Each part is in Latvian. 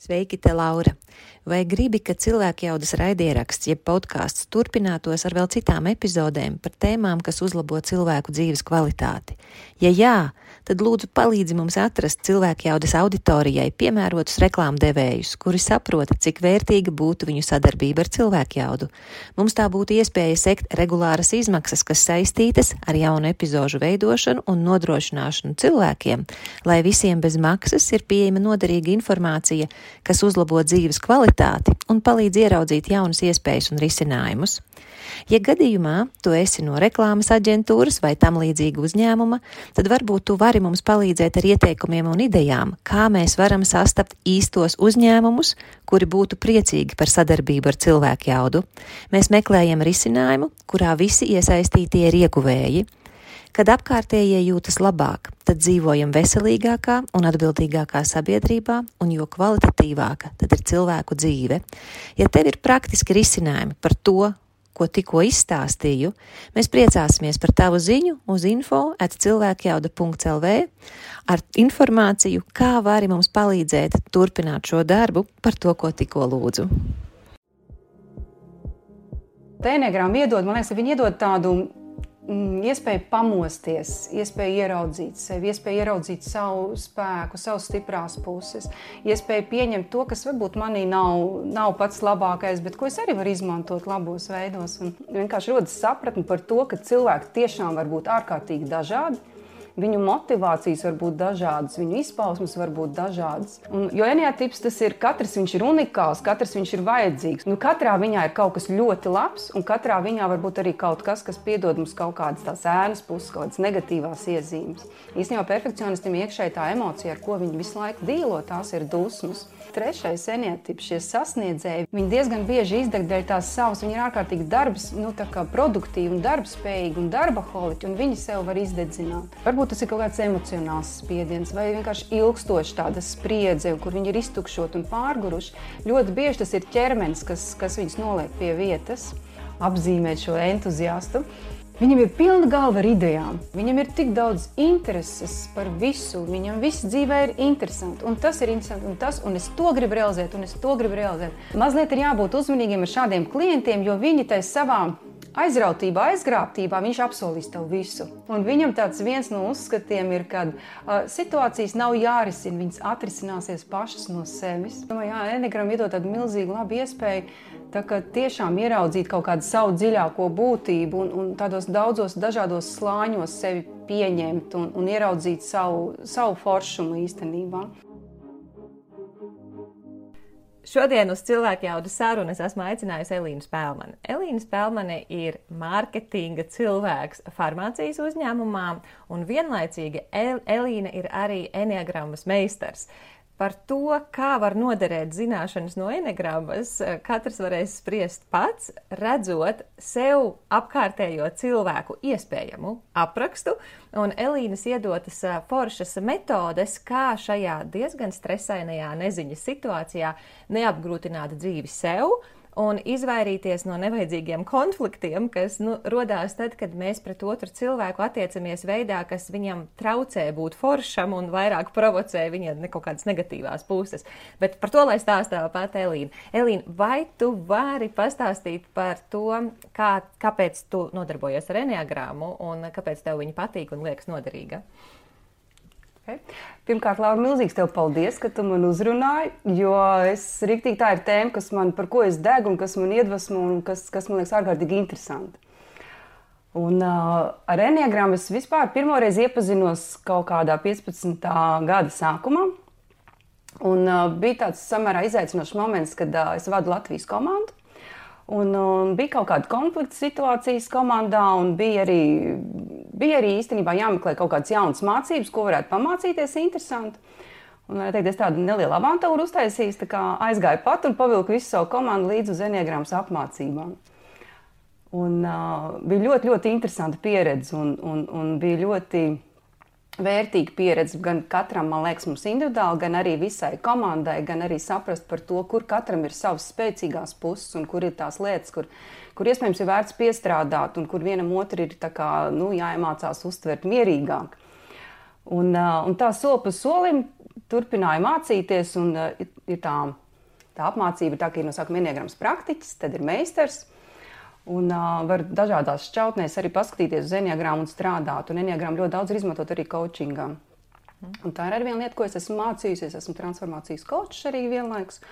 Sveiki, te Laura! Vai gribi, ka cilvēkjaudas raidieraksts, jeb podcasts turpinātos ar vēl citām epizodēm par tēmām, kas uzlabo cilvēku dzīves kvalitāti? Ja jā, tad lūdzu palīdzi mums atrast cilvēkjaudas auditorijai piemērotus reklāmdevējus, kuri saprota, cik vērtīga būtu viņu sadarbība ar cilvēkjaudu. Mums tā būtu iespēja sekt regulāras izmaksas, kas saistītas ar jaunu epizožu veidošanu un nodrošināšanu cilvēkiem, lai visiem bez maksas ir pieejama noderīga informācija, kas uzlabo dzīves kvalitāti un palīdz ieraudzīt jaunas iespējas un risinājumus. Ja gadījumā tu esi no reklāmas aģentūras vai tam līdzīga uzņēmuma, tad varbūt tu vari mums palīdzēt ar ieteikumiem un idejām, kā mēs varam sastapt īstos uzņēmumus, kuri būtu priecīgi par sadarbību ar cilvēkjaudu. Mēs meklējam risinājumu, kurā visi iesaistītie ir ieguvēji. Kad apkārtējie jūtas labāk, tad dzīvojam veselīgākā un atbildīgākā sabiedrībā, un jo kvalitatīvāka tad ir cilvēku dzīve. Ja tev ir praktiski risinājumi par to, ko tikko izstāstīju, mēs priecāsimies par tavu ziņu uz info@cilvēkjauda.lv ar informāciju, kā vari mums palīdzēt turpināt šo darbu par to, ko tikko lūdzu. Enneagramma iedod, man liekas, ka viņi iedod tādu iespēju pamosties, iespēju ieraudzīt sevi, iespēju ieraudzīt savu spēku, savas stiprās puses, iespēju pieņemt to, kas varbūt manī nav pats labākais, bet ko es arī varu izmantot labos veidos. Un vienkārši rodas sapratni par to, ka cilvēki tiešām var būt ārkārtīgi dažādi. Viņu motivācijas var būt dažādas, viņu izpausmes var būt dažādas. Jo enneatips tas ir, katrs viņš ir unikāls, katrs viņš ir vajadzīgs. Katrā viņā ir kaut kas ļoti labs, un katrā viņā var būt arī kaut kas, kas piedod mums kaut kādas tās ēnas puses, kaut kādas negatīvās iezīmes. Īstenībā perfekcionistiem iekšēji tā emocija, ar ko viņi visu laiku dīlo, tās ir dusmas. Trešais enneatips, šie sasniedzēji, viņi diezgan bieži izdeg dēļ tās savas, viņi ir ārkārtīgi produktīvi un darbspējīgi un darbaholiķi, un viņi sev var izdedzināt. Varbūt tas ir kaut kāds emocionāls spiediens vai vienkārši ilgstoši tāda spriedze, kur viņi ir iztukšoti un pārguruši. Ļoti bieži tas ir ķermenis, kas viņus noliek pie vietas, apzīmēt šo entuziastu. Viņam ir pilna galva ar idejām, viņam ir tik daudz intereses par visu, viņam viss dzīvē ir interesanti, un tas ir interesanti, un es to gribu realizēt, Mazliet ir jābūt uzmanīgiem ar šādiem klientiem, jo viņi tai savā aizrautībā, aizgrābtībā, viņš apsolīs tev visu. Un viņam tāds viens no uzskatiem ir, kad situācijas nav jārisina, viņas atrisināsies pašas no sevis. Enneagramma iedod tādu milzīgu labu iespēju, tā kā tiešām ieraudzīt kaut kādu savu dziļāko būtību un tādos daudzos dažādos slāņos sevi pieņemt un ieraudzīt savu foršumu īstenībā. Šodien uz cilvēkjaudas sarunu es esmu aicinājusi Elīnu Spēlmani. Elīna Spēlmane ir mārketinga cilvēks farmācijas uzņēmumā, un vienlaicīgi Elīna ir arī enneagrammas meistars. Par to, kā var noderēt zināšanas no enneagrammas, katrs varēs spriest pats, redzot sev apkārtējo cilvēku iespējamu aprakstu, un Elīnas iedotas foršas metodes, kā šajā diezgan stresainajā neziņas situācijā neapgrūtināt dzīvi sev un izvairīties no nevajadzīgiem konfliktiem, kas rodās tad, kad mēs pret otru cilvēku attiecamies veidā, kas viņam traucē būt foršam un vairāk provocē viņa kaut kādas negatīvās puses. Bet par to, lai stāstā pat Elīna. Elīna, vai tu vari pastāstīt par to, kāpēc tu nodarbojies ar enneagrammu un kāpēc tev viņa patīk un liekas noderīga? Pirmkārt, Laura, milzīgs tev paldies, ka tu man uzrunāji, jo riktīgi tā ir tēma, par ko es degu un kas man iedvesmo un kas man liekas ārkārtīgi interesanti. Un ar enneagrammu es vispār pirmoreiz iepazinos kaut kādā 15. gada sākumā. Un bija tāds samērā izaicinošs moments, kad es vadu Latvijas komandu. Un bija kaut kāda konflikta situācijas komandā, un bija arī īstenībā jāmeklē kaut kādas jaunas mācības, ko varētu pamācīties interesanti. Un es tādu nelielu avantūru uztaisīju, tā kā aizgāju pat un pavilku visu savu komandu līdz uz enneagrammas apmācībām. Un bija ļoti, ļoti interesanta pieredze un bija ļoti vērtīga pieredze gan katram, man liekas, mums individuāli, gan arī visai komandai, gan arī saprast par to, kur katram ir savas spēcīgās puses un kur ir tās lietas, kur iespējams ir vērts piestrādāt un kur vienam otru ir jāiemācās uztvert mierīgāk. Un tā soli pa solim turpināju mācīties, un ir tā apmācība, tā, ka ir no sākuma enneagrams praktiķis, tad ir meistars, un var dažādās šķautnēs arī paskatīties uz enneagramu un strādāt, un enneagramu ļoti daudz ir izmantot arī coachingā. Un tā ir arī viena lieta, ko es esmu mācījusies, esmu transformācijas coachs arī vienlaikus,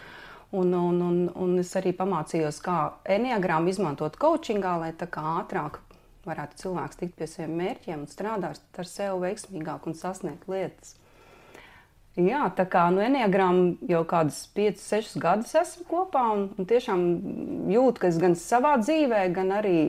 un es arī pamācījos, kā enneagramu izmantot coachingā, lai tā kā ātrāk varētu cilvēks tikt pie saviem mērķiem un strādāt ar sevi veiksmīgāk un sasniegt lietas. Jā, tā kā enneagramu jau kādus 5-6 gadus esmu kopā un tiešām jūtu, ka es gan savā dzīvē, gan arī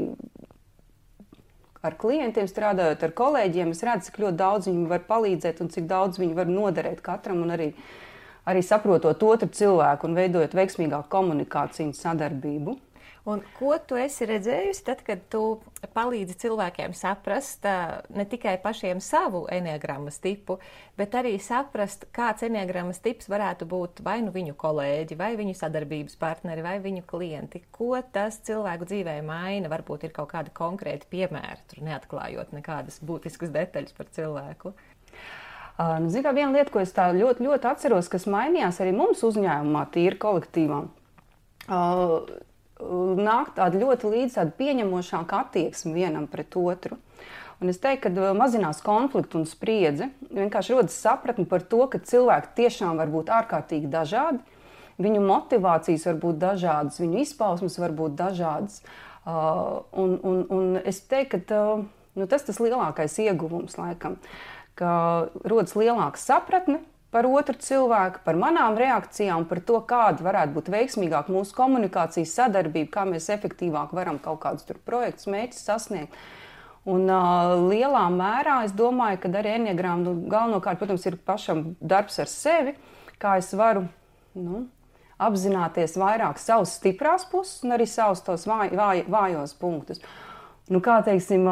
ar klientiem strādājot, ar kolēģiem, es redzu, cik ļoti daudz viņi var palīdzēt un cik daudz viņi var noderēt katram un arī saprotot otru cilvēku un veidojot veiksmīgāku komunikāciju un sadarbību. Un ko tu esi redzējusi tad, kad tu palīdzi cilvēkiem saprast ne tikai pašiem savu enneagrammas tipu, bet arī saprast, kāds enneagrammas tips varētu būt vai nu viņu kolēģi, vai viņu sadarbības partneri, vai viņu klienti? Ko tas cilvēku dzīvē maina? Varbūt ir kaut kādi konkrēti piemēri, tur neatklājot nekādas būtiskas detaļas par cilvēku. Zinu, viena lieta, ko es tā ļoti, ļoti atceros, kas mainījās arī mums uzņēmumā, tīri kolektīvā, nāk tāda ļoti līdz tāda pieņemošāka attieksme vienam pret otru. Un es teiktu, ka mazinās konfliktu un spriedzi, vienkārši rodas sapratni par to, ka cilvēki tiešām var būt ārkārtīgi dažādi, viņu motivācijas var būt dažādas, viņu izpausmes var būt dažādas. Un es teiktu, ka tas lielākais ieguvums laikam, ka rodas lielāka sapratne par otru cilvēku, par manām reakcijām, par to, kāda varētu būt veiksmīgāka mūsu komunikācijas sadarbība, kā mēs efektīvāk varam kaut kādus projektus, mērķus sasniegt. Un lielā mērā es domāju, ka arī enneagrama galvenokārt, protams, ir pašam darbs ar sevi, kā es varu apzināties vairāk savus stiprās puses un arī savus tos vājos punktus. Kā teiksim,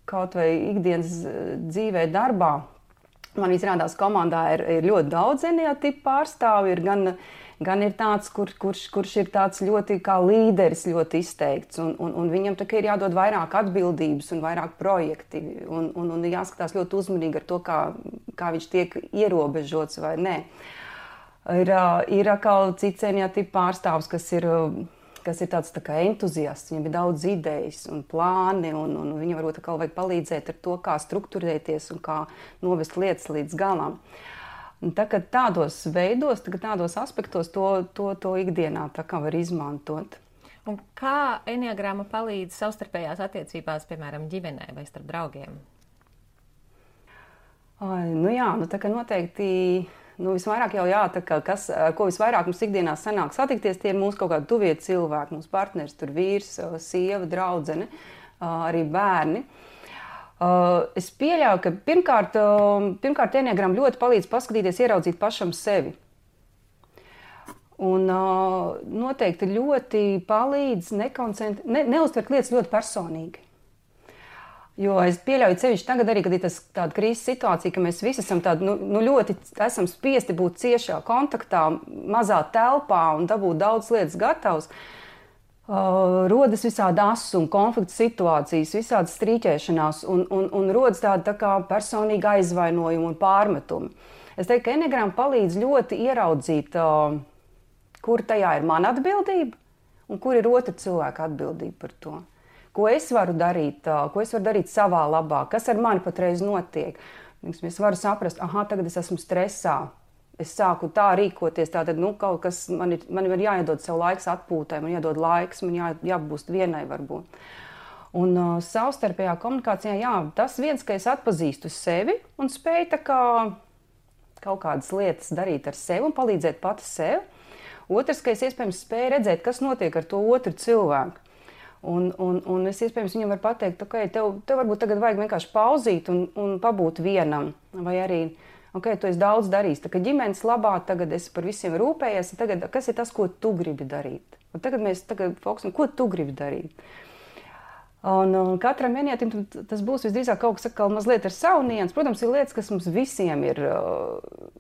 kaut vai ikdienas dzīvē darbā, man izrādās, komandā ir ļoti daudz enneatipu pārstāvju, gan ir tāds, kurš ir tāds ļoti kā līderis, ļoti izteikts, un viņam tā kā ir jādod vairāk atbildības un vairāk projekti, un jāskatās ļoti uzmanīgi ar to, kā viņš tiek ierobežots vai nē. Ir atkal cits enneatipu pārstāvs, kas ir tāds tā kā entuziasts, viņam ir daudz idejas un plāni, un viņam varbūt atkal vajag palīdzēt ar to, kā strukturēties un kā novest lietas līdz galam. Tagad tādos veidos, tādos aspektos to ikdienā tā kā var izmantot. Un kā enneagrama palīdz savstarpējās attiecībās, piemēram, ģimenē vai starp draugiem? Tā kā noteikti... visvairāk jau ko visvairāk mums ikdienā sanāk satikties, tie ir mūsu kaut kādi tuvie cilvēki, mūsu partneris, tur vīrs, sieva, draudzene, arī bērni. Es pieļauju, ka pirmkārt enneagrama ļoti palīdz paskatīties, ieraudzīt pašam sevi. Un noteikti ļoti palīdz neuztvert lietas ļoti personīgi. Jo es pieļauju sevišķi tagad arī, kad ir tāda krīzes situācija, ka mēs visi esam ļoti esam spiesti būt ciešā kontaktā, mazā telpā un dabūt daudz lietas gatavs. Rodas visādi asumi, konflikts situācijas, visādas strīķēšanās un rodas tāda tā kā personīga aizvainojuma un pārmetumi. Es teiktu, ka enneagrama palīdz ļoti ieraudzīt, kur tajā ir mana atbildība un kur ir otra cilvēka atbildība par to. Ko es varu darīt savā labā, kas ar mani patreiz notiek. Es varu saprast, tagad es esmu stresā, es sāku tā rīkoties, tātad kaut kas, man ir jāiedod sev laiks atpūtai, man jādod laiks, man jābūt vienai varbūt. Un savstarpējā komunikācijā, tas viens, ka es atpazīstu sevi un spēju kaut kādas lietas darīt ar sevi un palīdzēt pati sev. Otrs, ka es iespējams spēju redzēt, kas notiek ar to otru cilvēku. Un es iespējams viņam varu pateikt, tev varbūt tagad vajag vienkārši pauzīt un pabūt vienam. Vai arī, tu esi daudz darījis, tā kā ģimenes labā, tagad es par visiem rūpējies, tagad kas ir tas, ko tu gribi darīt? Un tagad mēs fokusam, ko tu gribi darīt? Un katram enneatim tas būs visdrīzāk kaut kas mazliet ar savu niansu. Protams, ir lietas, kas mums visiem ir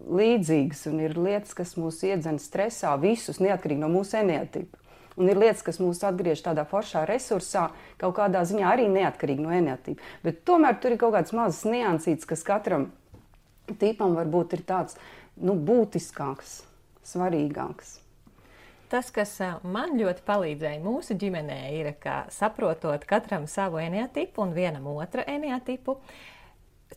līdzīgas, un ir lietas, kas mūs iedzen stresā, visus, neatkarīgi no mūsu enneatipa. Un ir lietas, kas mūs atgriež tādā foršā resursā, kaut kādā ziņā arī neatkarīgi no enneatipa. Bet tomēr tur ir kaut kāds mazs niansīts, kas katram tipam varbūt ir tāds būtiskāks, svarīgāks. Tas, kas man ļoti palīdzēja mūsu ģimenē, ir, ka saprotot katram savu eneatipu un vienam otra eneatipu,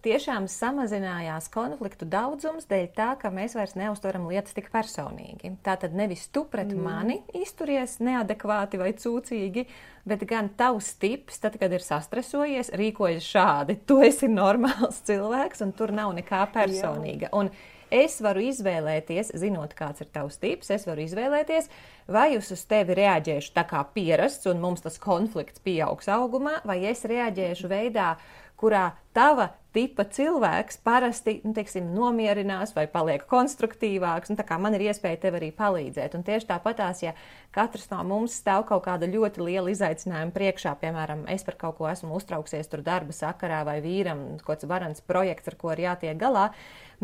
tiešām samazinājās konfliktu daudzums dēļ tā, ka mēs vairs neuztveram lietas tik personīgi. Tātad nevis tu pret mani izturies neadekvāti vai cūcīgi, bet gan tavs tips, tad, kad ir sastresojies, rīkojas šādi. Tu esi normāls cilvēks un tur nav nekā personīga. Un es varu izvēlēties, zinot, kāds ir tavs tips, es varu izvēlēties, vai es uz tevi reaģēšu tā kā pierasts un mums tas konflikts pieaugs augumā, vai es reaģēšu veidā, kurā tava tipa cilvēks parasti, nomierinās vai paliek konstruktīvāks, tā kā man ir iespēja tev arī palīdzēt. Un tieši tāpatās, ja katrs no mums stāv kaut kāda ļoti liela izaicinājuma priekšā, piemēram, es par kaut ko esmu uztrauksies tur darba sakarā vai vīram, kaut kāds varants projekts, ar ko ir jātiek galā,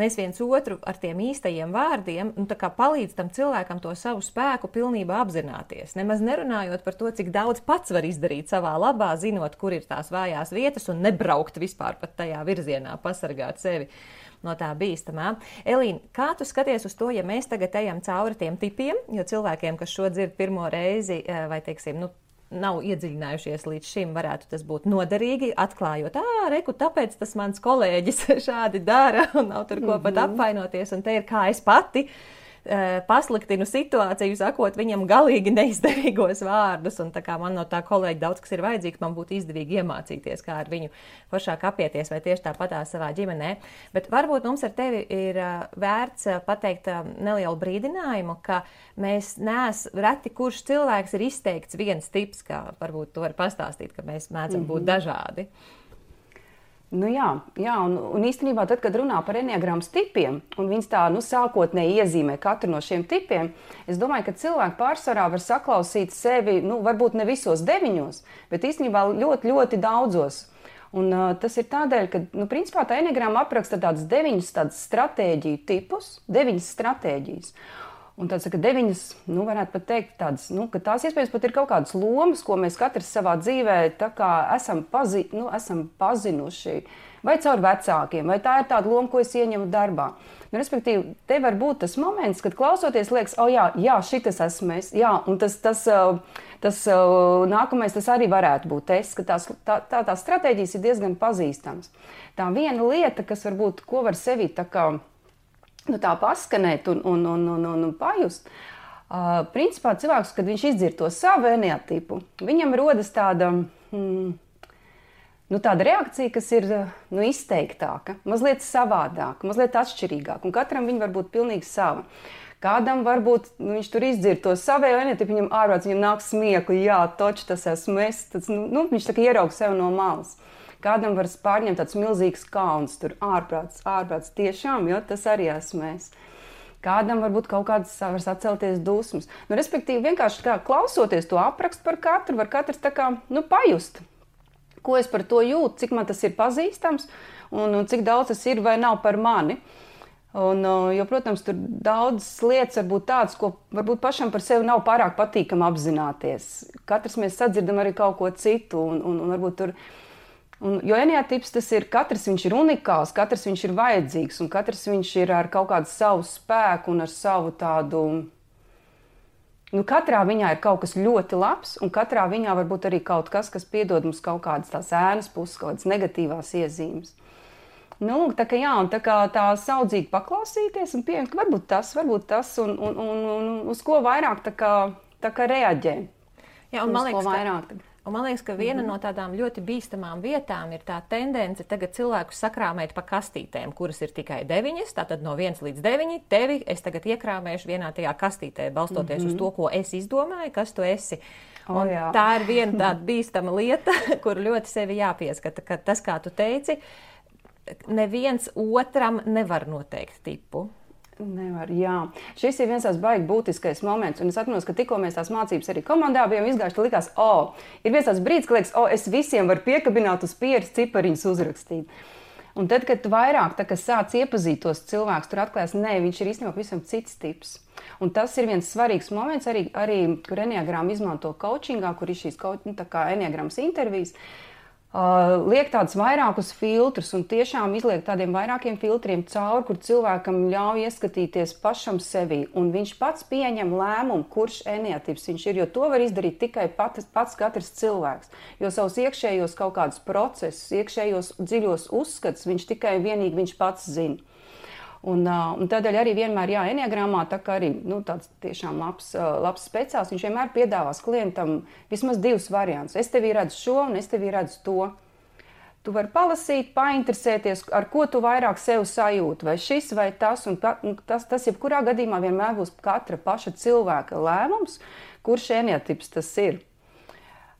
mēs viens otru ar tiem īstajiem vārdiem tā kā palīdz tam cilvēkam to savu spēku pilnībā apzināties. Nemaz nerunājot par to, cik daudz pats var izdarīt savā labā, zinot, kur ir tās vājās vietas un nebraukt vispār pat tajā virzienā, pasargāt sevi no tā bīstamā. Elīna, kā tu skaties uz to, ja mēs tagad ejam cauri tiem tipiem, jo cilvēkiem, kas šo dzird pirmo reizi vai, nav iedziļinājušies līdz šim, varētu tas būt noderīgi, atklājot, reku, tāpēc tas mans kolēģis šādi dara un nav tur ko pat apvainoties, un te ir kā es pati pasliktinu situāciju, sakot viņam galīgi neizdevīgos vārdus, un tā kā man no tā kolēģi daudz kas ir vajadzīgs, man būtu izdevīgi iemācīties, kā ar viņu foršāk apieties, vai tieši tāpatās savā ģimenē. Bet varbūt mums ar tevi ir vērts pateikt nelielu brīdinājumu, ka mēs reti kurš cilvēks ir izteikts viens tips, kā varbūt tu vari pastāstīt, ka mēs mēdzam būt dažādi. Jā, un īstenībā tad, kad runā par eneagrammas tipiem, un viņas tā sākotnēji iezīmē katru no šiem tipiem, es domāju, ka cilvēki pārsvarā var saklausīt sevi, varbūt ne visos 9, bet īstenībā ļoti, ļoti daudzos. Un tas ir tādēļ, ka, principā tā eneagramma apraksta tādas 9 stratēģiju tipus, 9 stratēģijas. Un tāds, ka 9, varētu pat teikt tādas, ka tās iespējams pat ir kaut kādas lomas, ko mēs katrs savā dzīvē tā kā esam pazinuši, vai caur vecākiem, vai tā ir tāda loma, ko es ieņemu darbā. Respektīvi, te var būt tas moments, kad klausoties liekas, jā, šitas esmu es, jā, un tas nākamais tas arī varētu būt es, ka tās stratēģijas ir diezgan pazīstamas. Tā viena lieta, kas varbūt, ko var sevi tā kā tā paskanēt un pajust. Principā cilvēks, kad viņš izdzird to savu eneatipu, viņam rodas tāda reakcija, kas ir izteiktāka, mazliet savādāka, mazliet atšķirīgāka, un katram viņa var būt pilnīgi sava. Kādam varbūt viņš tur izdzird to savējo eneatipu, viņam ārprāts, viņam nāk smiekli, jā, toči tas esmu es, viņš tā kā ieraug sev no malas. Kādam var pārņemt tāds milzīgs kauns, tur ārprāts tiešām, jo tas arī esmu es. Kādam varbūt kaut kādas var sacelties dusmas. Respektīvi, vienkārši kā klausoties to aprakstu par katru, var katrs tā kā, pajust, ko es par to jūtu, cik man tas ir pazīstams un cik daudz tas ir vai nav par mani. Jo, protams, tur daudzas lietas var būt tādas, ko varbūt pašam par sevi nav pārāk patīkami apzināties. Katrs mēs sadzirdam arī kaut ko citu un varbūt tur. Jo eneatips tas ir, katrs viņš ir unikāls, katrs viņš ir vajadzīgs un katrs viņš ir ar kaut kādu savu spēku un ar savu tādu, katrā viņā ir kaut kas ļoti labs un katrā viņā var būt arī kaut kas, kas piedod mums kaut kādas tās ēnas puses, kaut kādas negatīvās iezīmes. Tā kā tā saudzīgi paklausīties un pieņemt, ka varbūt tas un uz ko vairāk tā kā reaģē. Jā, un man liekas, ka viena no tādām ļoti bīstamām vietām ir tā tendence tagad cilvēkus sakrāmēt pa kastītēm, kuras ir tikai 9, tātad no 1 līdz 9, tevi es tagad iekrāmēšu vienā tajā kastītē, balstoties uz to, ko es izdomāju, kas tu esi. Tā ir viena tāda bīstama lieta, kur ļoti sevi jāpieskata, ka tas, kā tu teici, neviens otram nevar noteikt tipu. Nevar, jā. Šis ir viens tās baigi būtiskais moments, un es atminos, ka tikko mēs tās mācības arī komandā bijām izgājuši, likās, ir viens tās brīdis, ka liekas, es visiem varu piekabināt uz pieres cipariņus uzrakstīt. Un tad, kad tu vairāk sāc iepazīt tos cilvēkus, tur atklājās, viņš ir īstenībā pavisam cits tips. Un tas ir viens svarīgs moments, arī kur eneagramma izmanto coachingā, kur ir šīs eneagrammas intervijas. liek tādus vairākus filtrus un tiešām izliek tādiem vairākiem filtriem cauri, kur cilvēkam ļauj ieskatīties pašam sevī. Un viņš pats pieņem lēmumu, kurš eneatips viņš ir, jo to var izdarīt tikai pats katrs cilvēks. Jo savus iekšējos kaut kādus procesus, iekšējos dziļos uzskats, viņš tikai vienīgi viņš pats zina. Un tādēļ arī vienmēr, eneagramā, tā kā arī tāds tiešām labs speciālists, viņš vienmēr piedāvās klientam vismaz 2 variantus. Es tevī redzu šo un es tevī redzu to. Tu vari palasīt, painteresēties, ar ko tu vairāk sev sajūti, vai šis vai tas. Un tas jebkurā gadījumā vienmēr būs katra paša cilvēka lēmums, kurš eneatips tas ir.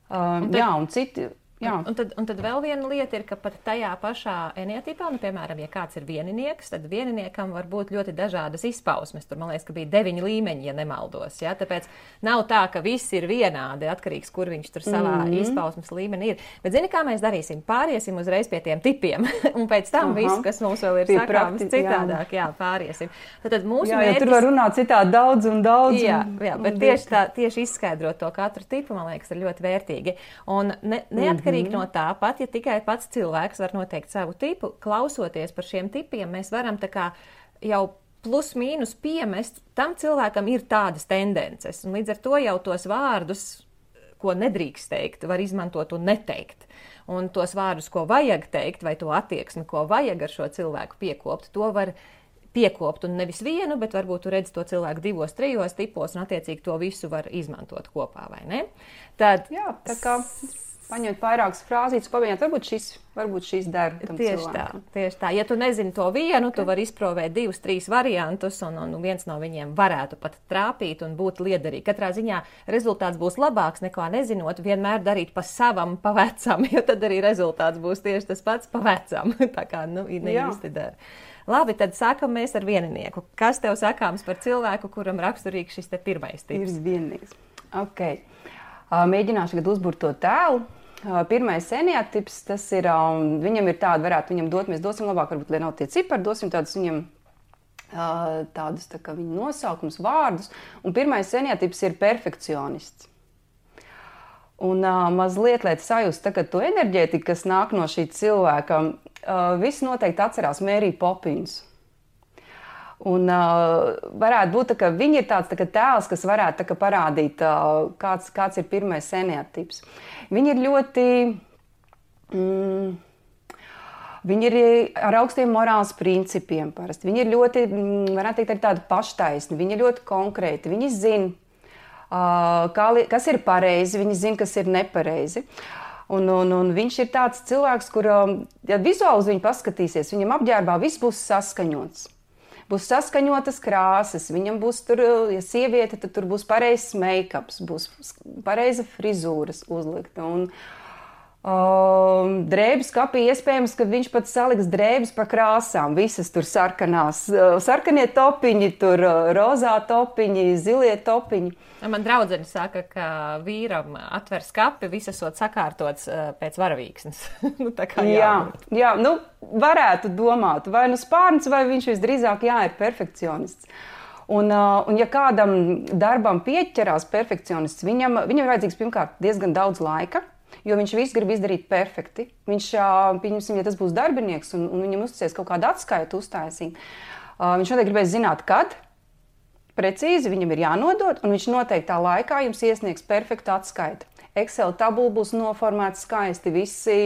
Un citi... Un tad vēl viena lieta ir, ka pat tajā pašā eneatipā, piemēram, ja kāds ir vieninieks, tad vieniniekam var būt ļoti dažādas izpausmes. Tur, man liekas, ka bija 9 līmeņi, ja nemaldos. Ja? Tāpēc nav tā, ka viss ir vienādi, atkarīgs, kur viņš tur savā izpausmes līmenī ir. Bet zini, kā mēs darīsim? Pāriesim uzreiz pie tiem tipiem. Un pēc tam visu, kas mums vēl ir sakāms citādāk, pāriesim. Tad mūsu mērķis... tur var runāt citādi daudz. Bet tieši izskaidrot to katru tipu, man liekas, ir ļoti vērtīgi. Un neatkarīgi no tā, pat ja tikai pats cilvēks var noteikt savu tipu, klausoties par šiem tipiem, mēs varam tā kā jau plus mīnus piemest, tam cilvēkam ir tādas tendences. Un līdz ar to jau tos vārdus, ko nedrīkst teikt, var izmantot un neteikt. Un tos vārdus, ko vajag teikt, vai to attieksmi, ko vajag ar šo cilvēku piekopt, to var piekopt. Un nevis vienu, bet varbūt tu redzi to cilvēku 2, 3 tipos, un attiecīgi to visu var izmantot kopā, vai ne? Tad, tā kā... Paņemt vairākas frāzītes, pamēģināt, varbūt šīs der tam cilvēkam. Tieši tā. Ja tu nezini to vienu, tu vari izprovēt 2, 3 variantus, un viens no viņiem varētu pat trāpīt un būt liederīgi. Katrā ziņā rezultāts būs labāks nekā nezinot, vienmēr darīt pa savam, pa vecam, jo tad arī rezultāts būs tieši tas pats pa vecam. Tā kā, neīsti dara. Labi, tad sākam mēs ar vieninieku. Kas tev sakāms par cilvēku, kuram raksturīgs šis te pirmais tips? Ir vienīgs. Ok. Mēģināšu tagad uzburt to tēlu. Pirmais eneatips, tas ir, viņam ir tāda, varētu viņam dot, mēs dosim labāk, varbūt, lai nav tie cipari, dosim tādus viņam, tādus tā kā viņa nosaukums, vārdus. Un pirmais eneatips ir perfekcionists. Un mazliet, lai sajust tagad to enerģētiku, kas nāk no šī cilvēka, visi noteikti atcerās Mēriju Popinsu. Un varētu būt, ka viņi ir tāds tēls, kas varētu parādīt, kāds ir pirmais eneatips. Viņi ir ļoti, viņi ir ar augstiem morāles principiem parasti. Viņi ir ļoti, varētu teikt, arī tādi paštaisni, viņi ir ļoti konkrēti, viņi zina, kas ir pareizi, viņi zina, kas ir nepareizi. Un viņš ir tāds cilvēks, kur, ja vizuāli uz viņu paskatīsies, viņam apģērbā viss būs saskaņots. Būs saskaņotas krāsas, viņam būs tur, ja sieviete, tad tur būs pareizs make-ups, būs pareiza frizūras uzlikta. Un drēbes kapī iespējams, ka viņš pat saliks drēbes pa krāsām, visas tur sarkanās, sarkanie topiņi, tur rozā topiņi, zilie topiņi. Man draudzene saka, ka vīram atver skapi, visas esot sakārtots pēc varavīksnes. Jā, varētu domāt, vai spārns, vai viņš visdrīzāk ir perfekcionists. Un ja kādam darbam pieķerās perfekcionists, viņam ir vajadzīgs pirmkārt diezgan daudz laika, jo viņš visu grib izdarīt perfekti. Viņš, pieņemsim, ja tas būs darbinieks un viņam uzticēs kaut kādu atskaitu uztaisīt, viņš noteikti gribēs zināt, kad precīzi viņam ir jānodod, un viņš noteiktā laikā jums iesniegs perfektu atskaiti. Excel tabula būs noformēta skaisti, visi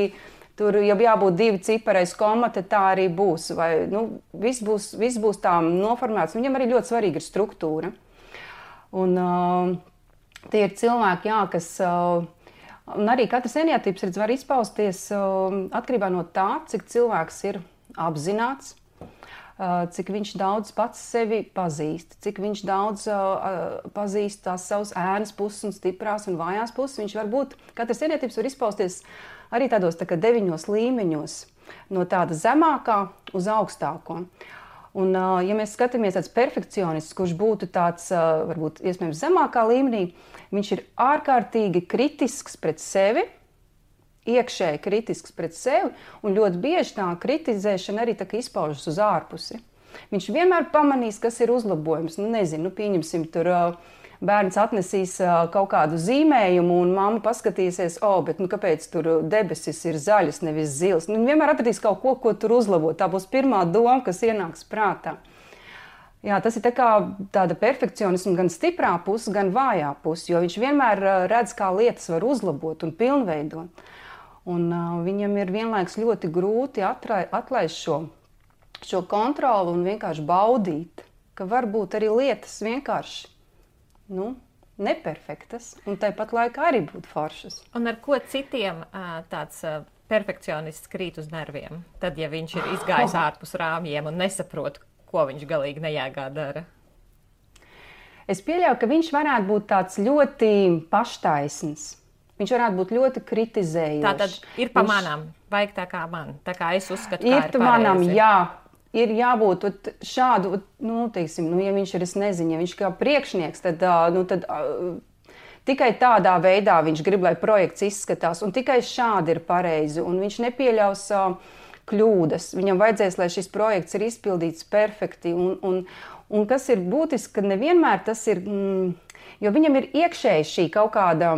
tur, ja jābūt 2 cipareiz koma, tad tā arī būs. Vai, viss būs tā noformēts. Viņam arī ļoti svarīga ir struktūra. Un tie ir cilvēki, kas... Un arī katrs eneatips var izpausties atkarībā no tā, cik cilvēks ir apzināts, cik viņš daudz pats sevi pazīst, cik viņš daudz pazīst tās savas ēnas puses un stiprās un vājās puses. Viņš var būt, katrs eneatips var izpausties arī tādos 9 līmeņos, no tāda zemākā uz augstāko. Un, ja mēs skatāmies tāds perfekcionists, kurš būtu tāds, varbūt, iespējams, zemākā līmenī, viņš ir ārkārtīgi kritisks pret sevi, iekšēji kritisks pret sevi, un ļoti bieži tā kritizēšana arī izpaužas uz ārpusi. Viņš vienmēr pamanīs, kas ir uzlabojums. Pieņemsim, tur bērns atnesīs kaut kādu zīmējumu, un mamma paskatīsies, bet kāpēc tur debesis ir zaļas, nevis zilas. Viņa vienmēr atradīs kaut ko, ko tur uzlabot. Tā būs pirmā doma, kas ienāks prātā. Jā, tas ir tāda perfekcionisma gan stiprā puse, gan vājā puse, jo viņš vienmēr redz, kā lietas var uzlabot un pilnveidot. Un viņam ir vienlaikus ļoti grūti atlaist šo kontroli un vienkārši baudīt, ka varbūt arī lietas vienkārši neperfektas, un tāpat laikā arī būt foršas. Un ar ko citiem tāds perfekcionists krīt uz nerviem? Tad, ja viņš ir izgājis ārpus rāmjiem un nesaprot, ko viņš galīgi nejēgā dara? Es pieļauju, ka viņš varētu būt tāds ļoti paštaisns. Viņš varētu būt ļoti kritizējošs. Tātad ir pa manām, vajag tā kā man, tā kā es uzskatu, kā ir pareizi. Manam, jā. Ir jābūt šādu, ja viņš ir, es nezinu, ja viņš kā priekšnieks, tad tikai tādā veidā viņš grib, lai projekts izskatās, un tikai šādi ir pareizi, un viņš nepieļaus kļūdas. Viņam vajadzēs, lai šis projekts ir izpildīts perfekti, un kas ir būtiski, ka nevienmēr tas ir, jo viņam ir iekšēji šī kaut kāda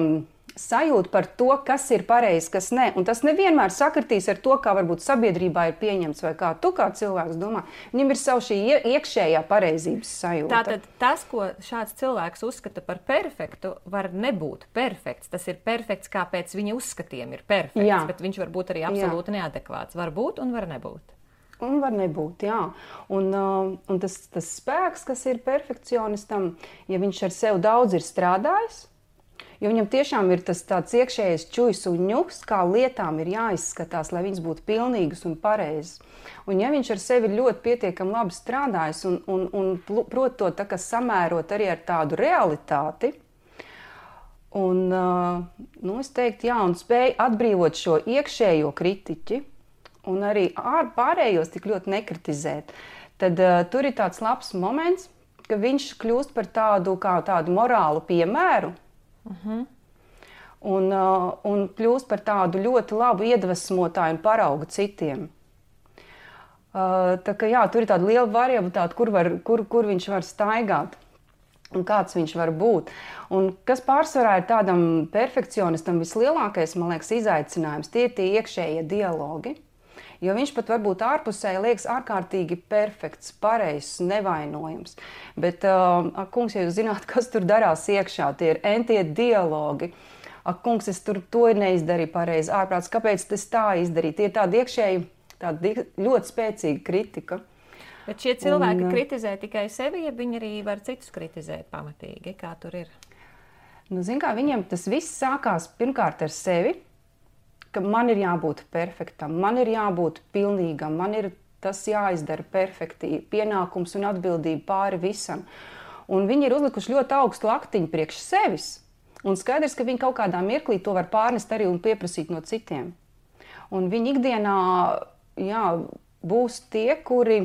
sajūta par to, kas ir pareizi, kas ne. Un tas nevienmēr sakritīs ar to, kā varbūt sabiedrībā ir pieņemts, vai kā tu kā cilvēks domā. Viņam ir savu šī iekšējā pareizības sajūta. Tātad tas, ko šāds cilvēks uzskata par perfektu, var nebūt perfekts. Tas ir perfekts, kā pēc viņa uzskatiem ir perfekts, bet viņš var būt arī absolūti neadekvāts. Var būt un var nebūt. Un var nebūt, jā. Un tas spēks, kas ir perfekcionistam, ja viņš ar sevi daudz ir strādājis, jo viņam tiešām ir tas tāds iekšējais čujs un ņuks, kā lietām ir jāizskatās, lai viņas būtu pilnīgas un pareizas. Un ja viņš ar sevi ļoti pietiekami labi strādājis un prot to tā kā samērot arī ar tādu realitāti, un, es teiktu, un spēj atbrīvot šo iekšējo kritiķi un arī pārējos tik ļoti nekritizēt, tad tur ir tāds labs moments, ka viņš kļūst par tādu morālu piemēru, un kļūst par tādu ļoti labu iedvesmotāju un paraugu citiem. Tā kā tur ir tāda liela variabilitāte, kur viņš var staigāt un kāds viņš var būt. Un kas pārsvarā ir tādam perfekcionistam vislielākais, man liekas, izaicinājums, tie ir tie iekšējie dialogi. Jo viņš pat varbūt ārpusēji liekas ārkārtīgi perfekts, pareizs, nevainojams. Bet, kungs, ja jūs zināt, kas tur darās iekšā, tie ir entie dialogi. Kungs, es to neizdarīju pareizi, ārprāts, kāpēc es tā izdarīju? Tie ir tādi iekšēji, tādi ļoti spēcīga kritika. Bet šie cilvēki kritizē tikai sevi, ja viņi arī var citus kritizēt pamatīgi? Kā tur ir? Zin kā, viņiem tas viss sākās pirmkārt ar sevi, ka man ir jābūt perfektam, man ir jābūt pilnīgam, man ir tas jāizdara perfekti, pienākums un atbildība pāri visam. Un viņi ir uzlikuši ļoti augstu laktiņu priekš sevis. Un skaidrs, ka viņi kaut kādā mirklī to var pārnest arī un pieprasīt no citiem. Un viņi ikdienā būs tie, kuri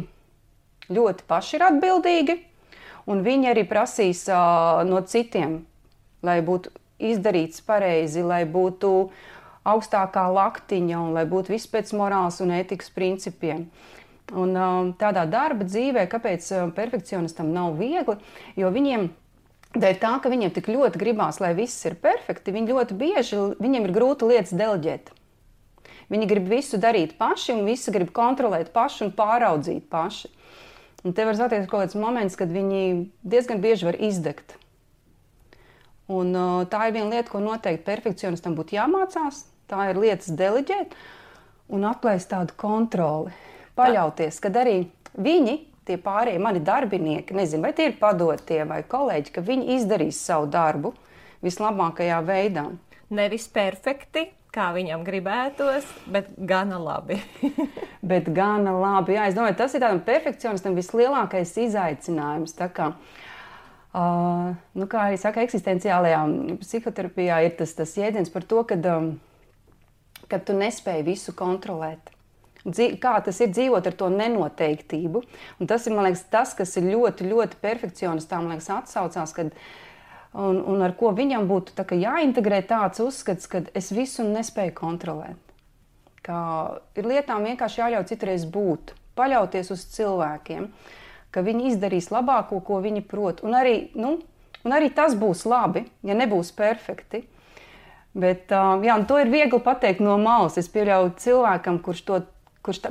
ļoti paši ir atbildīgi, un viņi arī prasīs no citiem, lai būtu izdarīts pareizi, lai būtu augstākā laktiņa un lai būtu viss pēc morāls un ētikas principiem. Un tādā darba dzīvē, kāpēc perfekcionistam nav viegli, jo viņiem, dēļ tā, ka viņiem tik ļoti gribās, lai viss ir perfekti, viņi ļoti bieži, viņiem ir grūti lietas deleģēt. Viņi grib visu darīt paši un visu grib kontrolēt paši un pāraudzīt paši. Un te var satiekt kaut kāds moments, kad viņi diezgan bieži var izdegt. Un tā ir viena lieta, ko noteikti perfekcionistam būtu jāmācās. Tā ir lietas deleģēt un atlaist tādu kontroli. Paļauties, kad arī viņi, tie pārējie mani darbinieki, nezinu, vai tie ir padotie vai kolēģi, ka viņi izdarīs savu darbu vislabākajā veidā. Nevis perfekti, kā viņam gribētos, bet gana labi. Bet gana labi, jā. Es domāju, tas ir tādam perfekcionistam vislielākais izaicinājums. Tā kā, kā arī saka, eksistenciālajā psihoterapijā ir tas jēdziens par to, kad tu nespēji visu kontrolēt. Kā tas ir dzīvot ar to nenoteiktību. Un tas ir, man liekas, tas, kas ir ļoti, ļoti perfekcionistām, man liekas, atsaucās, un ar ko viņam būtu jāintegrē tāds uzskats, ka es visu nespēju kontrolēt. Kā ir lietām vienkārši jāļauj citreiz būt, paļauties uz cilvēkiem, ka viņi izdarīs labāko, ko viņi prot. Un arī, Un arī tas būs labi, ja nebūs perfekti. Bet to ir viegli pateikt no malas. Es pieļauju cilvēkam,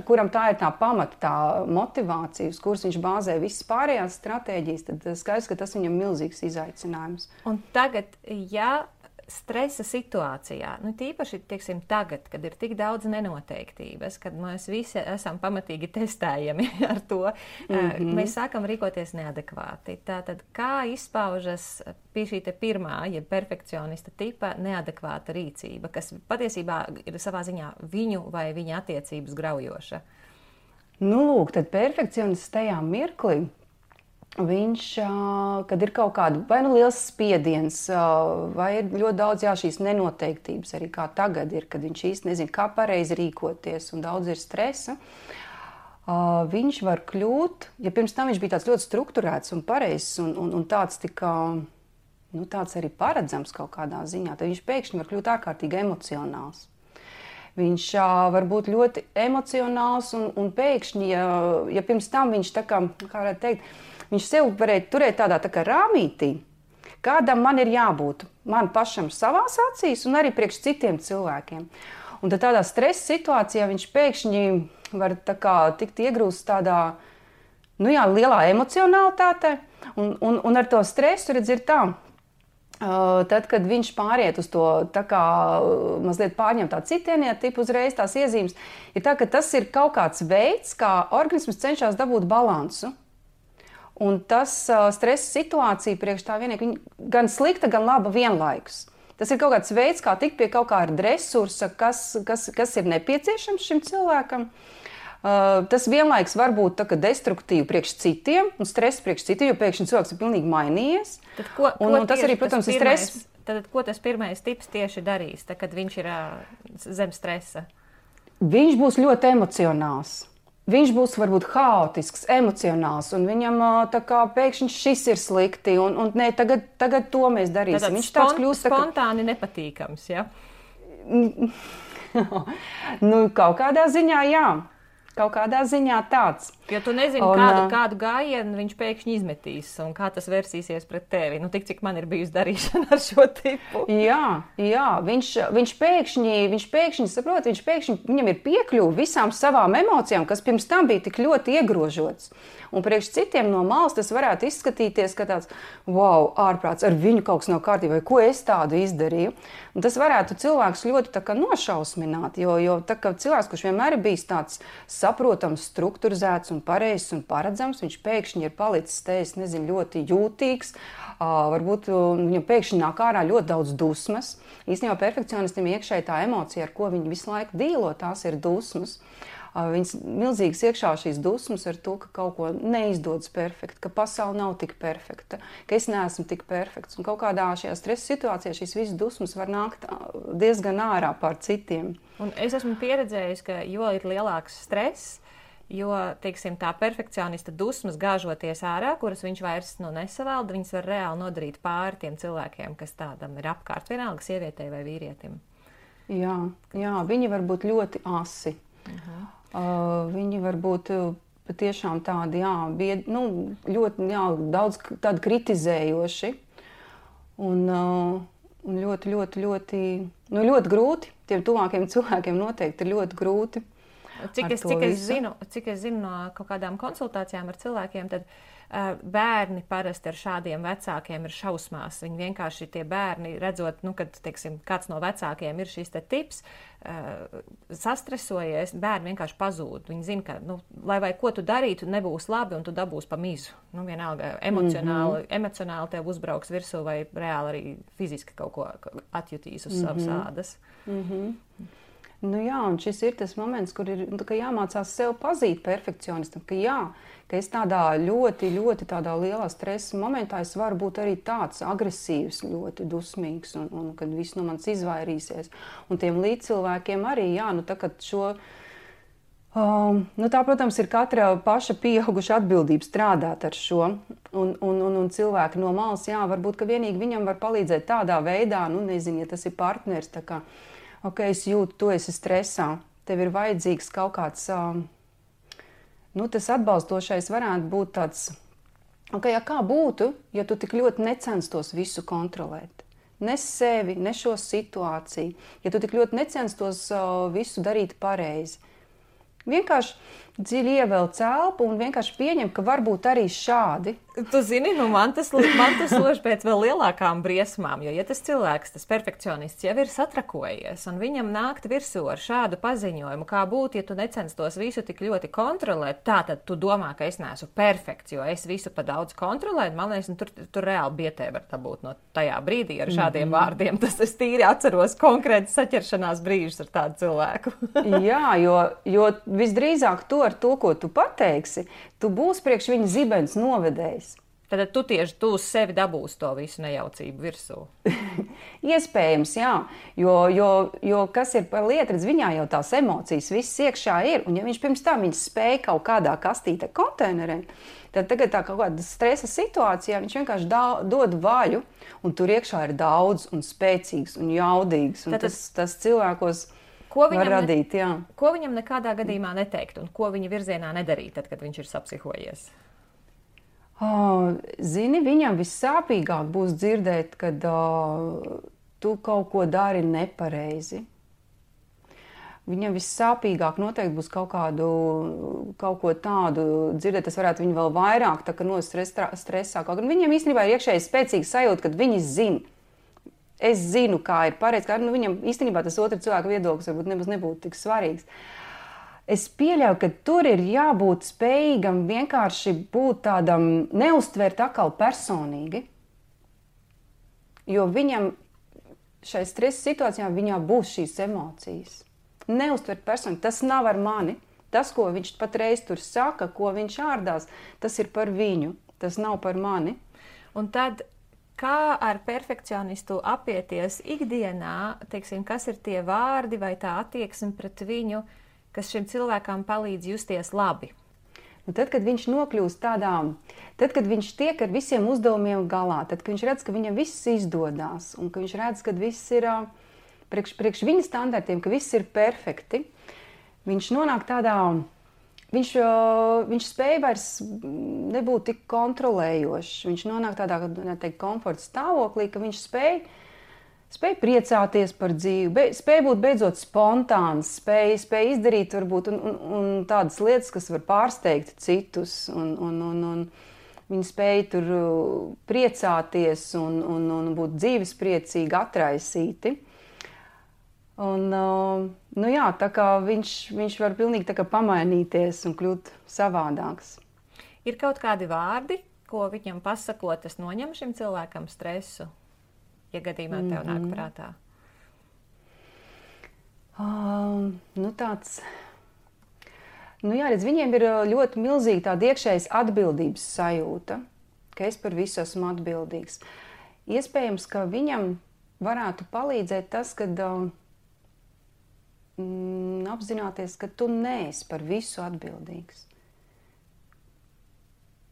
kuram tā ir tā pamata, tā motivācija, uz kuras viņš bāzē visas pārējās stratēģijas, tad skaidrs, ka tas viņam milzīgs izaicinājums. Un tagad, ja stresa situācijā, tīpaši, teiksim, tagad, kad ir tik daudz nenoteiktības, kad mēs visi esam pamatīgi testējami ar to, mēs sākam rīkoties neadekvāti. Tātad, kā izpaužas pie šī te pirmā, ja perfekcionista tipa neadekvāta rīcība, kas patiesībā ir savā ziņā viņu vai viņa attiecības graujoša? Lūk, tad perfekcionists tajā mirklī, viņš, kad ir kaut kāda vai liels spiediens, vai ir ļoti daudz šīs nenoteiktības, arī kā tagad ir, kad viņš īsti nezina, kā pareizi rīkoties un daudz ir stresa, viņš var kļūt, ja pirms tam viņš bija tāds ļoti strukturēts un pareizs un tāds tāds arī paredzams kaut kādā ziņā, tad viņš pēkšņi var kļūt ārkārtīgi emocionāls. Viņš var būt ļoti emocionāls un pēkšņi, ja pirms tam viņš tā kā varētu teikt, viņš sev varēja turēt tādā tā kā rāmītī, kādam man ir jābūt man pašam savās acīs un arī priekš citiem cilvēkiem. Un tad tādā stresa situācijā viņš pēkšņi var tā kā tikt iegrūst tādā, lielā emocionalitātē un ar to stresu, redz, ir tā. Tad, kad viņš pāriet uz to tā kā mazliet pārņem tā citieniet tipu uzreiz tās iezīmes, ir tā, ka tas ir kaut kāds veids, kā organisms cenšas dabūt balansu. Un tas stresa situācija priekš tā vienīgi gan slikta, gan laba vienlaikus. Tas ir kaut kāds veids, kā tikt pie kaut kāda resursa, kas ir nepieciešams šim cilvēkam. Tas vienlaiks var būt tā, destruktīvi priekš citiem un stress priekš citiem, jo pēkšņi cilvēks ir pilnīgi mainījies. Tad tas arī, protams, ir stress. Tad ko tas pirmais tips tieši darīs, kad viņš ir zem stresa? Viņš būs ļoti emocionāls. Viņš būs varbūt haotisks, emocionāls, un viņam tā kā pēkšņi šis ir slikti, un nē, tagad to mēs darīsim. Viņš tāds kļūst spontāni nepatīkams, ja? Kaut kādā ziņā, jā. Kaut kādā ziņā tāds. Jo tu nezini, kādu gājienu viņš pēkšņi izmetīs un kā tas versīsies pret tevi. Tik, cik man ir bijusi darīšana ar šo tipu. Jā, viņš pēkšņi saprot, viņam ir piekļuve visām savām emocijām, kas pirms tam bija tik ļoti iegrožots. Un priekš citiem no malas tas varētu izskatīties, ka tāds, wow, ārprāts, ar viņu kaut kas nav kārtībā, vai ko es tādu izdarīju. Un tas varētu cilvēks ļoti tā kā nošausmināt, jo tā kā cilvēks, kurš vienmēr ir bijis tāds saprotams, strukturizēts un pareizs un paredzams, viņš pēkšņi ir palicis ļoti jūtīgs, varbūt viņam pēkšņi nāk ārā ļoti daudz dusmas. Īstenībā perfekcionistam iekšēji tā emocija, ar ko viņi visu laiku dīlo, tās ir dusmas. Viņas milzīgas iekšā šīs dusmas ar to, ka kaut ko neizdodas perfekti, ka pasaule nav tik perfekta, ka es neesmu tik perfekts. Un kaut kādā šajā stresa situācijā šīs visas dusmas var nākt diezgan ārā pār citiem. Un es esmu pieredzējusi, ka jo ir lielāks stress, jo, teiksim, tā perfekcionista dusmas gāžoties ārā, kuras viņš vairs nesavalda, viņas var reāli nodarīt pāri tiem cilvēkiem, kas tādam ir apkārt, vienalga sievietei vai vīrietim. Jā, viņi var būt ļoti asi. Viņi var būt patiešām tādi, ļoti daudz tādi kritizējoši un ļoti grūti. Tiem tuvākiem cilvēkiem noteikti ir ļoti grūti. Cik es zinu no kaut kādām konsultācijām ar cilvēkiem, tad bērni parasti ar šādiem vecākiem ir šausmās. Viņi vienkārši tie bērni, redzot, kad, teiksim, kāds no vecākiem ir šis te tips, sastresojies, bērni vienkārši pazūd. Viņi zina, ka, lai vai ko tu darītu, nebūs labi un tu dabūsi pa mizu. Vienalga, emocionāli tev uzbrauks virsū vai reāli arī fiziski kaut ko atjutīs uz savas ādas. Un šis ir tas moments, kur ir jāmācās sev pazīt perfekcionistam, ka es tādā ļoti, ļoti tādā lielā stresa momentā es varu būt arī tāds agresīvs, ļoti dusmīgs un kad viss no manis izvairīsies. Un tiem līdzcilvēkiem arī, tā, protams, ir katra paša pieauguša atbildība strādāt ar šo. Un cilvēki no malas, varbūt, ka vienīgi viņam var palīdzēt tādā veidā, nezinu, ja tas ir partners, tā kā, es jūtu, tu esi stresā, tev ir vajadzīgs kaut kāds, tas atbalstošais varētu būt tāds Okay, kā būtu, ja tu tik ļoti necenstos visu kontrolēt? Ne sevi, ne šo situāciju. Ja tu tik ļoti necenstos visu darīt pareizi. Vienkārši dziļi ievelc elpu un vienkārši pieņem, ka varbūt arī šādi. Tu zini, man tas lož pēc vēl lielākām briesmām, jo, ja tas cilvēks, tas perfekcionists jau ir satrakojies un viņam nākt virsū ar šādu paziņojumu, kā būtu, ja tu necenstos visu tik ļoti kontrolēt, tātad tu domā, ka es neesmu perfekts, jo es visu pa daudz kontrolēju, man liekas, tur reāli bietē var dabūt no tajā brīdī ar šādiem vārdiem. Tas es tīri atceros konkrēti saķeršanās brīžus ar tādu cilvēku. Jā, jo visdrīzāk to ar to, ko tu pateiksi, tu būsi priekš viņa zibens novedējis. Tad tu tieši tu uz sevi dabūsi to visu nejaucību virsū. Iespējams, jā, jo kas ir par lietu, redz, viņā jau tās emocijas viss iekšā ir, un ja viņš pirms tam viņas spēja kaut kādā kastītē konteinerē, tad tagad tā kaut kāda stresa situācijā viņš vienkārši dod vaļu, un tur iekšā ir daudz un spēcīgs un jaudīgs, un tas cilvēkos var radīt, jā. Ko viņam nekādā gadījumā neteikt, un ko viņa virzienā nedarīt, tad, kad viņš ir sapsihojies? Zini, viņam vissāpīgāk būs dzirdēt, kad tu kaut ko dari nepareizi. Viņam vissāpīgāk noteikti būs kaut ko tādu dzirdēt, tas varētu viņu vēl vairāk tā kā stresā. Kaut gan viņam īstenībā ir iekšēji spēcīga sajūta, kad viņi zina. Es zinu, kā ir pareizi, ka viņam īstenībā tas otrs cilvēka viedoklis varbūt nemaz nebūtu tik svarīgs. Es pieļauju, ka tur ir jābūt spējīgam vienkārši būt tādam, neuztvert atkal personīgi. Jo viņam šai stresa situācijā viņā būs šīs emocijas. Neuztvert personīgi, tas nav ar mani. Tas, ko viņš patreiz tur saka, ko viņš ārdās, tas ir par viņu, tas nav par mani. Un tad, kā ar perfekcionistu apieties ikdienā, teiksim, kas ir tie vārdi vai tā attieksme pret viņu, kas šim cilvēkam palīdz justies labi? Tad, kad viņš nokļūst tad, kad viņš tiek ar visiem uzdevumiem galā, tad, kad viņš redz, ka viņam viss izdodās, un ka viņš redz, ka viss ir priekš viņa standartiem, ka viss ir perfekti, viņš nonāk tādā, viņš spēj vairs nebūt tik kontrolējošs, viņš nonāk tādā, komforta stāvoklī, ka viņš spēj priecāties par dzīvi, spēj būt beidzot spontāns, spēj izdarīt varbūt un tādas lietas, kas var pārsteigt citus, un viņi spēj tur priecāties un būt dzīvespriecīgi, atraisīti. Un, jā, tā kā viņš var pilnīgi tā kā pamainīties un kļūt savādāks. Ir kaut kādi vārdi, ko viņam pasakot, tas noņem šim cilvēkam stresu? Ja gadījumā tev nāk prātā? Redz, viņiem ir ļoti milzīga tāda iekšējas atbildības sajūta, ka es par visu esmu atbildīgs. Iespējams, ka viņam varētu palīdzēt tas, kad apzināties, ka tu neesi par visu atbildīgs.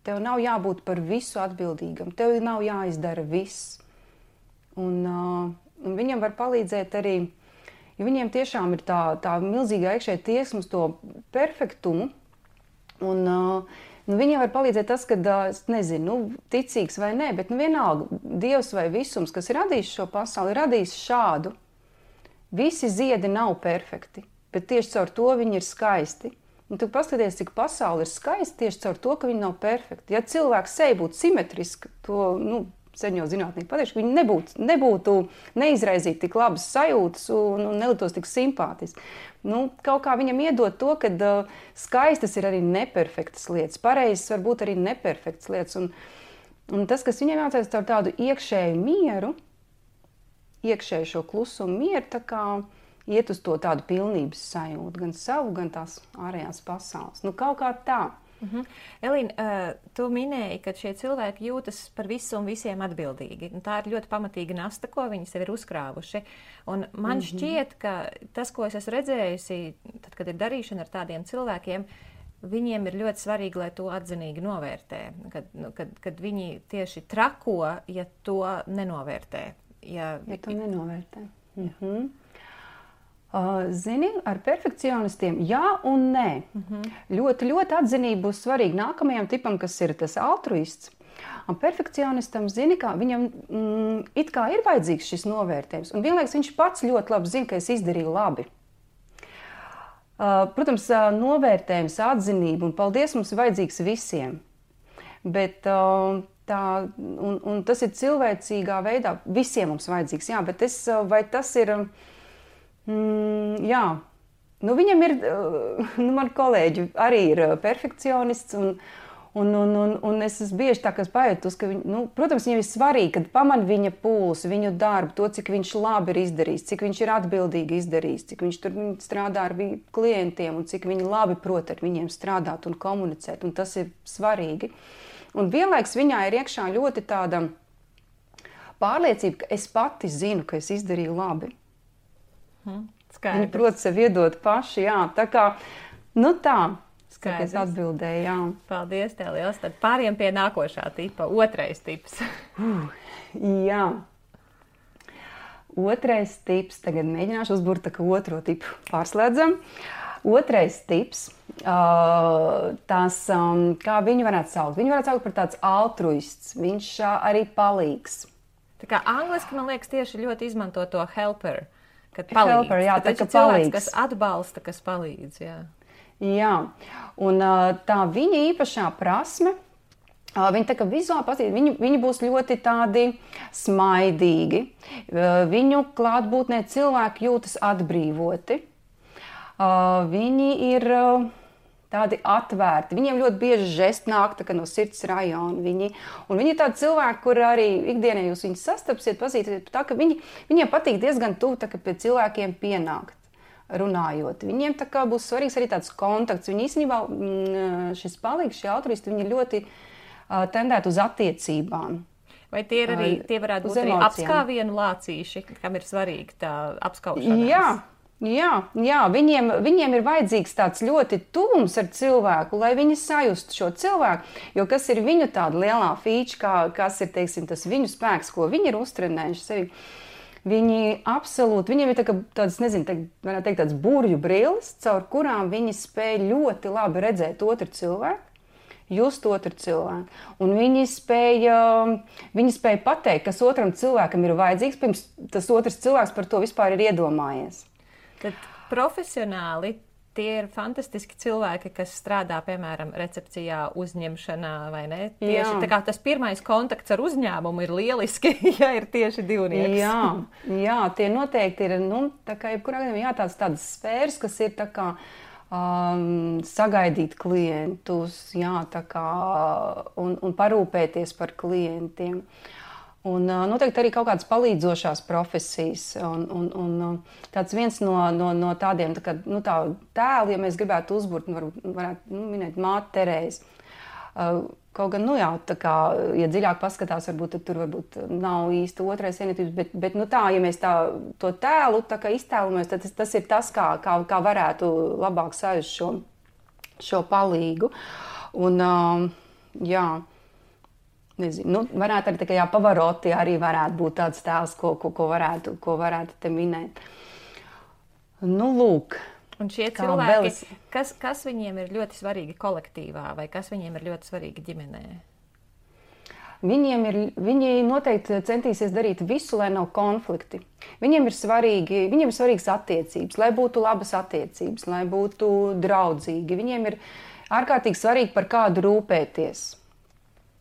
Tev nav jābūt par visu atbildīgam, tev nav jāizdara viss. Un viņam var palīdzēt arī, jo viņiem tiešām ir tā milzīga iekšēja tieksme uz to perfektumu. Un viņiem var palīdzēt tas, ka, es nezinu, ticīgs vai nē, bet vienalga Dievs vai visums, kas ir radījis šo pasauli, ir radījis šādu. Visi ziedi nav perfekti, bet tieši caur to viņi ir skaisti. Un tu paskaties, cik pasauli ir skaisti tieši caur to, ka viņi nav perfekti. Ja cilvēks seja būtu simetriski, to, sen jau zinātnieki pateiks, ka viņi nebūtu neizraizīt tik labas sajūtas un neliktos tik simpātiski. Kaut kā viņam iedot to, ka skaistas ir arī neperfektas lietas, pareizas var būt arī neperfektas lietas. Un tas, kas viņam jāatcerās ar tādu iekšēju mieru, iekšēju šo klusumu mieru, tā kā iet uz to tādu pilnības sajūtu, gan savu, gan tās ārējās pasaules. Kaut kā tā. Elīna, tu minēji, ka šie cilvēki jūtas par visu un visiem atbildīgi. Tā ir ļoti pamatīga nasta, ko viņi sev ir uzkrāvuši. Un man šķiet, ka tas, ko es esmu redzējusi, tad, kad ir darīšana ar tādiem cilvēkiem, viņiem ir ļoti svarīgi, lai to atzinīgi novērtē. Kad viņi tieši trako, ja to nenovērtē. Ja to nenovērtē. Zini, ar perfekcionistiem jā un nē. Ļoti, ļoti atzinība būs svarīga nākamajam tipam, kas ir tas altruists. Un perfekcionistam, zini, kā viņam it kā ir vajadzīgs šis novērtējums. Un vienlaikus viņš pats ļoti labi zina, ka es izdarīju labi. Protams, novērtējums, atzinība un paldies mums ir vajadzīgs visiem. Bet tas ir cilvēcīgā veidā. Visiem mums vajadzīgs, jā, bet vai tas ir, jā. Nu, viņam ir, man kolēģi arī ir perfekcionists, un es esmu bieži tā, kas pajūtus, ka protams, viņam ir svarīgi, kad paman viņa pulsu, viņu darbu, to, cik viņš labi ir izdarījis, cik viņš ir atbildīgi izdarījis, cik viņš tur strādā ar klientiem un cik viņi labi prot ar viņiem strādāt un komunicēt, un tas ir svarīgi. Un vienlaiks viņā ir iekšā ļoti tāda pārliecība, ka es pati zinu, ka es izdarīju labi. Skaidrs. Viņi prot sev iedot paši, jā, tā kā, tā, Skaidrs. Es atbildēju, jā. Paldies tev liels, tad pāriem pie nākošā tipa, otrais tips. Jā. Otrais tips, tagad mēģināšu uzburt tā kā otro tipu pārslēdzam. Otrais tips, kā viņu varētu saukt? Viņu varētu saukt par tāds altruists, viņš arī palīgs. Tā kā angliski, man liekas, tieši ļoti izmanto to helper. Kad palīdz. Helper, jā, tā kā cilvēks, kas atbalsta, kas palīdz, jā. Jā, un tā viņa īpašā prasme, viņi tā kā vizuāli patīk, viņi būs ļoti tādi smaidīgi, viņu klātbūtnē cilvēki jūtas atbrīvoti, viņi ir tādi atvērti, viņiem ļoti bieži žesti nāk tā kā no sirds rajona, viņi ir tādi cilvēki, kur arī ikdienā jūs viņus sastapsiet, pazīsiet, tā ka viņiem patīk diezgan tuvu tā kā pie cilvēkiem pienākt, runājot. Viņiem tā kā būs svarīgs arī tāds kontakts, viņi īstenībā, šis palīgs, šie altruisti, viņi ļoti tendēt uz attiecībām. Vai tie varētu būt arī apskāvienu lācīši, kam ir svarīgi tā apskaušanās? Jā, viņiem ir vajadzīgs tāds ļoti tuvums ar cilvēku, lai viņi sajustu šo cilvēku, jo kas ir viņu tāda lielā fīča, kas ir, teiksim, tas viņu spēks, ko viņi ir uztrenējuši sevi. Viņi absolūti, viņiem ir tāds, nezinu, varētu teikt, tāds burju brilles, caur kurām viņi spēj ļoti labi redzēt otru cilvēku, just otru cilvēku. Un viņi spēj pateikt, kas otram cilvēkam ir vajadzīgs, pirms tas otrs cilvēks par to vispār ir iedomājies. Tad profesionāli tie ir fantastiski cilvēki, kas strādā, piemēram, recepcijā, uzņemšanā, vai ne? Tieši tā kā tas pirmais kontakts ar uzņēmumu ir lieliski, ja ir tieši divnieks. Jā, tie noteikti ir, tā kā jebkurā gadījumā tādas sfēras, kas ir tā kā sagaidīt klientus, tā kā, un parūpēties par klientiem. Un noteikti arī kaut kādas palīdzošās profesijas. Un tāds viens no tādiem tā tēlu, ja mēs gribētu uzburt, varētu minēt māti Terēzi. Kaut gan, tā kā, ja dziļāk paskatās, tur varbūt nav īsti otrais vienotības, bet ja mēs to tēlu tā kā iztēlojamies, tad tas ir tas, kā varētu labāk sajust šo palīgu. Un, nezinu, varētu arī tā kā Pavaroti arī varētu būt tāds tēls, ko varētu te minēt. Lūk. Un šie cilvēki, kas viņiem ir ļoti svarīgi kolektīvā, vai kas viņiem ir ļoti svarīgi ģimenē? Viņi noteikti centīsies darīt visu, lai nav konflikti. Viņiem ir svarīgas attiecības, lai būtu labas attiecības, lai būtu draudzīgi. Viņiem ir ārkārtīgi svarīgi par kādu rūpēties.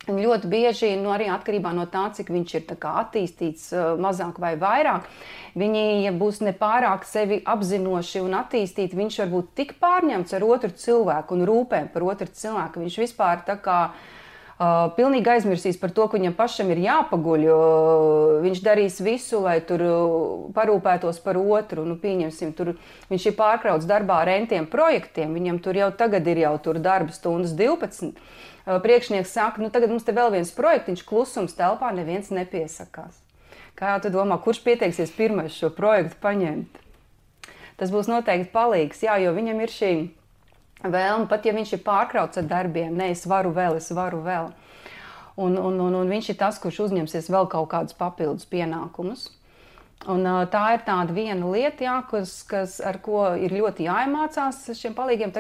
Ļoti bieži, arī atkarībā no tā, cik viņš ir attīstīts mazāk vai vairāk, viņi, ja būs nepārāk sevi apzinoši un attīstīti, viņš var būt tik pārņemts ar otru cilvēku un rūpēm par otru cilvēku. Viņš vispār pilnīgi aizmirsīs par to, ka viņam pašam ir jāpaguļ, viņš darīs visu, lai tur parūpētos par otru. Pieņemsim, viņš ir pārkrauts darbā ar entiem projektiem, viņam tur jau tagad ir darba stundas 12. Priekšnieks saka, tagad mums te vēl viens projektiņš, klusums telpā, neviens nepiesakās. Kā tu domā, kurš pieteiksies pirmais šo projektu paņemt? Tas būs noteikti palīgs, jo viņam ir šī vēlme, pat ja viņš ir pārkrauts ar darbiem, es varu vēl. Un viņš ir tas, kurš uzņemsies vēl kaut kādus papildus pienākumus. Un tā ir tāda viena lieta, ar ko ir ļoti jāiemācās šiem palīgiem.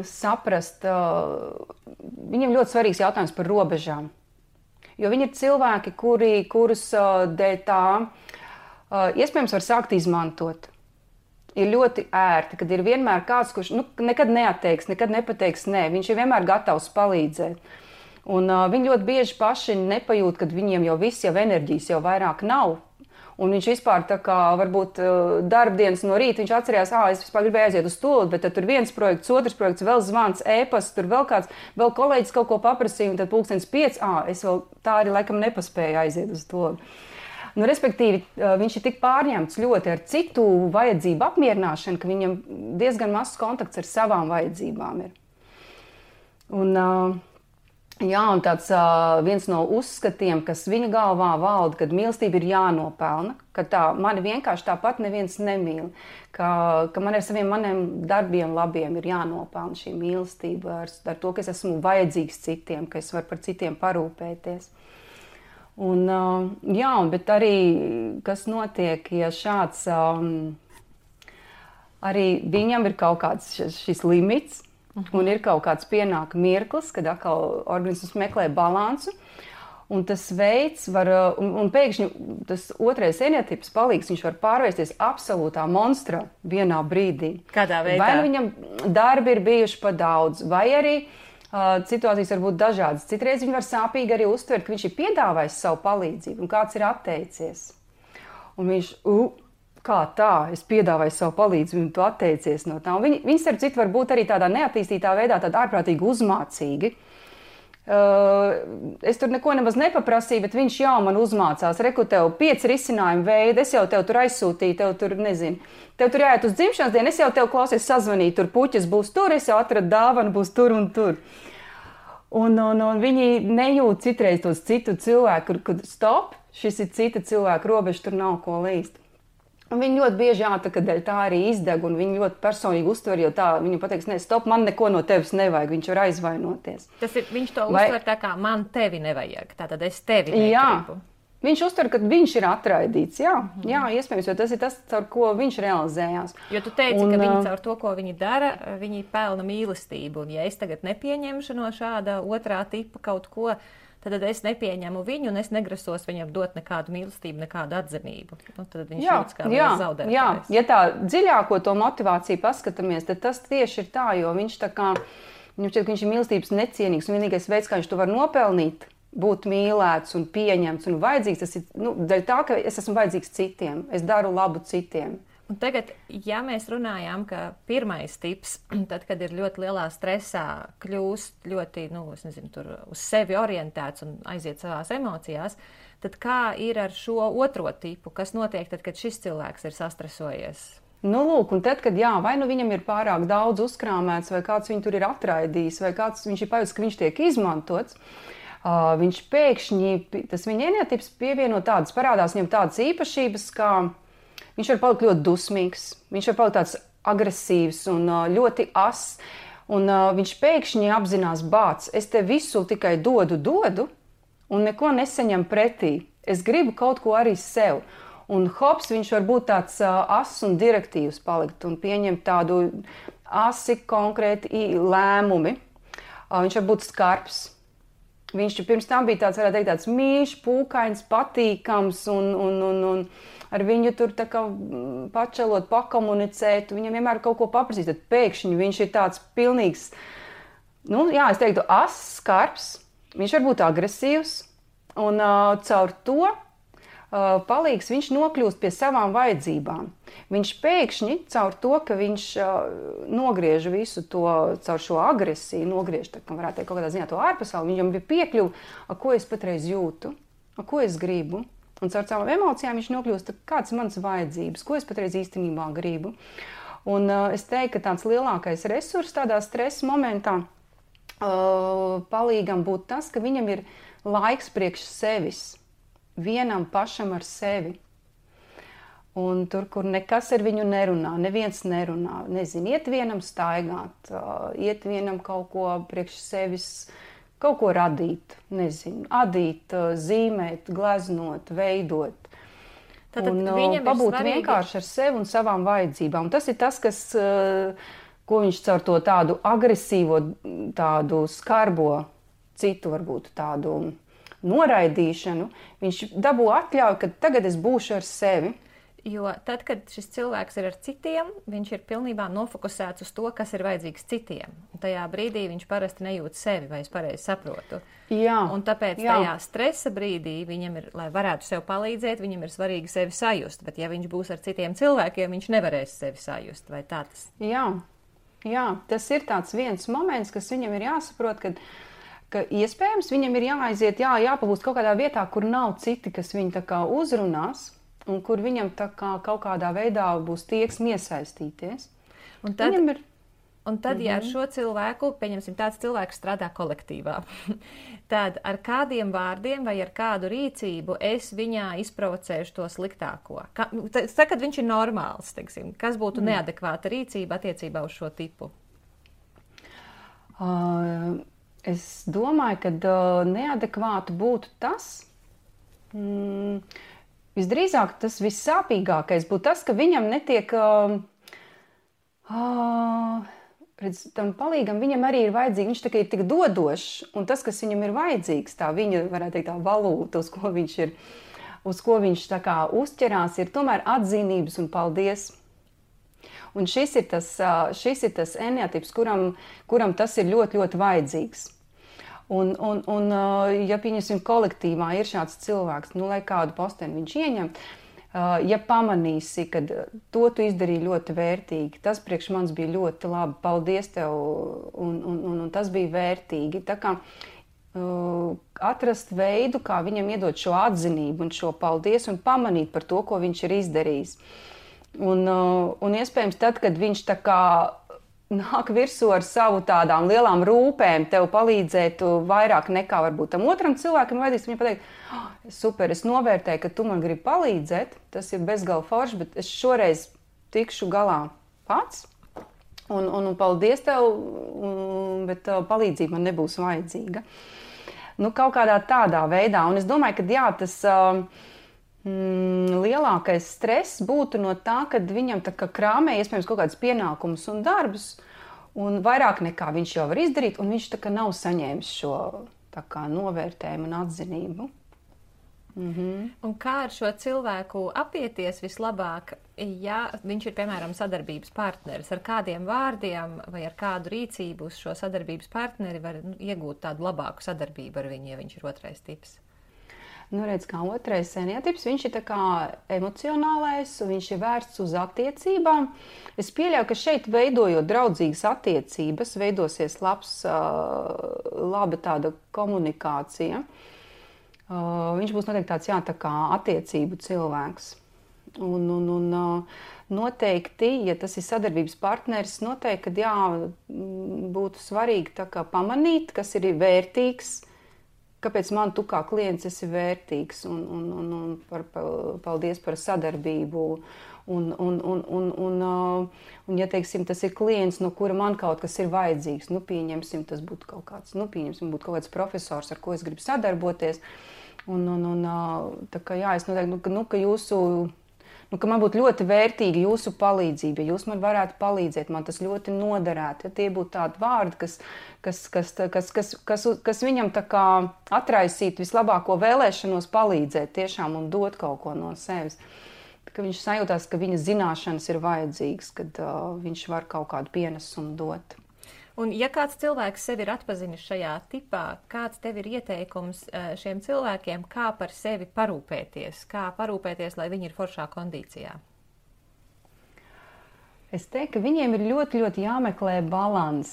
saprast, viņiem ļoti svarīgs jautājums par robežām. Jo viņi ir cilvēki, kurus dēļ tā iespējams var sākt izmantot. Ir ļoti ērti, kad ir vienmēr kāds, kurš nekad neatteiks, nekad nepateiks nē. Viņš ir vienmēr gatavs palīdzēt. Un viņi ļoti bieži paši nepajūt, kad viņiem jau viss, jau enerģijas jau vairāk nav. Un viņš vispār tā kā varbūt darbdienas no rīta, viņš atcerējās, es vispār gribēju aiziet uz to, bet tad tur viens projekts, otrs projekts, vēl zvans, ēpasts, tur vēl kāds, vēl kolēģis kaut ko paprasīja, un tad 5:00, es vēl tā arī laikam nepaspēju aiziet uz to. Respektīvi, viņš ir tik pārņemts ļoti ar citu vajadzību apmierināšanu, ka viņam diezgan mazs kontakts ar savām vajadzībām ir. Un tāds viens no uzskatiem, kas viņa galvā valda, kad mīlestība ir jānopelna, ka mani vienkārši tāpat neviens nemīl, ka man ar maniem darbiem labiem ir jānopelna šī mīlestība ar to, ka es esmu vajadzīgs citiem, ka es varu par citiem parūpēties. Bet arī, kas notiek, ja šāds, arī viņam ir kaut kāds šis limits, un ir kaut kāds pienāk mirklis, kad atkal organisms meklē balansu, un tas veids var, un pēkšņi tas otrais eneotips palīgs, viņš var pārvērsties absolūtā monstrā vienā brīdī. Kādā veidā? Vai viņam darbi ir bijuši pa daudz, vai arī situācijas var būt dažādas. Citreiz viņi var sāpīgi arī uztvert, ka viņš ir piedāvājis savu palīdzību, un kāds ir atteicies. Un viņš, kā tā, es piedāvāju savu palīdzību, un tu atteicies no tā. Un viņi starp citu var būt arī tādā neattīstītā veidā, tāda ārprātīgi uzmācīgi. Es tur neko nemaz nepaprasīju, bet viņš jau man uzmācās. Reku, tev 5 risinājumu veidi, es jau tev tur aizsūtīju, tev tur, nezinu, tev tur jāiet uz dzimšanas dienu, es jau tev klausies sazvanīju, tur puķis būs tur, es jau atradu dāvanu, būs tur un tur. Un viņi nejūt citreiz tos citu cilvēku, kur stop, šis ir cita cilvēka robeža, tur nav ko līst. Un viņi ļoti bieži tā arī izdeg, un viņi ļoti personīgi uztver, jo tā viņam pateiks, ne, stop, man neko no tevis nevajag, viņš var aizvainoties. Viņš to uztver tā kā man tevi nevajag, tātad es tevi negribu. Viņš uztver, ka viņš ir atraidīts, jā, iespējams, jo tas ir tas, caur ko viņš realizējās. Jo tu teici, ka viņi caur to, ko viņi dara, viņi pelna mīlestību, un ja es tagad nepieņemšu no šāda otrā tipa kaut ko, tad es nepieņemu viņu un es negrasos viņam dot nekādu mīlestību, nekādu atzinību. Tad viņš jūtas kā zaudētājs. Ja tā dziļāko to motivāciju paskatāmies, tad tas tieši ir tā, jo viņš tā kā, viņam šķiet, ka viņš ir mīlestības necienīgs, un vienīgais veids, kā viņš to var nopelnīt, būt mīlēts un pieņemts un vajadzīgs, tas ir dēļ tā, ka es esmu vajadzīgs citiem, es daru labu citiem. Un tagad, ja mēs runājām, ka pirmais tips, tad, kad ir ļoti lielā stresā, kļūst ļoti, tur uz sevi orientēts un aiziet savās emocijās, tad kā ir ar šo otro tipu? Kas notiek tad, kad šis cilvēks ir sastresojies? Lūk, un tad, kad vai viņam ir pārāk daudz uzkrāmēts, vai kāds viņu tur ir atraidījis, vai kāds viņš ir pajūtis, ka viņš tiek izmantots, viņš pēkšņi, tas viņa eneotips pievieno tādas, parādās viņam tādas īpašības, kā viņš var palikt ļoti dusmīgs, viņš var palikt tāds agresīvs un ļoti ass, un viņš pēkšņi apzinās bāc, es te visu tikai dodu un neko nesaņem pretī. Es gribu kaut ko arī sev. Un hops, viņš var būt tāds ass un direktīvs palikt un pieņemt tādu asi konkrēti lēmumi. Viņš var būt skarbs. Viņš pirms tam bija tāds, varētu teikt, tāds mīļš, pūkains, patīkams un ar viņu tur tā kā pačelot, pakomunicēt, viņam vienmēr kaut ko paprasīt, tad pēkšņi viņš ir tāds pilnīgs, es teiktu, ass, skarbs, viņš var būt agresīvs, un caur to palīgs viņš nokļūst pie savām vajadzībām. Viņš pēkšņi caur to, ka viņš nogriež visu to, caur šo agresiju, nogriež, tā kā varētu teikt, kaut kādā ziņā to ārpasauli, viņam bija piekļuva, ko es patreiz jūtu, ko es gribu. Un caur savām emocijām viņš nokļūst, kāds ir mans vajadzības, ko es patreiz īstenībā gribu. Un es teiktu, ka tāds lielākais resurs tādā stresa momentā palīgam būt tas, ka viņam ir laiks priekš sevis, vienam pašam ar sevi. Un tur, kur nekas ar viņu nerunā, neviens nerunā, nezinu, iet vienam staigāt, iet vienam kaut ko priekš sevis, kaut ko radīt, nezinu, adīt, zīmēt, gleznot, veidot. Tātad un pabūt vienkārši ar sevi un savām vajadzībām. Un tas ir tas, kas ko viņš caur to tādu agresīvo, tādu skarbo, citu varbūt tādu noraidīšanu, viņš dabū atļauju, ka tagad es būšu ar sevi. Jo tad, kad šis cilvēks ir ar citiem, viņš ir pilnībā nofokusēts uz to, kas ir vajadzīgs citiem. Un tajā brīdī viņš parasti nejūt sevi, vai es pareizi saprotu. Jā. Un tāpēc tajā stresa brīdī viņam ir, lai varētu sev palīdzēt, viņam ir svarīgi sevi sajust. Bet ja viņš būs ar citiem cilvēkiem, viņš nevarēs sevi sajust. Vai tā tas? Jā, tas ir tāds viens moments, kas viņam ir jāsaprot, ka iespējams viņam ir jāaiziet, jāpabūst kaut kādā vietā, kur nav citi, kas viņu tā kā uzrunās. Un kur viņam tā kā kaut kādā veidā būs tieksme iesaistīties. Un tad ja ar šo cilvēku, pieņemsim, tāds cilvēks strādā kolektīvā, tad ar kādiem vārdiem vai ar kādu rīcību es viņā izprovocēšu to sliktāko? Kad viņš ir normāls, teiksim, kas būtu neadekvāta rīcība attiecībā uz šo tipu? Es domāju, ka neadekvātu būtu tas... Visdrīzāk tas vissāpīgākais būtu tas, ka viņam netiek, tam palīgam viņam arī ir vajadzīgi, viņš tā kā ir tik dodošs, un tas, kas viņam ir vajadzīgs, tā viņa, varētu teikt, tā valūta, uz ko viņš tā kā uzķerās, ir tomēr atzinības un paldies. Un šis ir tas eneatips, kuram tas ir ļoti, ļoti vajadzīgs. Un ja pieņemsim kolektīvā ir šāds cilvēks, lai kādu posteni viņš ieņem, ja pamanīsi, ka to tu izdarīji ļoti vērtīgi, tas priekš manis bija ļoti labi, paldies tev, un tas bija vērtīgi. Tā kā atrast veidu, kā viņam iedot šo atzinību un šo paldies un pamanīt par to, ko viņš ir izdarījis. Un iespējams tad, kad viņš tā kā nāk virsū ar savu tādām lielām rūpēm, tev palīdzētu vairāk nekā varbūt tam otram cilvēkam vajadzīgs. Viņam pateikt, super, es novērtēju, ka tu man gribi palīdzēt, tas ir bezgala forši, bet es šoreiz tikšu galā pats. Un paldies tev, bet palīdzība man nebūs vajadzīga. Kaut kādā tādā veidā. Un es domāju, ka tas... lielākais stress būtu no tā, kad viņam tā kā krāmē iespējams kaut kādas pienākumus un darbus, un vairāk nekā viņš jau var izdarīt, un viņš tā kā nav saņēmis šo tā kā novērtējumu un atzinību. Un kā ar šo cilvēku apieties vislabāk, ja viņš ir, piemēram, sadarbības partneris, ar kādiem vārdiem vai ar kādu rīcību uz šo sadarbības partneri var iegūt tādu labāku sadarbību ar viņu, ja viņš ir otrais tips? Redz, kā otrais eneatips, viņš ir tā kā emocionālais, un viņš ir vērsts uz attiecībām. Es pieļauju, ka šeit veidojot draudzīgas attiecības, veidosies laba tāda komunikācija. Viņš būs noteikti tāds, tā kā attiecību cilvēks. Un noteikti, ja tas ir sadarbības partneris, noteikti, kad būtu svarīgi tā kā pamanīt, kas ir vērtīgs, kāpēc man tu kā klients esi vērtīgs, un paldies par sadarbību. Un ja, teiksim, tas ir klients, no kura man kaut kas ir vajadzīgs, pieņemsim, tas būtu kaut kāds profesors, ar ko es gribu sadarboties. Tā kā es noteikti, ka jūsu... ka man būtu ļoti vērtīga jūsu palīdzība, ja jūs man varētu palīdzēt, man tas ļoti noderētu. Ja tie būtu tādi vārdi, kas viņam tā kā atraisītu vislabāko vēlēšanos palīdzēt tiešām un dot kaut ko no sevis. Ka viņš sajūtās, ka viņa zināšanas ir vajadzīgas, kad viņš var kaut kādu pienesumu dot. Un ja kāds cilvēks sevi ir atpazinis šajā tipā, kāds tev ir ieteikums šiem cilvēkiem, kā par sevi parūpēties? Kā parūpēties, lai viņi ir foršā kondīcijā? Es teiktu, ka viņiem ir ļoti, ļoti jāmeklē balans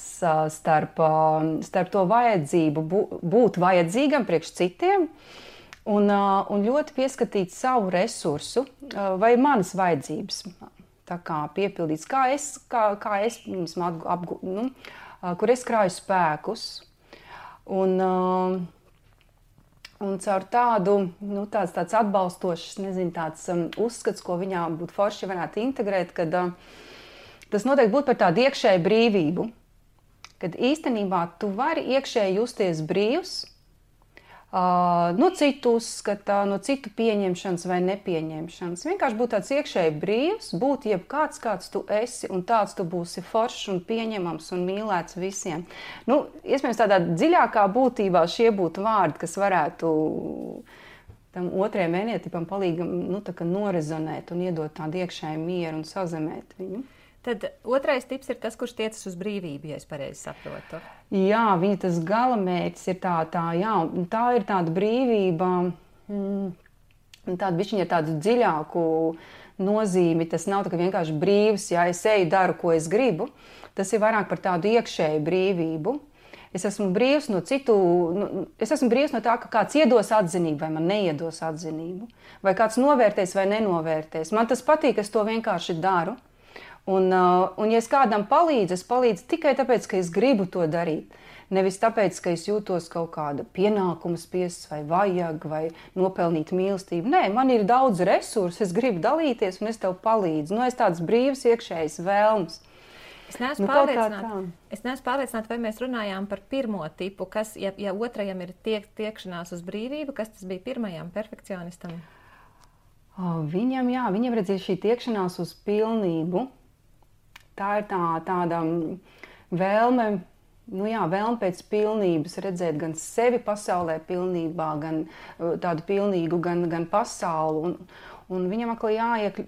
starp to vajadzību būt vajadzīgam priekš citiem un ļoti pieskatīt savu resursu vai manas vajadzības. Tā kā piepildīts, kā es kur es krāju spēkus. Un caur tādu, tāds atbalstošs, tāds uzskats, ko viņā būtu forši varētu integrēt, kad tas noteikti būtu par tādu iekšēju brīvību. Kad īstenībā tu vari iekšēji justies brīvs, no citu uzskata, no citu pieņemšanas vai nepieņemšanas. Vienkārši būt tāds iekšēji brīvs, būt jebkāds, kāds tu esi, un tāds tu būsi foršs un pieņemams un mīlēts visiem. Nu, iespējams, tādā dziļākā būtībā šie būtu vārdi, kas varētu tam otrajam ēnietipam palīgam norezonēt un iedot tādu iekšēju mieru un sazemēt viņu. Tad otrais tips ir tas, kurš tiecas uz brīvību, ja es pareizi saprotu. Jā, viņa tas galamērķis ir tā ir tāda brīvība, tāda bišķiņa ar tādu dziļāku nozīmi. Tas nav tā, ka vienkārši brīvs, ja es eju, daru, ko es gribu. Tas ir vairāk par tādu iekšēju brīvību. Es esmu brīvs no tā, ka kāds iedos atzinību vai man neiedos atzinību. Vai kāds novērtēs vai nenovērtēs. Man tas patīk, es to vienkārši daru. Un ja es kādam palīdzu, es palīdzu tikai tāpēc, ka es gribu to darīt. Nevis tāpēc, ka es jūtos kaut kāda pienākuma spiests vai vajag vai nopelnīt mīlestību. Nē, man ir daudz resursu, es gribu dalīties un es tev palīdzu. Es tāds brīvs iekšējs vēlms. Es neesmu pārliecināta, vai mēs runājām par pirmo tipu, kas, ja otrajam ir tiekšanās uz brīvību, kas tas bija pirmajam perfekcionistam? Viņam redzēja šī tiekšanās uz pilnību. Tā ir tāda vēlme, vēlme pēc pilnības, redzēt gan sevi pasaulē pilnībā, gan tādu pilnīgu, gan pasauli. Un viņam atkal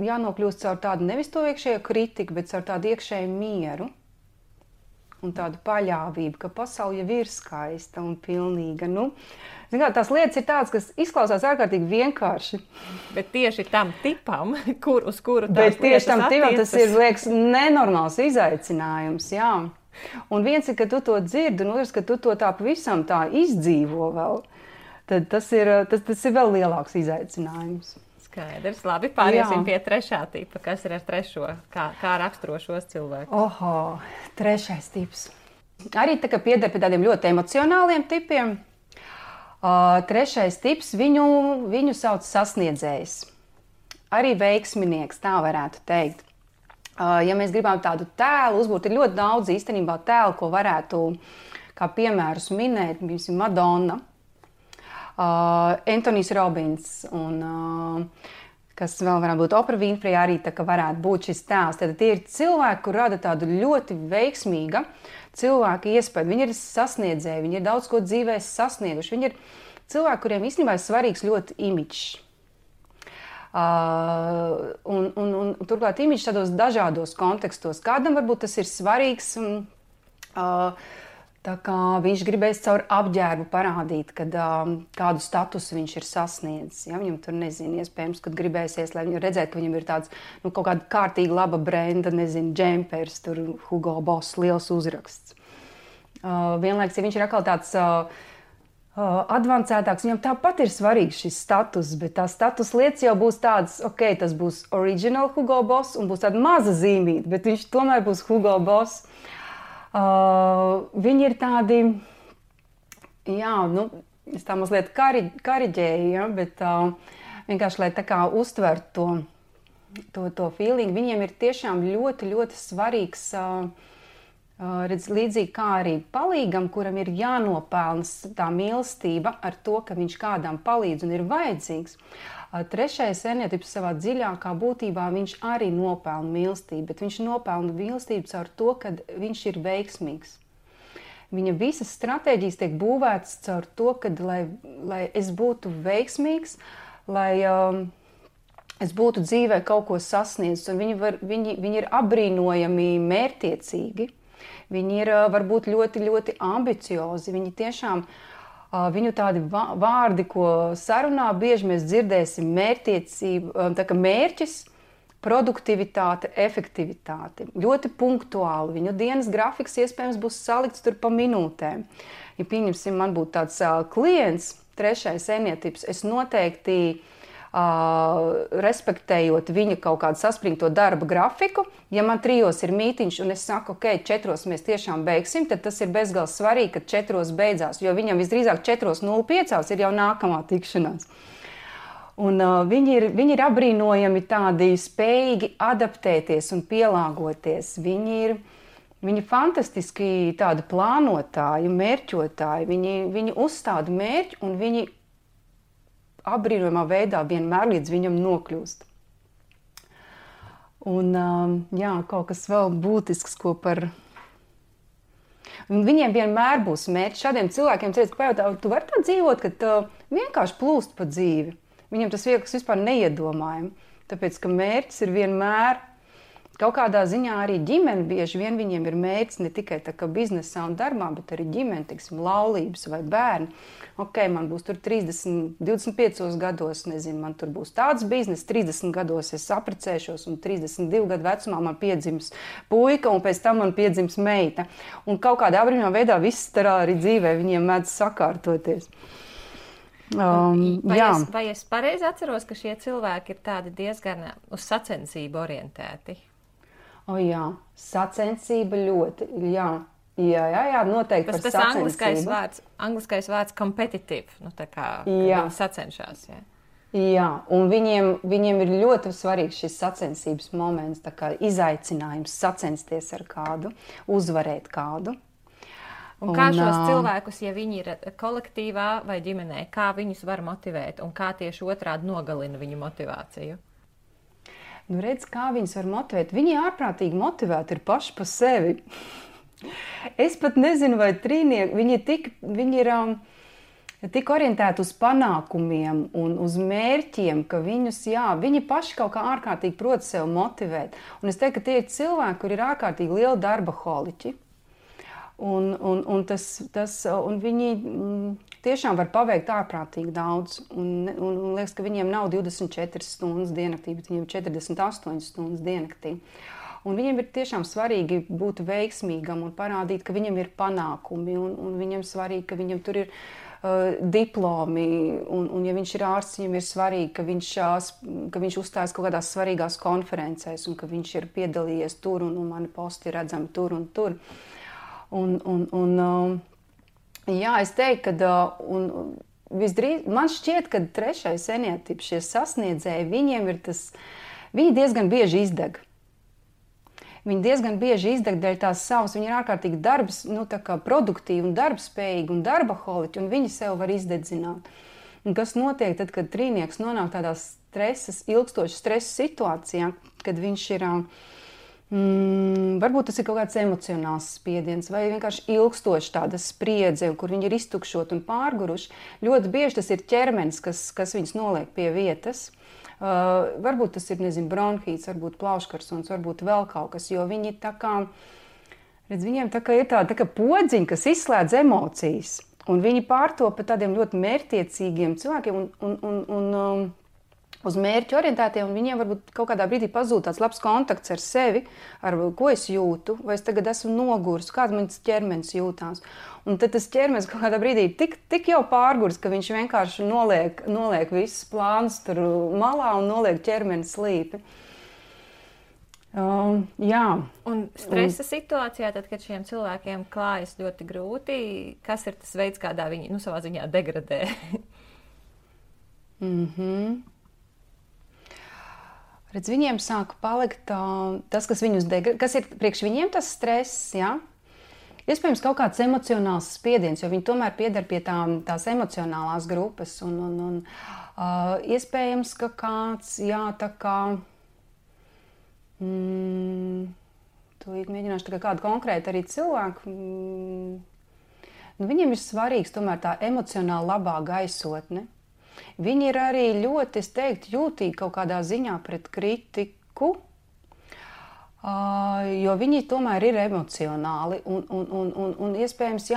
jānokļūst caur tādu nevis to iekšējo kritiku, bet caur tādu iekšēju mieru un tādu paļāvību, ka pasaule jau ir skaista un pilnīga. Tās lietas ir tādas, kas izklausās ārkārtīgi vienkārši. Bet tieši tam tipam, uz kuru tās lietas tieši tam tipam, tas ir, liekas, nenormāls izaicinājums, jā. Un viens ir, ka tu to dzirdi, un otrs, ka tu to tā pavisam tā izdzīvo vēl. Tad tas ir vēl lielāks izaicinājums. Skaidrs, labi, pāriesim pie trešā tipa. Kas ir ar trešo? Kā raksturo šos cilvēkus? Trešais tips. Arī tā kā pieder pie tādiem ļoti emocionāliem tipiem. Trešais tips, viņu sauc sasniedzējs. Arī veiksminieks, tā varētu teikt. Ja mēs gribam tādu tēlu uzbūt, ir ļoti daudz īstenībā tēlu, ko varētu kā piemērus minēt. Piemēram, Madonna, Antonijs Robins un kas vēl varētu būt Oprah Winfrey, arī tā kā varētu būt šis tēls. Tad tie ir cilvēki, kur rada tādu ļoti veiksmīga cilvēka iespēju. Viņi ir sasniedzēji, viņi ir daudz ko dzīvē sasnieguši. Viņi ir cilvēki, kuriem īstenībā ir svarīgs ļoti imidžs. Un turklāt imidžs tādos dažādos kontekstos. Kādam varbūt tas ir svarīgs, tā kā viņš gribēs caur apģērbu parādīt, kad kādu statusu viņš ir sasniedzis. Ja? Viņam tur, iespējams, kad gribēsies, lai viņu redzētu, ka viņam ir tāds, kaut kāda kārtīga laba brenda, džempers, tur Hugo Boss, liels uzraksts. Vienlaiks, ja viņš ir atkal tāds advancētāks, viņam tāpat ir svarīgs šis status, bet tā status lietas jau būs tādas, tas būs original Hugo Boss un būs tāda maza zīmīte, bet viņš tomēr būs Hugo Boss. Viņi ir tādi, es tā mazliet kariģēju, bet vienkārši, lai tā kā uztvertu to feeling, viņiem ir tiešām ļoti, ļoti svarīgs, līdzīgi kā arī palīgam, kuram ir jānopelna tā mīlestība ar to, ka viņš kādam palīdz un ir vajadzīgs. Trešais ēnietips savā dziļākā būtībā viņš arī nopelna mīlestību, bet viņš nopelna mīlestību caur to, ka viņš ir veiksmīgs. Viņa visas stratēģijas tiek būvētas caur to, ka, lai es būtu veiksmīgs, lai es būtu dzīvē kaut ko sasniedzis. Viņi ir apbrīnojami mērķtiecīgi, viņi ir varbūt ļoti, ļoti ambiciozi, viņi tiešām. Viņu tādi vārdi, ko sarunā bieži mēs dzirdēsim, mērķtiecība, tā kā mērķis, produktivitāte, efektivitāte. Ļoti punktuāli. Viņu dienas grafiks iespējams būs salikts tur pa minūtēm. Ja pieņemsim, man būtu tāds klients, trešais ēnietips, es noteikti respektējot viņa kaut kādu saspringto darba grafiku. Ja man 3 ir mītiņš un es saku, 4 mēs tiešām beigsim, tad tas ir bezgalīgi svarīgi, ka 4 beidzās, jo viņam visdrīzāk 4:05 ir jau nākamā tikšanās. Un viņi ir apbrīnojami tādi spējīgi adaptēties un pielāgoties. Viņi Viņi fantastiski tādi plānotāji, mērķotāji. Viņi uzstāda mērķi un viņi apbrīnojamā veidā vienmēr līdz viņam nokļūst. Un jā, kaut kas vēl būtisks, ko par... Un viņiem vienmēr būs mērķi. Šādiem cilvēkiem cilvēks pajautā, tu vari tā dzīvot, ka vienkārši plūst pa dzīvi. Viņam tas viekas vispār neiedomājami. Tāpēc, ka mērķis ir vienmēr... Kaut kādā ziņā arī ģimene bieži vien viņiem ir mērķis ne tikai tā kā biznesā un darbā, bet arī ģimene, tiksim, laulības vai bērni. Ok, man būs tur 30, 25 gados, nezinu, man tur būs tāds biznes, 30 gados es apprecēšos un 32 gadu vecumā man piedzims puika un pēc tam man piedzims meita. Un kaut kādā apbrīnojamā veidā viss tā arī dzīvē viņiem mēdz sakārtoties. Vai es pareizi atceros, ka šie cilvēki ir tādi diezgan uz sacensību orientēti? Jā, sacensība ļoti, jā, noteikti par sacensību. Angliskais vārds competitive, tā kā viņi sacenšās, jā. Jā, un viņiem ir ļoti svarīgs šis sacensības moments, tā kā izaicinājums sacensties ar kādu, uzvarēt kādu. Un kā šos cilvēkus, ja viņi ir kolektīvā vai ģimenē, kā viņus var motivēt un kā tieši otrādi nogalina viņu motivāciju? Nu, redz, kā viņus var motivēt. Viņi ārprātīgi motivēti ir paši pa sevi. Es pat nezinu, vai trīnieki, viņi ir tik orientēti uz panākumiem un uz mērķiem, ka viņi paši kaut kā ārkārtīgi prot sev motivēt. Un es teiktu, ka tie ir cilvēki, kur ir ārkārtīgi liela darba holiķi. Un viņi tiešām var paveikt ārprātīgi daudz. Un liekas, ka viņiem nav 24 stundas diennaktī, bet viņiem ir 48 stundas diennaktī. Un viņiem ir tiešām svarīgi būt veiksmīgam un parādīt, ka viņam ir panākumi. Un viņam svarīgi, ka viņam tur ir diplomi. Un ja viņš ir ārsts, viņam ir svarīgi, ka viņš uzstājas kaut kādās svarīgās konferencēs un ka viņš ir piedalījies tur un mani posti ir redzami tur un tur. Jā, es teiktu, ka man šķiet, ka trešais eniatips, šie sasniedzēji, viņi diezgan bieži izdeg. Viņi diezgan bieži izdeg dēļ tās savas, viņi ir ārkārtīgi produktīvi un darbspējīgi un darbaholiķi, un viņi sev var izdedzināt. Un kas notiek tad, kad trīnieks nonāk tādā ilgstošas stresa situācijā, kad viņš ir... varbūt tas ir kaut kāds emocionāls spiediens vai vienkārši ilgstoši tāda spriedze, kur viņi ir iztukšoti un pārguruši. Ļoti bieži tas ir ķermenis, kas viņus noliek pie vietas. Varbūt tas ir, bronhīts, varbūt plauškarsuns, varbūt vēl kaut kas, jo viņi viņiem ir tāda podziņa, kas izslēdz emocijas. Un viņi pārtopa tādiem ļoti mērķtiecīgiem cilvēkiem un uz mērķi orientētiem, un viņiem varbūt kaut kādā brīdī pazūd tāds labs kontakts ar sevi, ar ko es jūtu, vai es tagad esmu noguris, kāds mans ķermenis jūtās. Un tad tas ķermenis kaut kādā brīdī tik jau pārguris, ka viņš vienkārši noliek visus plānus tur malā un noliek ķermeni slīpi. Jā. Un stresa situācijā, tad, kad šiem cilvēkiem klājas ļoti grūti, kas ir tas veids, kādā viņi savā ziņā degradē? Redz, viņiem sāka palikt tas, kas viņus kas ir priekš viņiem tas stress, jā? Iespējams, kaut kāds emocionāls spiediens, jo viņi tomēr pieder pie tās emocionālās grupas. Un iespējams, ka kāds, tūlīt mēģināšu kādu konkrētu arī cilvēku. Viņiem ir svarīgs tomēr tā emocionāli labā gaisotne. Viņi ir arī ļoti, es teiktu, jūtīgi kaut kādā ziņā pret kritiku, jo viņi tomēr ir emocionāli un iespējams,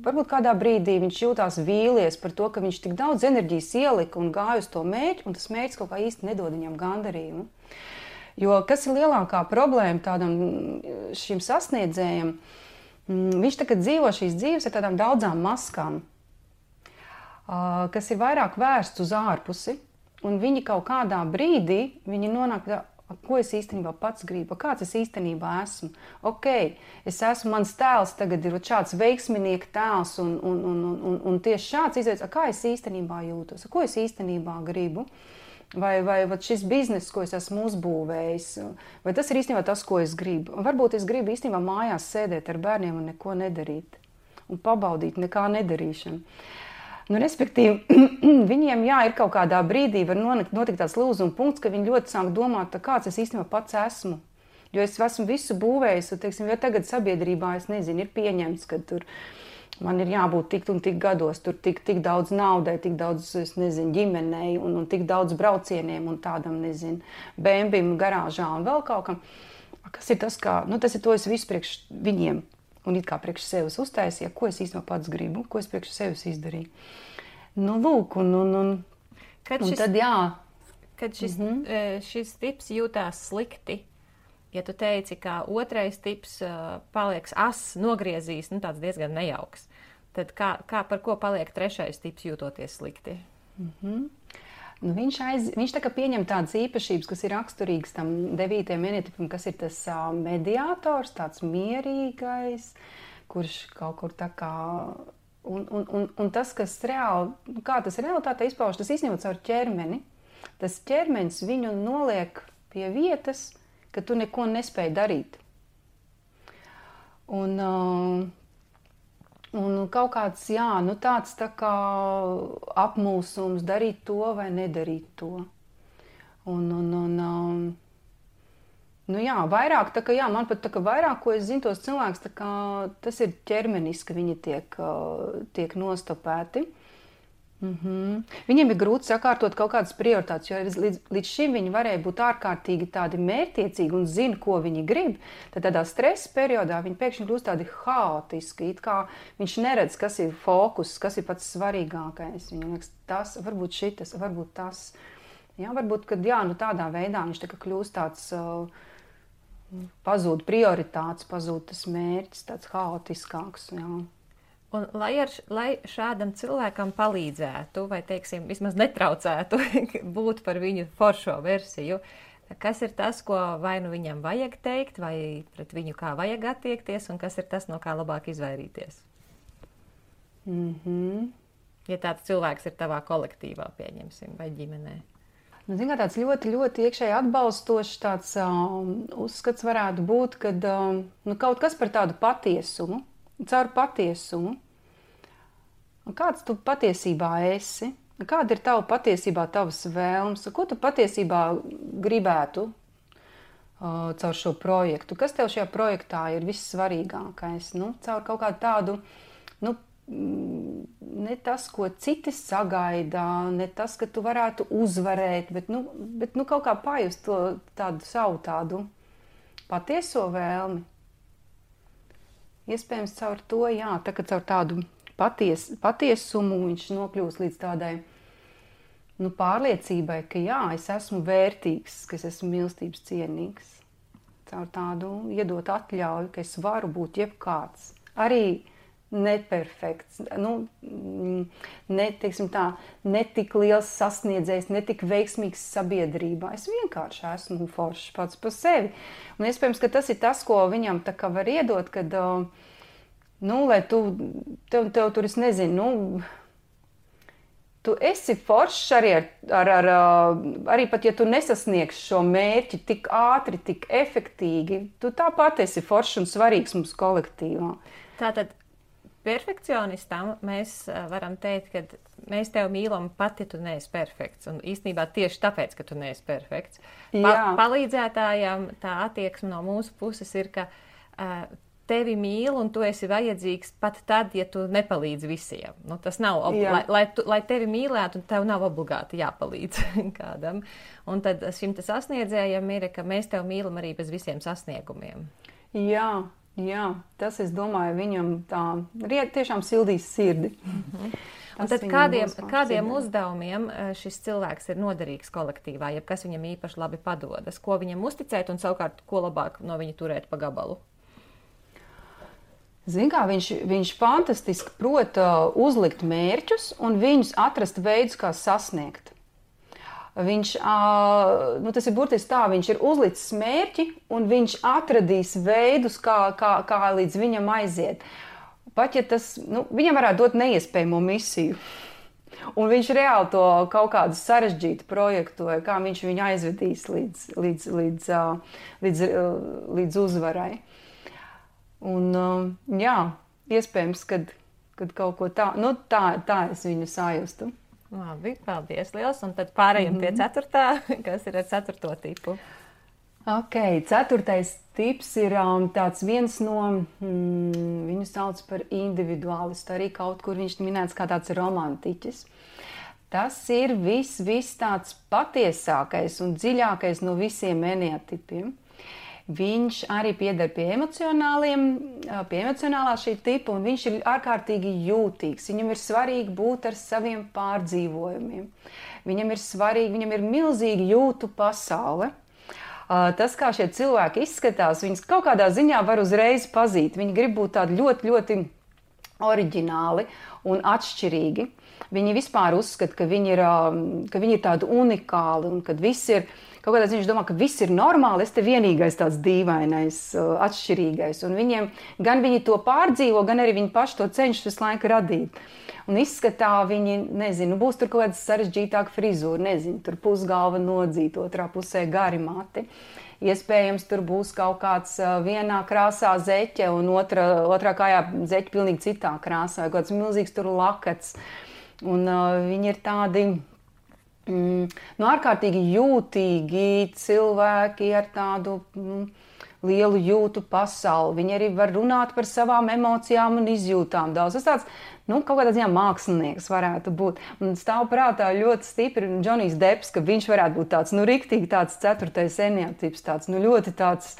varbūt kādā brīdī viņš jūtās vīlies par to, ka viņš tik daudz enerģijas ielika un gāja uz to mērķi, un tas mērķis kaut kā īsti nedod viņam gandarījumu. Jo kas ir lielākā problēma šim sasniedzējam, viņš tagad dzīvo šīs dzīves ar tādām daudzām maskām, kas ir vairāk vērsts uz ārpusi, un viņi kaut kādā brīdī nonāk, ko es īstenībā pats gribu, kāds es īstenībā esmu. Ok, mans tēls tagad ir šāds veiksminieka tēls, un tieši šāds izveids, kā es īstenībā jūtos, ko es īstenībā gribu. vai šis bizness, ko es esmu uzbūvējis, vai tas ir īstenībā tas, ko es gribu. Un varbūt es gribu īstenībā mājās sēdēt ar bērniem un neko nedarīt, un pabaudīt nekā nedarīšanu. Nu, respektīvi, viņiem, jā, ir kaut kādā brīdī var notikt tāds lūzuma punkts, ka viņi ļoti sāk domāt, kāds es īstenībā pats esmu. Jo es esmu visu būvējis, un, teiksim, ja tagad sabiedrībā, es nezinu, ir pieņemts, ka tur man ir jābūt tik un tik gados, tur tik daudz naudai, tik daudz, es nezinu, ģimenei un tik daudz braucieniem un tādam, nezinu, bēmbim garāžā un vēl kaut kam. Kas ir tas, kā, nu tas ir to es visu priekš viņiem un it kā priekš sevis uztaisīju, ko es īstenībā pats gribu, ko es priekš sevis izdarīju. Nu, lūk, un tad jā. Kad šis tips jūtās slikti, ja tu teici, ka otrais tips paliek ass, nogriezīs, nu tāds diezgan nejauks, tad par ko paliek trešais tips jūtoties slikti? Nu, viņš tā kā pieņem tādas īpašības, kas ir raksturīgas tam 9. enetipam, kas ir tas mediātors, tāds mierīgais, kurš kaut kur tā kā... Un tas, kas reāli, kā tas realitātē izpauž, tas īstenībā caur ķermeni. Tas ķermenis viņu noliek pie vietas, ka tu neko nespēji darīt. Un kaut kāds, jā, nu tāds tā kā apmulsums darīt to vai nedarīt to. Nu jā, vairāk, tā kā jā, man pat tā kā vairāk, ko es zinu tos cilvēkus, tā kā tas ir ķermeniski, viņi tiek nostopēti. Viņiem ir grūti sakārtot kaut kādas prioritātes, jo līdz šim viņi varēja būt ārkārtīgi tādi mērķtiecīgi un zina, ko viņi grib. Tad tādā stresa periodā viņi pēkšņi kļūst tādi haotiski, it kā viņš neredz, kas ir fokus, kas ir pats svarīgākais. Viņam liekas, tas, varbūt šitas, varbūt tas. Jā, varbūt, kad jā, nu tādā veidā viņš tā kā kļūst tāds, pazūd prioritātes, pazūd tas mērķis, tāds haotiskāks, jā. Un, lai šādam cilvēkam palīdzētu, vai, teiksim, vismaz netraucētu būt par viņu foršo versiju, kas ir tas, ko vai nu viņam vajag teikt, vai pret viņu kā vajag attiekties, un kas ir tas, no kā labāk izvairīties? Ja tāds cilvēks ir tavā kolektīvā, pieņemsim, vai ģimenē. Nu, zin, tāds ļoti, ļoti iekšēji atbalstošs tāds uzskats varētu būt, kad nu, kaut kas par tādu patiesumu, caur patiesumu. Un kāds tu patiesībā esi? Kāda ir tava patiesībā tavas vēlmes? Ko tu patiesībā gribētu caur šo projektu? Kas tev šajā projektā ir vissvarīgākais? Nu, caur kaut kādu tādu, nu, ne tas, ko citi sagaida, ne tas, ka tu varētu uzvarēt, bet kaut kā pajust to tādu savu tādu patieso vēlmi. Iespējams, caur to, jā, tā kā caur tādu patiesumu viņš nokļūst līdz tādai pārliecībai, ka jā, es esmu vērtīgs, ka es esmu mīlestības cienīgs. Caur tādu iedot atļauju, ka es varu būt jebkāds. Arī neperfekts, netik liels sasniedzējs, netik veiksmīgs sabiedrībā. Es vienkārši esmu foršs pats par sevi. Un iespējams, ka tas ir tas, ko viņam tā kā var iedot, kad, lai tev tur, es nezinu, tu esi foršs arī pat, ja tu nesasniegsi šo mērķi tik ātri, tik efektīgi, tu tāpat esi foršs un svarīgs mums kolektīvā. Tātad perfekcionistam mēs varam teikt, ka mēs tevi mīlam pat, ja tu neesi perfekts. Un īstenībā tieši tāpēc, ka tu neesi perfekts. Palīdzētājam tā attieksme no mūsu puses ir, ka tevi mīl un tu esi vajadzīgs pat tad, ja tu nepalīdzi visiem. Nu, tas nav, lai tevi mīlētu, tev nav obligāti jāpalīdz kādam. Un tad šim sasniedzējam ir, ka mēs tevi mīlam arī bez visiem sasniegumiem. Jā, tas, es domāju, viņam tā tiešām sildīs sirdi. Un tad kādiem uzdevumiem šis cilvēks ir noderīgs kolektīvā, ja kas viņam īpaši labi padodas, ko viņam uzticēt un savukārt, ko labāk no viņa turēt pa gabalu? Zin kā, viņš fantastiski prot uzlikt mērķus un viņus atrast veidus, kā sasniegt. Viņš, tas ir burtiski tā, viņš ir uzlicis mērķi un viņš atradīs veidus, kā līdz viņam aiziet. Pat ja tas, viņam varētu dot neiespējamo misiju. Un viņš reāli to kaut kādu sarežģītu projektu, vai kā viņš viņu aizvedīs līdz uzvarai. Un, jā, iespējams, kad kaut ko tā, nu tā es viņu sajustu. Labi, paldies liels. Un tad pārējiem pie 4. kas ir ar 4. tipu. Ok, 4. tips ir tāds viens no, viņu sauc par individuālistu, arī kaut kur viņš minēts kā tāds romantiķis. Tas ir viss tāds patiesākais un dziļākais no visiem eneatipiem. Viņš arī pieder pie emocionālā šī tipa, un viņš ir ārkārtīgi jūtīgs. Viņam ir svarīgi būt ar saviem pārdzīvojumiem. Viņam ir milzīgi jūtu pasaule. Tas, kā šie cilvēki izskatās, viņus kaut kādā ziņā var uzreiz pazīt. Viņi grib būt tādi ļoti, ļoti oriģināli un atšķirīgi. Viņi vispār uzskata, ka viņi ir tādi unikāli un kad viss ir, kaut kādā ziņā viņš domā, ka viss ir normāli, es te vienīgais tāds dīvainais, atšķirīgais. Un viņiem, gan viņi to pārdzīvo, gan arī viņi paši to cenšas visu laiku radīt. Un izskatā viņi, nezinu, būs tur kaut kāda sarežģītāka frizūra, nezinu, tur pusgalva nodzīta, otrā pusē gari mati. Iespējams, tur būs kaut kāds vienā krāsā zeķe un otrā kājā zeķe pilnīgi citā krāsā, vai kaut kāds milzīgs tur lakats. Un viņi ir tādi ārkārtīgi jūtīgi cilvēki ar tādu lielu jūtu pasauli. Viņi arī var runāt par savām emocijām un izjūtām daudz. Tas tāds, kaut kādā ziņā mākslinieks varētu būt. Un stāv prātā ļoti stipri Džonijs Depps, ka viņš varētu būt tāds, riktīgi tāds 4. eneatips, tāds, ļoti tāds,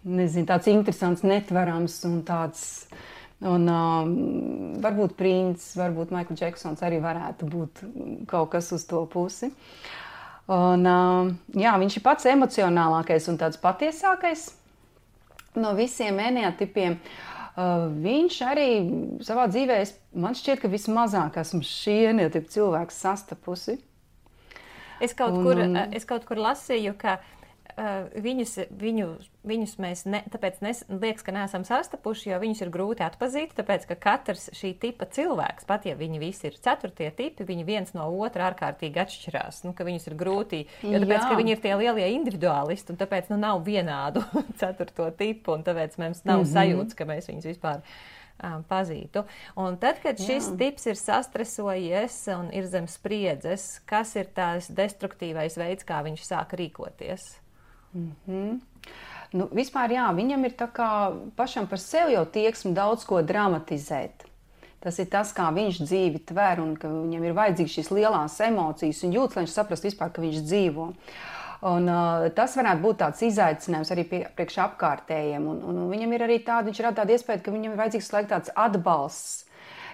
nezinu, tāds interesants, netverams un tāds, un varbūt Prince, varbūt Michael Jacksons arī varētu būt kaut kas uz to pusi. Un, jā, viņš ir pats emocionālākais un tāds patiesākais no visiem eneatipiem. Viņš arī savā dzīvē, man šķiet, ka vismazāk esmu šī eneatipa cilvēks sastapusi. Es kaut kur lasīju, ka viņus mēs tāpēc liekas, ka neesam sastapuši, jo viņus ir grūti atpazīt, tāpēc, ka katrs šī tipa cilvēks, pat ja viņi visi ir 4. tipi, viņi viens no otra ārkārtīgi atšķirās, ka viņus ir grūti, jo tāpēc, ka viņi ir tie lielie individuālisti, un tāpēc, nav vienādu 4. tipu, un tāpēc mums nav sajūtas, ka mēs viņus vispār pazītu. Un tad, kad šis tips ir sastresojies un ir zem spriedzes, kas ir tās destruktīvais veids, kā viņš sāk rīkoties? Vispār jā, viņam ir tā kā pašam par sevi jau tieksmi daudz ko dramatizēt. Tas ir tas, kā viņš dzīvi tver un ka viņam ir vajadzīgas šīs lielās emocijas un jūtas, lai viņš saprast vispār, ka viņš dzīvo. Un tas varētu būt tāds izaicinājums arī priekš apkārtējiem. Un viņam ir arī viņš rada tādu iespēju, ka viņam ir vajadzīgs laiks tāds atbalsts,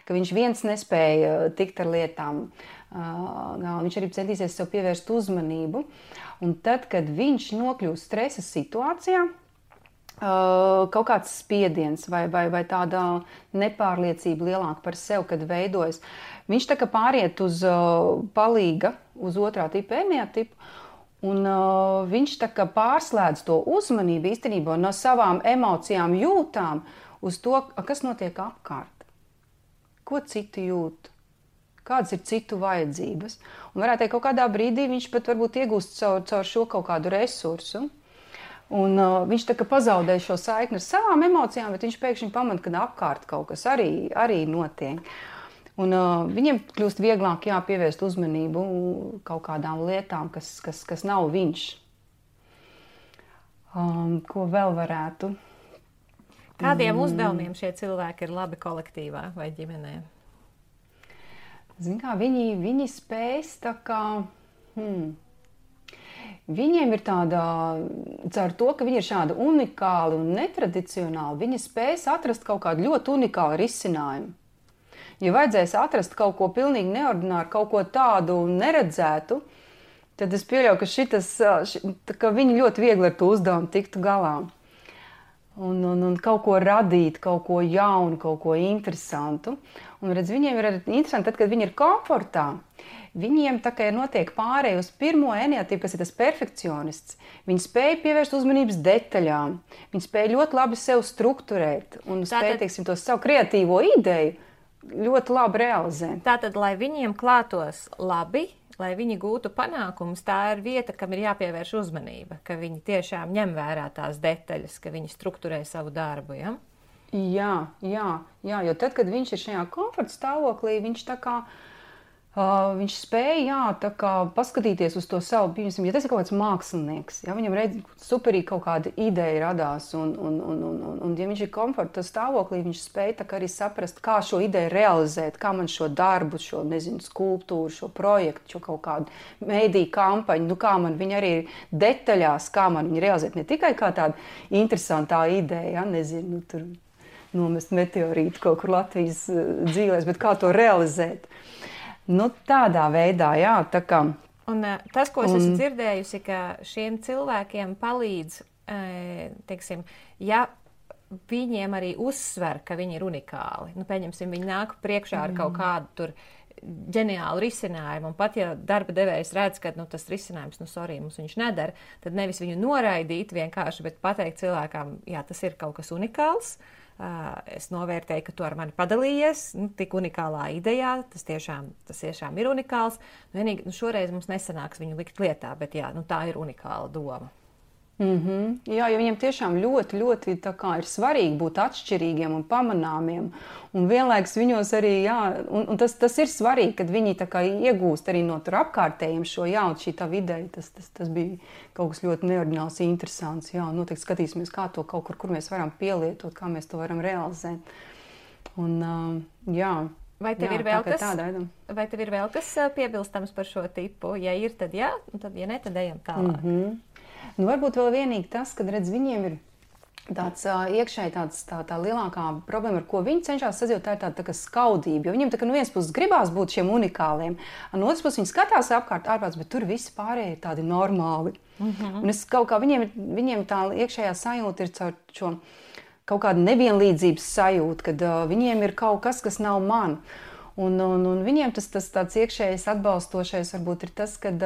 ka viņš viens nespēja tikt ar lietām. Viņš arī centīsies sev pievērst uzmanību. Un tad, kad viņš nokļūst stresa situācijā, kaut kāds spiediens vai tāda nepārliecība lielāka par sevi, kad veidojas, viņš tā kā pāriet uz palīga, uz 2. tipa eneatipu, un viņš tā kā pārslēdz to uzmanību īstenībā no savām emocijām, jūtām uz to, kas notiek apkārt. Ko citi jūt? Kādas ir citu vajadzības. Un varētu teikt, kaut kādā brīdī viņš pat varbūt iegūst caur šo kaut kādu resursu. Un viņš tā kā pazaudē šo saikni ar savām emocijām, bet viņš pēkšņi pamana, ka apkārt kaut kas arī notiek. Un viņiem kļūst vieglāk pievērst uzmanību kaut kādām lietām, kas nav viņš. Ko vēl varētu? Kādiem uzdevumiem šie cilvēki ir labi kolektīvā vai ģimenē? Zin kā, viņi spējas tā kā, viņiem ir tāda, caur to, ka viņi ir šādi unikāli un netradicionāli, viņi spējas atrast kaut kādu ļoti unikālu risinājumu. Ja vajadzēs atrast kaut ko pilnīgi neordināru, kaut ko tādu neredzētu, tad es pieļauju, ka viņi ļoti viegli ar to uzdevumu tiktu galā. Un kaut ko radīt, kaut ko jaunu, kaut ko interesantu. Un redz, viņiem ir interesanti, tad, kad viņi ir komfortā, viņiem tā kā notiek pārēj uz 1. eneatipu, kas ir tas perfekcionists. Viņi spēja pievērst uzmanības detaļām, viņi spēja ļoti labi sev strukturēt un spēja, to savu kreatīvo ideju ļoti labi realizē. Tātad, lai viņiem klātos labi, lai viņi gūtu panākumus, tā ir vieta, kam ir jāpievērš uzmanība, ka viņi tiešām ņem vērā tās detaļas, ka viņi strukturē savu darbu, ja? Jā, jo tad, kad viņš ir šajā komforta stāvoklī, viņš tā kā viņš spēja tā kā paskatīties uz to savu, piemēram, ja tas ir kaut kāds mākslinieks, ja viņam superīgi kaut kāda ideja radās, un ja viņš ir komforta stāvoklī, viņš spēja tā kā arī saprast, kā šo ideju realizēt, kā man šo darbu, šo, nezinu, skulptūru, šo projektu, šo kaut kādu mēdīju kampaņu, kā man viņa arī detaļās, kā man viņa realizēt, ne tikai kā tāda interesantā ideja, ja, nezinu, tur nomest meteorītu kaut kur Latvijas dzīvēs, bet kā to realizēt. Tādā veidā, jā, tā kā. Un tas, ko es esmu dzirdējusi, ka šiem cilvēkiem palīdz, teiksim, ja viņiem arī uzsver, ka viņi ir unikāli. Pieņemsim, viņi nāk priekšā ar kaut kādu tur ģeniālu risinājumu, un pat ja darba devējs redz, ka tas risinājums, mums viņš nedara, tad nevis viņu noraidīt vienkārši, bet pateikt cilvēkam, jā, tas ir kaut kas unikāls. Es novērtēju, ka tu ar mani padalījies, tik unikālā idejā, tas tiešām ir unikāls. Vienīgi, šoreiz mums nesanāks viņu likt lietā, bet jā, tā ir unikāla doma. Jā, jo viņiem tiešām ļoti, ļoti tā kā ir svarīgi būt atšķirīgiem un pamanāmiem. Un vienlaikus viņos arī, jā, un tas ir svarīgi, kad viņi tā kā iegūst arī no tur apkārtējiem šo, jā, un šī tā ideja, tas bija kaut kas ļoti neordināls, interesants, jā, noteikti skatīsimies, kā to kaut kur mēs varam pielietot, kā mēs to varam realizēt. Un, jā. Vai tev ir vēl kas piebilstams par šo tipu? Ja ir, tad jā, un tad, ja ne, tad ejam tālāk. Varbūt vēl vienīgi tas, kad redz, viņiem ir tāds iekšēji tā lielākā problēma, ar ko viņi cenšas sadzīvot, tā ir tā kā skaudība. Jo viņiem tā kā no vienas puses gribās būt šiem unikāliem, un no otras puses viņi skatās ārpus, bet tur visi pārējie ir tādi normāli. Un es kaut kā viņiem tā iekšējā sajūta ir caur šo kaut kādu nevienlīdzības sajūtu, kad viņiem ir kaut kas nav man. Un viņiem tas tāds iekšējais atbalstošais varbūt ir tas, kad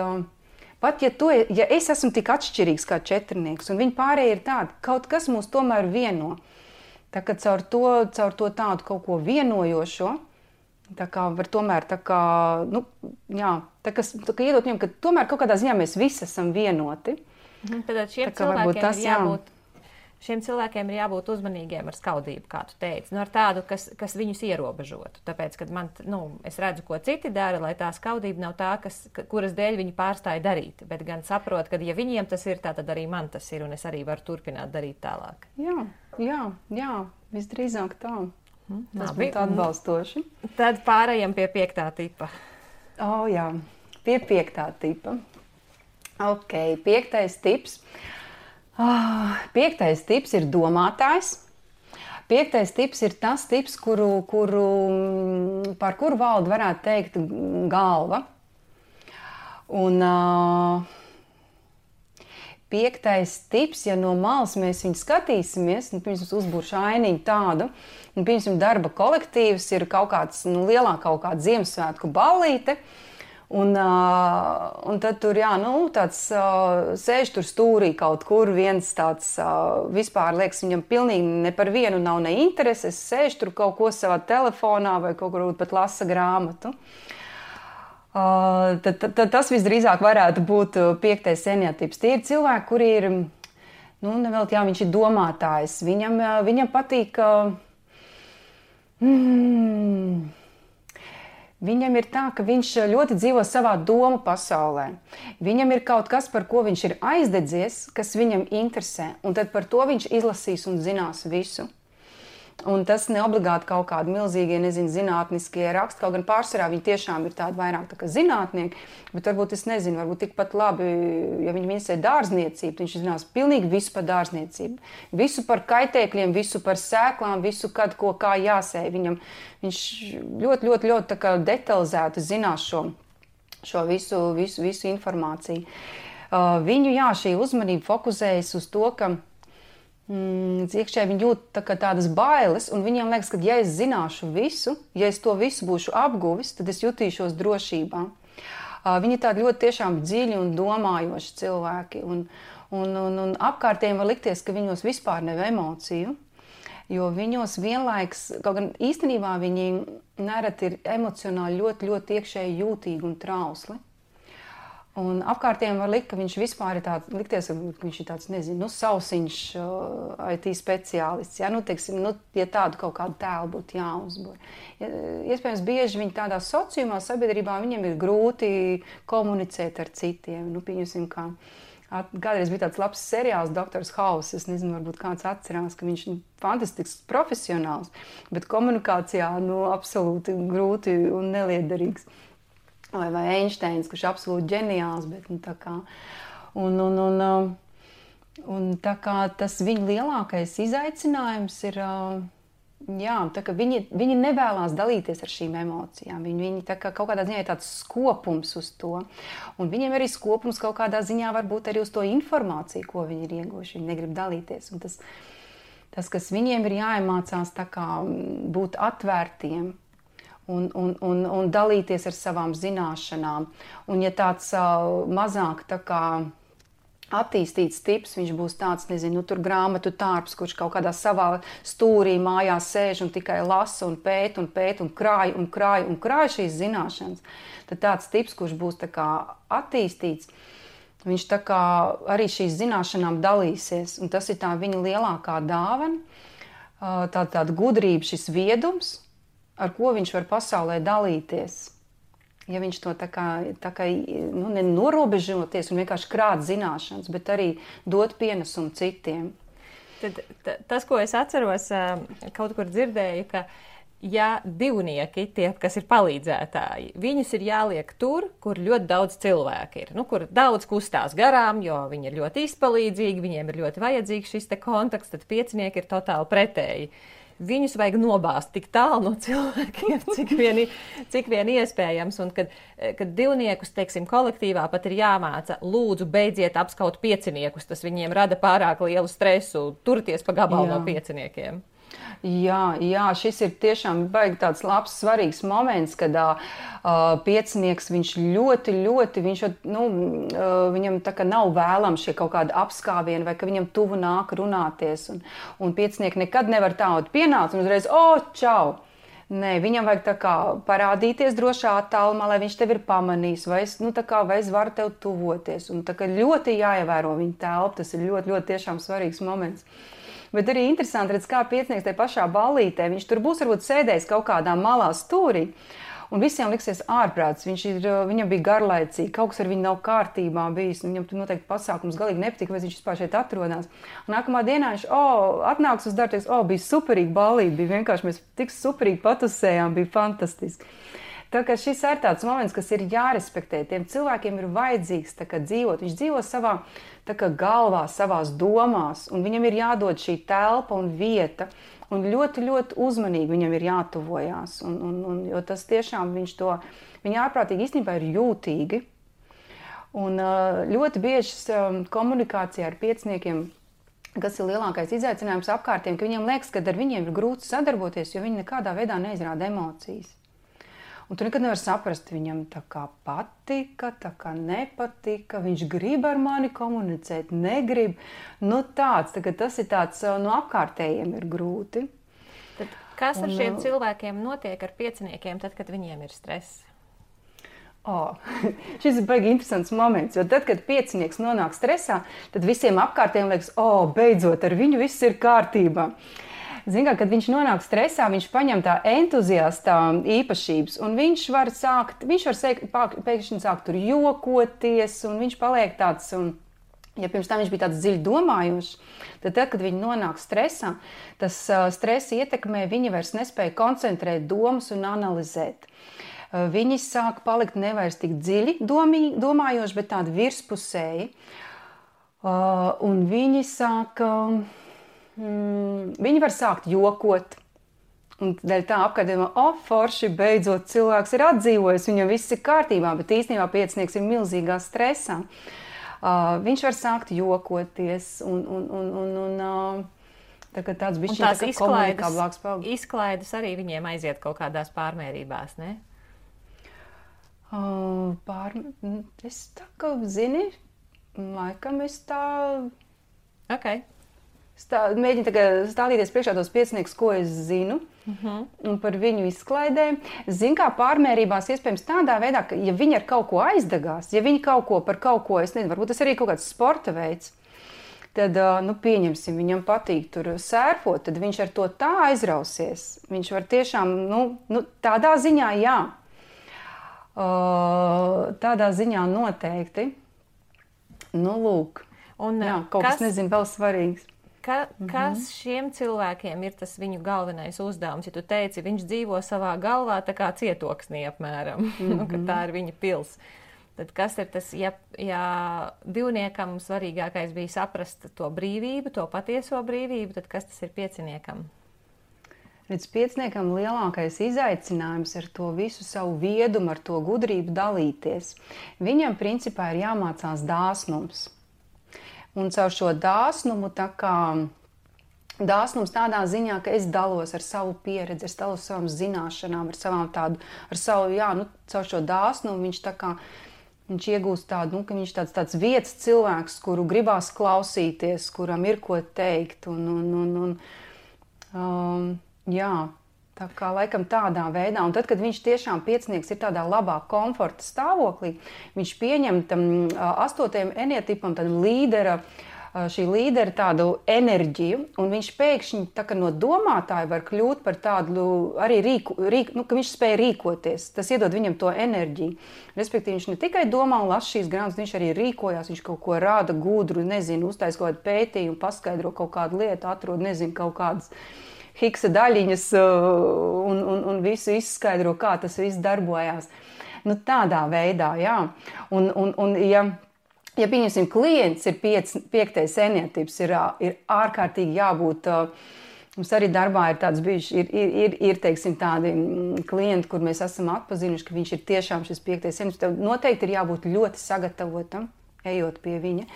pat ja es esmu tik atšķirīgs kā četrnieks, un viņi pārējie ir tādi, kaut kas mūs tomēr vieno. Tā kā caur to tādu kaut ko vienojošo, tā kā var tomēr tā kā, tā kā iedot viņam, ka tomēr kaut kādā ziņā mēs visi esam vienoti. Tad šiem cilvēkiem ir jābūt uzmanīgiem ar skaudību, kā tu teici, ar tādu, kas viņus ierobežotu. Tāpēc, kad es redzu, ko citi dara, lai tā skaudība nav tā, kuras dēļ viņi pārstāja darīt, bet gan saprot, ka ja viņiem tas ir tā, tad arī man tas ir, un es arī varu turpināt darīt tālāk. Jā, visdrīzāk tā. Tas būtu atbalstoši. Tad pārējām pie 5. tipa. Jā, pie 5. tipa. Ok, 5. tips. 5. tips ir domātājs. 5. tips ir tas tips, par kuru valda varētu teikt galva. Un 5. tips, ja no malas mēs viņu skatīsimies, pirms uzbūršu ainiņu tādu, pirms darba kolektīvs ir kaut kāds lielā kaut kāda Ziemassvētku ballīte. Un tad tur, tāds sēž tur stūrī kaut kur, viens tāds vispār liekas, viņam pilnīgi ne par vienu nav ne intereses, sēž tur kaut ko savā telefonā vai kaut kur pat lasa grāmatu. Tad tas visdrīzāk varētu būt 5. seniatips. Tie ir cilvēki, kuri ir, viņš ir domātājs, viņam patīk... Viņam ir tā, ka viņš ļoti dzīvo savā domu pasaulē. Viņam ir kaut kas, par ko viņš ir aizdedzies, kas viņam interesē, un tad par to viņš izlasīs un zinās visu. Un tas neobligāti kaut kādi milzīgie, zinātniskie raksti, kaut gan pārsvarā viņi tiešām ir tādi vairāk tā kā zinātnieki, bet varbūt varbūt tikpat labi, ja viņi interesē dārzniecību, viņš zinās pilnīgi visu par dārzniecību, visu par kaitēkļiem, visu par sēklām, visu, kad ko kā jāsēj. Viņš ļoti tā kā detalizēti zinās šo visu informāciju. Viņu, šī uzmanība fokusējas uz to, ka iekšēji viņi jūt tādas bailes, un viņiem liekas, ka ja es zināšu visu, ja es to visu būšu apguvis, tad es jutīšos drošībā. Viņi tādi ļoti tiešām dziļi un domājoši cilvēki, un apkārtējiem var likties, ka viņos vispār nav emociju. Jo viņos vienlaiks, kaut gan īstenībā viņi nereti ir emocionāli ļoti, ļoti iekšēji jūtīgi un trausli. Un apkārtējiem var likt, ka viņš vispār ir tāds, likties, ka viņš ir tāds, nezinu, sausiņš IT speciālists. Ja, teiksim, ja tādu kaut kādu tēlu būtu jāuzbūr. Iespējams, bieži viņi tādā sociumā, sabiedrībā, viņiem ir grūti komunicēt ar citiem. Pieņemsim, kā kādreiz bija tāds labs seriāls Doktors House. Es nezinu, varbūt kāds atcerās, ka viņš ir fantastisks profesionāls, bet komunikācijā absolūti grūti un neliederīgs. Vai Einsteins, kurš absolūti ģeniāls, bet tā kā, un tā kā tas viņa lielākais izaicinājums ir, tā kā viņi nevēlās dalīties ar šīm emocijām, viņi tā kā kaut kādā ziņā ir tāds skopums uz to, un viņiem arī skopums kaut kādā ziņā varbūt arī uz to informāciju, ko viņi ir ieguvuši, viņi negrib dalīties, un tas, kas viņiem ir jāiemācās tā kā būt atvērtiem, un dalīties ar savām zināšanām. Un ja tāds mazāk tā kā attīstīts tips, viņš būs tāds, nezinu, tur grāmatu tārps, kurš kaut kādā savā stūrī mājās sēž un tikai lasa un pēt un krāj šīs zināšanas, tad tāds tips, kurš būs tā kā attīstīts, viņš tā kā arī šīs zināšanām dalīsies. Un tas ir tā viņa lielākā dāvana, tāda gudrība, šis viedums, ar ko viņš var pasaulē dalīties. Ja viņš to tā kā nenorobežoties un vienkārši krāt zināšanas, bet arī dot pienesumu citiem. Tad tas, ko es atceros, kaut kur dzirdēju, ka ja divnieki, tie, kas ir palīdzētāji, viņus ir jāliek tur, kur ļoti daudz cilvēku ir. Kur daudz kustās garām, jo viņi ir ļoti izpalīdzīgi, viņiem ir ļoti vajadzīgs šis te kontakts, tad piecinieki ir totāli pretēji. Viņus vajag nobāzt tik tālu no cilvēkiem, cik vien iespējams. Un kad divniekus, teiksim, kolektīvā pat ir jāmāca, lūdzu, beidziet apskaut pieciniekus, tas viņiem rada pārāk lielu stresu, turties pa gabalu no pieciniekiem. Jā, šis ir tiešām baigi tāds labs, svarīgs moments, kad piecinieks, viņš ļoti, viņam tā kā nav vēlams šie kaut kādi apskāvieni, vai ka viņam tuvu nāk runāties, un piecinieki nekad nevar tādu pienākt, un uzreiz, čau! Nē, viņam vajag tā kā parādīties drošā attālumā, lai viņš tevi ir pamanījis, vai es varu tev tuvoties, un tā kā ļoti jāievēro viņa telpa, tas ir ļoti, ļoti tiešām svarīgs moments. Bet arī interesanti redz, kā piecinieks tajā pašā ballītē, viņš tur būs varbūt sēdējis kaut kādā malā stūrī, un visiem liksies ārprāts, viņam bija garlaicīgi, kaut kas ar viņu nav kārtībā bijis, viņam tur noteikti pasākums galīgi nepatika, vai viņš vispār šeit atrodās. Un nākamā dienā viņš, atnāks uz darbu, teiks, bija superīgi ballīti, bija vienkārši, mēs tik superīgi patusējām, bija fantastiski. Tā kā šis ir tāds moments, kas ir jārespektē, tiem cilvēkiem ir vajadzīgs tā kā dzīvot, viņš dzīvo savā tā kā galvā, savās domās, un viņam ir jādod šī telpa un vieta, un ļoti, ļoti uzmanīgi viņam ir jātuvojās, jo tas tiešām viņa ārprātīgi īstenībā ir jūtīgi, un ļoti bieži komunikācijā ar pieciniekiem, kas ir lielākais izaicinājums apkārtiem, ka viņiem liekas, ka ar viņiem ir grūti sadarboties, jo viņi nekādā veidā neizrāda emocijas. Un tu nekad nevar saprast, viņam tā kā patika, tā kā nepatika, viņš grib ar mani komunicēt, negrib. Tas ir tāds, apkārtējiem ir grūti. Tad kas ar šiem cilvēkiem notiek ar pieciniekiem, tad, kad viņiem ir stress? Šis ir baigi interesants moments, jo tad, kad piecinieks nonāk stresā, tad visiem apkārtējiem liekas, beidzot, ar viņu viss ir kārtībā. Ziniet, kad viņš nonāk stresā, viņš paņem tā entuziasta īpašības, un viņš var pēkšņi sākt tur jokoties, un viņš paliek tāds, ja pirms tam viņš bija tāds dziļi domājošs, tad, kad viņi nonāk stresā, tas stress ietekmē, viņi vairs nespēja koncentrēt domas un analizēt. Viņi sāk palikt nevairs tik dziļi domājoši, bet tādi virspusēji, un viņi sāk... Viņi var sākt jokot, un dēļ tā apkārtējumā, forši, beidzot cilvēks ir atdzīvojis, viņam viss ir kārtībā, bet īstenībā piecinieks ir milzīgā stresā. Viņš var sākt jokoties, un tāds bišķiņ komunikablāks paliek. Izklaides arī viņiem aiziet kaut kādās pārmērībās, ne? Es tā kā, zini, laikam es tā... Okay. mēģinu tagad stādīties priekšā tos pieciniekus, ko es zinu, un par viņu izklaidēm. Zinu, kā pārmērībās iespējams tādā veidā, ka ja viņi ar kaut ko aizdegās, ja viņi kaut ko par kaut ko, es nezinu, varbūt tas arī kaut kāds sporta veids, tad, pieņemsim, viņam patīk tur sērfot, tad viņš ar to tā aizrausies. Viņš var tiešām, tādā ziņā jā. Tādā ziņā noteikti. Lūk. Un, jā, kaut kas nezinu, vēl svarīgs. Kas šiem cilvēkiem ir tas viņu galvenais uzdevums? Ja tu teici, viņš dzīvo savā galvā tā kā cietoksnī apmēram, ka tā ir viņa pils. Tad kas ir tas, ja divniekam svarīgākais bija saprast to brīvību, to patieso brīvību, tad kas tas ir pieciniekam? Redz, pieciniekam lielākais izaicinājums ar to visu savu viedumu, ar to gudrību dalīties. Viņam principā ir jāmācās dāsnums. Un caur šo dāsnumu, dāsnums tādā ziņā, ka es dalos ar savu pieredzi, es dalos savām zināšanām, caur šo dāsnumu viņš iegūst tādu, ka viņš tāds vietas cilvēks, kuru gribās klausīties, kuram ir ko teikt. Tā kā laikam tādā veidā. Un tad, kad viņš tiešām piecinieks ir tādā labā komforta stāvoklī, viņš pieņem tam 8. enietipam šī līdera tādu enerģiju, un viņš pēkšņi tā kā no domātāja var kļūt par tādu arī ka viņš spēja rīkoties. Tas iedod viņam to enerģiju. Respektīvi, viņš ne tikai domā un lasa šīs grāmatas, viņš arī rīkojās, viņš kaut ko rāda gudru, uztais kaut kādu pētījumu, paskaidro kaut kādu lietu, atrod, kaut kādas Higsa daļiņas un visu izskaidro, kā tas viss darbojās. Tādā veidā, jā. Un ja pieņemsim, klients ir 5. enietips, ir ārkārtīgi jābūt, mums arī darbā ir tāds bijuši, ir teiksim, tādi klienti, kur mēs esam atpazinuši, ka viņš ir tiešām šis 5. enietips. Tev noteikti ir jābūt ļoti sagatavotam, ejot pie viņa,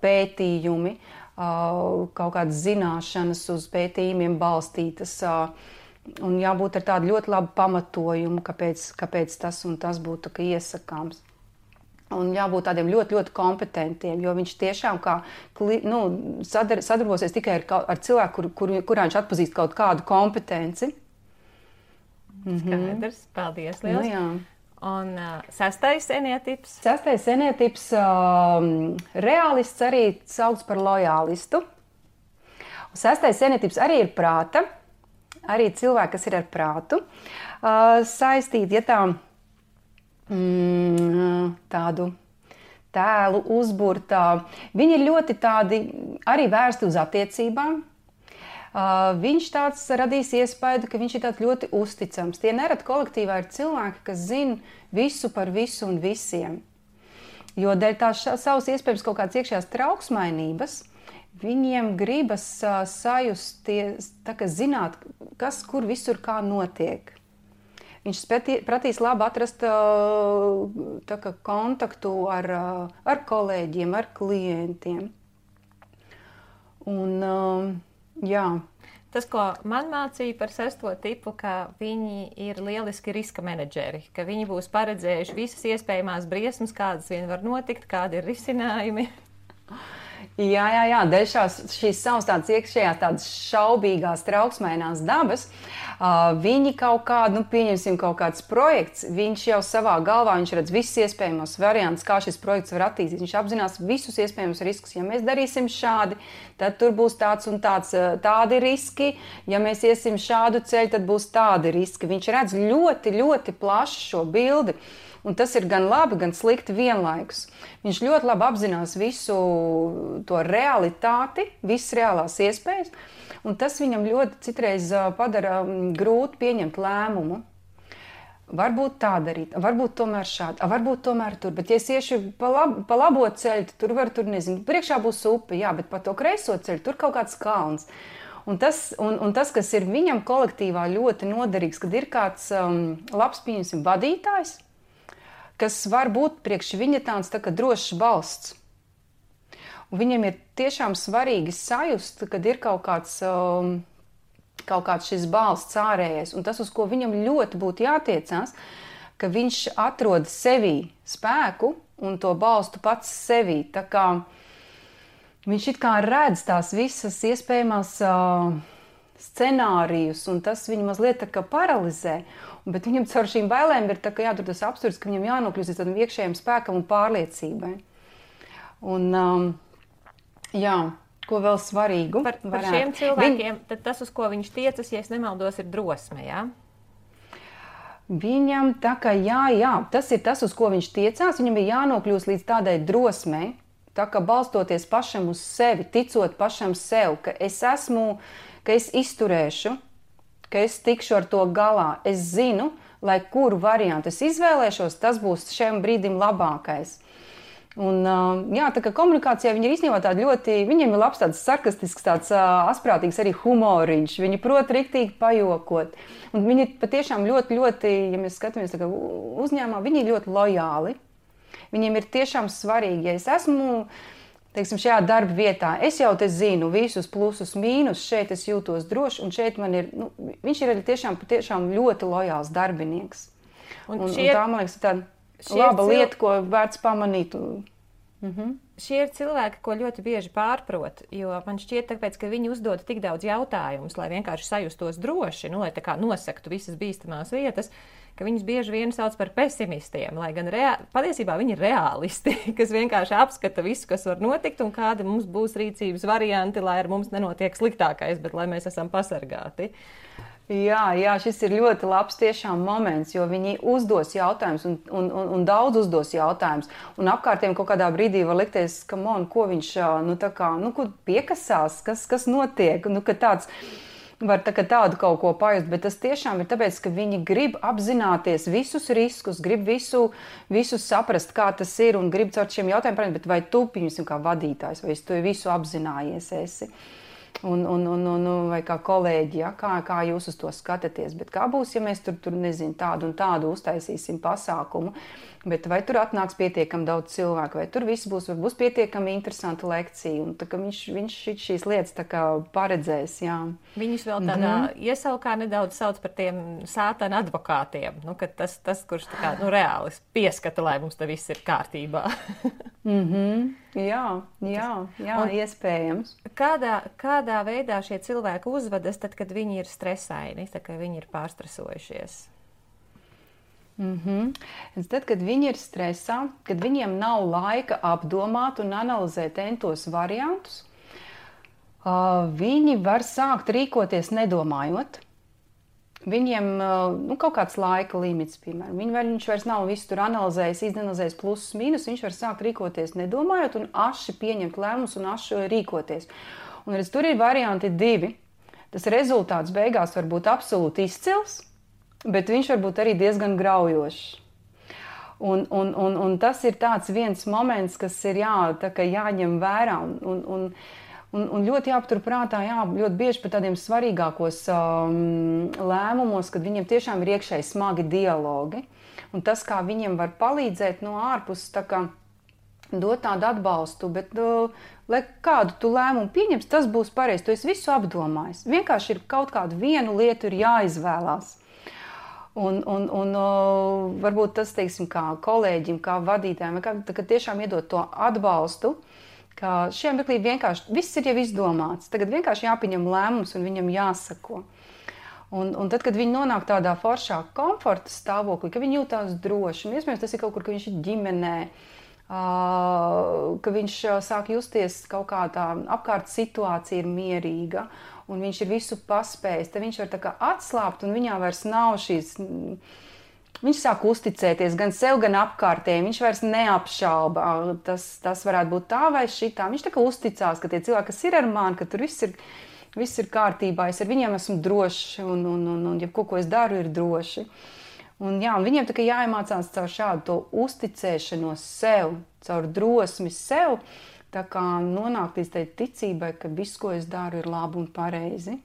pētījumi, kaut kādas zināšanas uz pētījumiem balstītas un jābūt ar tādu ļoti labu pamatojumu, kāpēc tas un tas būtu iesakāms. Un jābūt tādiem ļoti, ļoti kompetentiem, jo viņš tiešām sadarbosies tikai ar cilvēku, kurā viņš atpazīst kaut kādu kompetenci. Skaidrs, paldies liels. Jā. Un 6. enietips? 6. enietips realists arī sauc par lojālistu. 6. enietips arī ir prāta, arī cilvēki, kas ir ar prātu saistīti, tādu tēlu uzburtā. Viņi ir ļoti tādi arī vērsti uz attiecībām. Viņš tāds radīs iespēju, ka viņš ir tāds ļoti uzticams. Tie nerad kolektīvā ir cilvēki, kas zina visu par visu un visiem. Jo dēļ tās savas iespējams kaut kādas iekšējās trauksmainības, viņiem gribas sajusties, zināt, kas, kur visur kā notiek. Viņš prasīs labi atrast kontaktu ar kolēģiem, ar klientiem. Un, jā. Tas, ko man mācīja par 6. tipu, ka viņi ir lieliski riska menedžeri, ka viņi būs paredzējuši visas iespējamās briesmas, kādas vien var notikt, kādi ir risinājumi. Jā, dēļ šīs savas tādas iekšējās, tādas šaubīgās, trauksmainās dabas, viņi kaut kādu, pieņemsim kaut kāds projekts, viņš jau savā galvā, viņš redz visus iespējamos variantus, kā šis projekts var attīstīt. Viņš apzinās visus iespējamos riskus. Ja mēs darīsim šādi, tad tur būs tāds un tāds, tādi riski. Ja mēs iesim šādu ceļu, tad būs tādi riski. Viņš redz ļoti, ļoti plašu šo bildi. Un tas ir gan labi, gan slikti vienlaikus. Viņš ļoti labi apzinās visu to realitāti, visas reālās iespējas, un tas viņam ļoti citreiz padara grūti pieņemt lēmumu. Varbūt tā darīt, varbūt tomēr šādi, varbūt tomēr tur, bet ja es iešu pa labo ceļu, tur var, priekšā būs upe, jā, bet pa to kreiso ceļu, tur kaut kāds kalns. Un tas, kas ir viņam kolektīvā ļoti noderīgs, kad ir kāds labs, pieņemsim, vadītājs, kas var būt priekš viņa tāds tā kā drošs balsts. Un viņam ir tiešām svarīgi sajust, kad ir kaut kāds šis balsts ārējais. Un tas, uz ko viņam ļoti būtu jātiecās, ka viņš atrod sevī spēku un to balstu pats sevī. Tā kā viņš it kā redz tās visas iespējamās scenārijus, un tas viņu mazliet tā kā paralizē. Bet viņam caur šīm bailēm ir tā kā jātur tas absurds, ka viņam jānokļūst līdz tādam iekšējam spēkam un pārliecībai. Un, jā, ko vēl svarīgu? Par šiem cilvēkiem, tad tas, uz ko viņš tiecas, ja es nemaldos, ir drosme, jā? Viņam tā kā jā, tas ir tas, uz ko viņš tiecās, viņam ir jānokļūst līdz tādai drosmei, tā kā balstoties pašam uz sevi, ticot pašam sev, ka es esmu, ka es izturēšu, ka es tikšu ar to galā. Es zinu, lai kuru variantu es izvēlēšos, tas būs šiem brīdim labākais. Un, jā, tā kā komunikācijā viņi ir īstenībā tādi ļoti, viņiem ir labs tāds sarkastisks, tāds asprātīgs arī humoriņš, viņi prot riktīgi pajokot. Un viņi patiešām ļoti, ja mēs skatāmies tā kā uzņēmumā, viņi ir ļoti lojāli. Viņiem ir tiešām svarīgi, ja es esmu, teiksim, šajā darba vietā, es jau te zinu visus plusus, mīnus, šeit es jūtos droši, un šeit man ir, viņš ir arī tiešām ļoti lojāls darbinieks. Un tā, man liekas, ir tāda laba lieta, ko vērts pamanīt. Šie ir cilvēki, ko ļoti bieži pārprot, jo man šķiet, tāpēc, ka viņi uzdod tik daudz jautājumus, lai vienkārši sajustos droši, lai tā kā nosektu visas bīstamās vietas, ka viņus bieži vien sauc par pesimistiem, lai gan patiesībā viņi ir reālisti, kas vienkārši apskata visu, kas var notikt un kādi mums būs rīcības varianti, lai ar mums nenotiek sliktākais, bet lai mēs esam pasargāti. Jā, šis ir ļoti labs tiešām moments, jo viņi uzdos jautājumus un daudz uzdos jautājumus. Un apkārtiem kaut kādā brīdī var likties, ko viņš ko piekasās, kas notiek, ka tāds var tādu kaut ko pajust, bet tas tiešām ir tāpēc, ka viņi grib apzināties visus riskus, grib visu saprast, kā tas ir un grib caur šiem jautājumiem, bet vai tu, piemēram, kā vadītājs, vai es to visu apzinājies esi? Vai kā kolēģi, ja? Kā jūs uz to skatāties, bet kā būs, ja mēs tur nezinu, tādu un tādu uztaisīsim pasākumu, bet vai tur atnāks pietiekami daudz cilvēku, vai tur viss būs pietiekami interesanta lekcija, un tā kā viņš šīs lietas tā kā paredzēs, jā. Viņus vēl tādā iesaukā nedaudz sauc par tiem sātana advokātiem, ka tas kurš tā kā, reāli pieskata, lai mums te viss ir kārtībā. Jā, iespējams. Kādā veidā šie cilvēki uzvedas tad, kad viņi ir stresaini, tad, kad viņi ir pārstresojušies? Tad, kad viņi ir stresā, kad viņiem nav laika apdomāt un analizēt entos variantus, viņi var sākt rīkoties nedomājot. Viņiem kaut kāds laika limits, piemēram. Viņš vairs nav visu tur analizējis, izanalizējis plusus, mīnus, viņš var sākt rīkoties nedomājot un aši pieņemt lēmumus un aši rīkoties. Un redz, tur ir varianti 2. Tas rezultāts beigās var būt absolūti izcils, bet viņš var būt arī diezgan graujošs. Un tas ir tāds viens moments, kas ir jāņem vērā un ļoti jāpatur prātā, ļoti bieži par tādiem svarīgākos lēmumos, kad viņiem tiešām ir iekšēji smagi dialogi. Un tas, kā viņiem var palīdzēt no ārpuses, tā kā dot tādu atbalstu, bet lai kādu tu lēmumu pieņems, tas būs pareizi, tu esi visu apdomājis. Vienkārši ir kaut kādu vienu lietu ir jāizvēlās. Un varbūt tas, teiksim, kā kolēģim, kā vadītājiem, ka tiešām iedot to atbalstu, ka šiem mirklī vienkārši viss ir jau izdomāts. Tagad vienkārši jāpieņem lēmums un viņam jāsako. Un tad, kad viņi nonāk tādā foršā komforta stāvoklī, ka viņi jūtās droši, un iespējams tas ir kaut kur, ka viņš ir ģimenē, ka viņš sāk justies kaut kā tā apkārt situācija ir mierīga, un viņš ir visu paspējis, tad viņš var tā kā atslāpt, un viņā vairs nav šīs... Viņš sāk uzticēties gan sev, gan apkārtējiem. Viņš vairs neapšauba. Tas varētu būt tā vai šitā. Viņš tā kā uzticās, ka tie cilvēki, kas ir ar mani, ka tur viss ir kārtībā. Es ar viņiem esmu drošs un ja ko es daru, ir droši. Un viņiem tā kā jāiemācās caur šādu to uzticēšanos sev, caur drosmi sev, tā kā nonākt līdz tai ticībai, ka viss, ko es daru, ir labi un pareizi.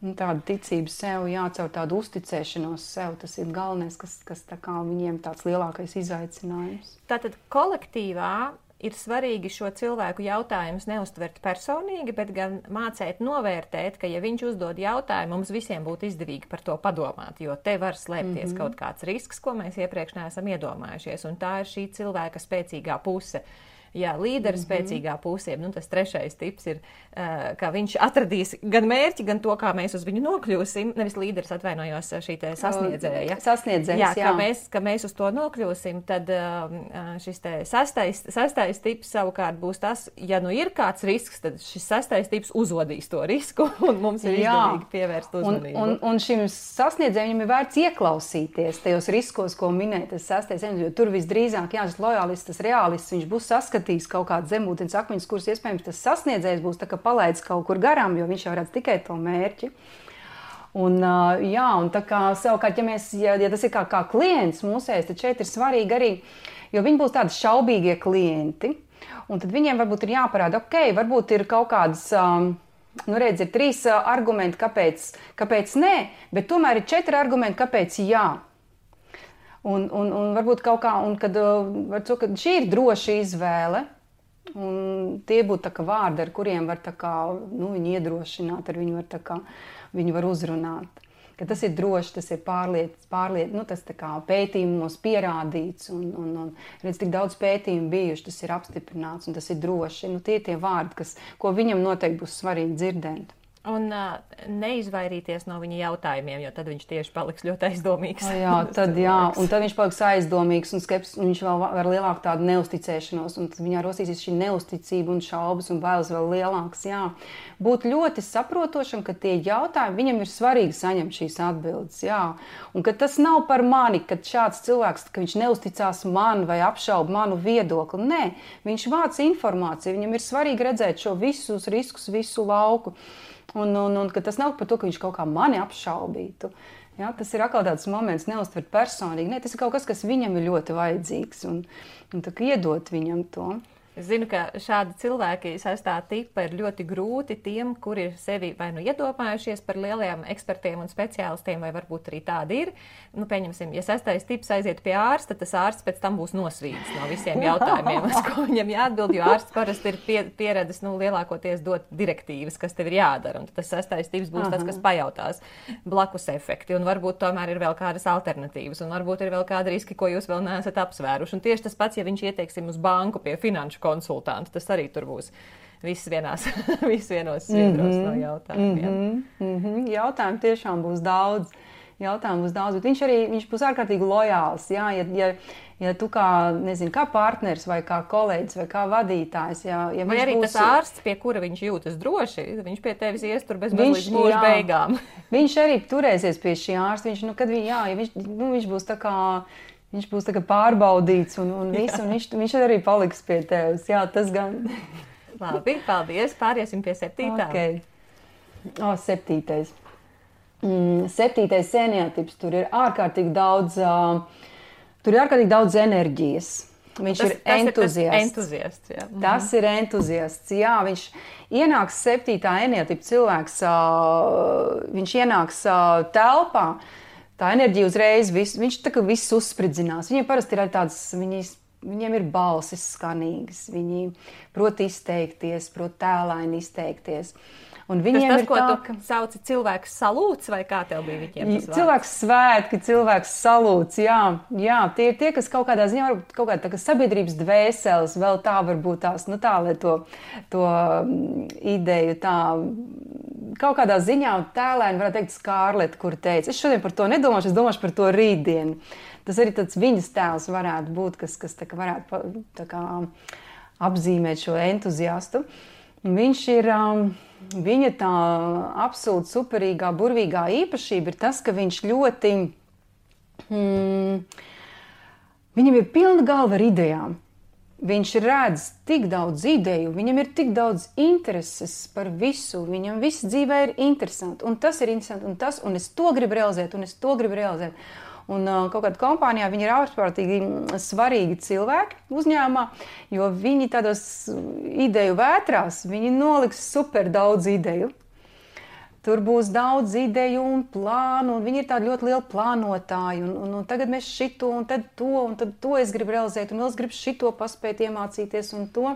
Tāda ticība sev, caur tādu uzticēšanos sev, tas ir galvenais, kas tā kā viņiem tāds lielākais izaicinājums. Tātad kolektīvā ir svarīgi šo cilvēku jautājumus neuztvert personīgi, bet gan mācēt novērtēt, ka ja viņš uzdod jautājumu, mums visiem būtu izdevīgi par to padomāt, jo te var slēpties kaut kāds risks, ko mēs iepriekš neesam iedomājušies, un tā ir šī cilvēka spēcīgā puse. Jā, līdera spēcīgā pusē. Tas trešais tips ir, ka viņš atradīs gan mērķi, gan to, kā mēs uz viņu nokļūsim. Nevis līderis, atvainojos, šī te sasniedzēja. Sasniedzējs, jā. Ka mēs uz to nokļūsim, tad šis te sastais tips savukārt būs tas, ja ir kāds risks, tad šis sastais tips uzvodīs to risku un mums ir izdevīgi pievērst uzmanību. Un šim sasniedzējiem ir vērts ieklausīties tajos riskos, ko minēja tas sastais, jo tur visdrīzāk, šis lojālists, tas reālists, viņš būs saskatījis kaut kādu zemūdens akmeņus, kurus iespējams tas sasniedzējs būs tā kā palaidis kaut kur garām, jo viņš jau redz tikai to mērķi. Un tā kā savukārt, ja tas ir kā klients mūsējs, tad šeit ir svarīgi arī, jo viņi būs tādi šaubīgie klienti, un tad viņiem varbūt ir jāparāda, varbūt ir kaut kādas, ir 3 argumenti, kāpēc nē, bet tomēr ir 4 argumenti, kāpēc jā. Un varbūt kaut kā, un kad šī ir droša izvēle, un tie būtu tā kā vārdi, ar kuriem var tā kā, viņu iedrošināt, ar viņu var uzrunāt. Ka tas ir droši, tas ir tas tā kā pētījumos pierādīts, un redz, tik daudz pētījumu bijuši, tas ir apstiprināts, un tas ir droši. Tie ir tie vārdi, ko viņam noteikti būs svarīgi dzirdēt. Un neizvairīties no viņa jautājumiem, jo tad viņš tieši paliks ļoti aizdomīgs. Un tad viņš paliks aizdomīgs un skeptisks, un viņš vēl var lielāku tādu neusticēšanos, un viņā rosīsies šī neusticība un šaubas un bailes vēl lielāks. Būt ļoti saprotošam, ka tie jautājumi, viņam ir svarīgi saņemt šīs atbildes. Un ka tas nav par mani, kad šāds cilvēks, ka viņš neusticās man vai apšauba manu viedokli. Nē, viņš vāc informāciju, viņam ir svarīgi redzēt šo visus riskus, visu lauku. Un ka tas nav par to, ka viņš kaut kā mani apšaubītu. Tas ir atkal tāds moments neuztvert personīgi. Nē, tas ir kaut kas, kas viņam ir ļoti vajadzīgs un tā kā iedot viņam to. Es zinu, ka šādi cilvēki sastā tipa ir ļoti grūti tiem, kuri ir sevi vai iedomājušies par lielajiem ekspertiem un speciālistiem, vai varbūt arī tādi ir. Pieņemsim, ja sastais tips aiziet pie ārsta, tas ārsts pēc tam būs nosvīdis no visiem jautājumiem, uz ko viņam jāatbild, jo ārsts parasti ir pieredzis lielākoties dot direktīvas, kas tev ir jādara. Un tas sastais tips būs tas, kas pajautās blakus efekti, un varbūt tomēr ir vēl kādas alternatīvas, un varbūt ir vēl kādi riski, ko jūs vēl neesat apsvēruši. Un tieši tas pats, ja viņš ieteiksim uz banku pie finanšu konsultantu, tas arī tur būs viss vienos sviedros no jautājumiem. Jautājumu tiešām būs daudz, bet viņš būs ārkārtīgi lojāls. Ja tu kā partners vai kā kolēģis vai kā vadītājs. Vai arī tas ārsts, pie kura viņš jūtas droši, viņš pie tevis ies tur bez līdz mūža beigām. Viņš arī turēsies pie šī ārsta. Viņš būs tā kā... Viņš būs tā kā pārbaudīts un viņš arī paliks pie tevis. Tas gan. Labi, paldies. Pāriesim pie 7. Okay. 7. 7. enneatips. Tur ir ārkārtīgi daudz enerģijas. Viņš ir entuziasts. Tas ir entuziasts. Viņš ienāks 7. enneatipa cilvēks, viņš ienāks telpā. Tā enerģija uzreiz, viņš tā kā viss uzspridzinās. Viņiem parasti ir tāds, viņiem ir balsis skanīgas, viņi prot izteikties, prot tēlaini izteikties. Un viņiem tas, ir ko tu sauci cilvēks salūts, vai kā tev bija viņiem tas vārds? Cilvēks svētki, cilvēks salūts, tie ir tie, kas kaut kādā ziņā varbūt kaut kāda tā kā sabiedrības dvēseles, vēl tā varbūt tās, lai to ideju tā kaut kādā ziņā tēlēni varētu teikt Skārleta, kur teica, es šodien par to nedomāšu, es domāšu par to rītdienu. Tas arī tāds viņas tēls varētu būt, kas tā kā varētu tā kā apzīmēt šo entuziastu. Viņš ir, viņa tā absolūti superīgā, burvīgā īpašība ir tas, ka viņš ļoti, viņam ir pilna galva ar idejām. Viņš redz tik daudz ideju, viņam ir tik daudz intereses par visu, viņam viss dzīvē ir interesanti, un tas ir interesanti, un es to gribu realizēt, un es to gribu realizēt. Un kaut kādā kompānijā viņi ir ārkārtīgi svarīgi cilvēki uzņēmumā, jo viņi tādos ideju vētrās, viņi noliks super daudz ideju. Tur būs daudz ideju un plānu, un viņi ir tādi ļoti lieli plānotāji, un tagad mēs šito, un tad to es gribu realizēt, un vēl es gribu šito paspēt iemācīties, un to.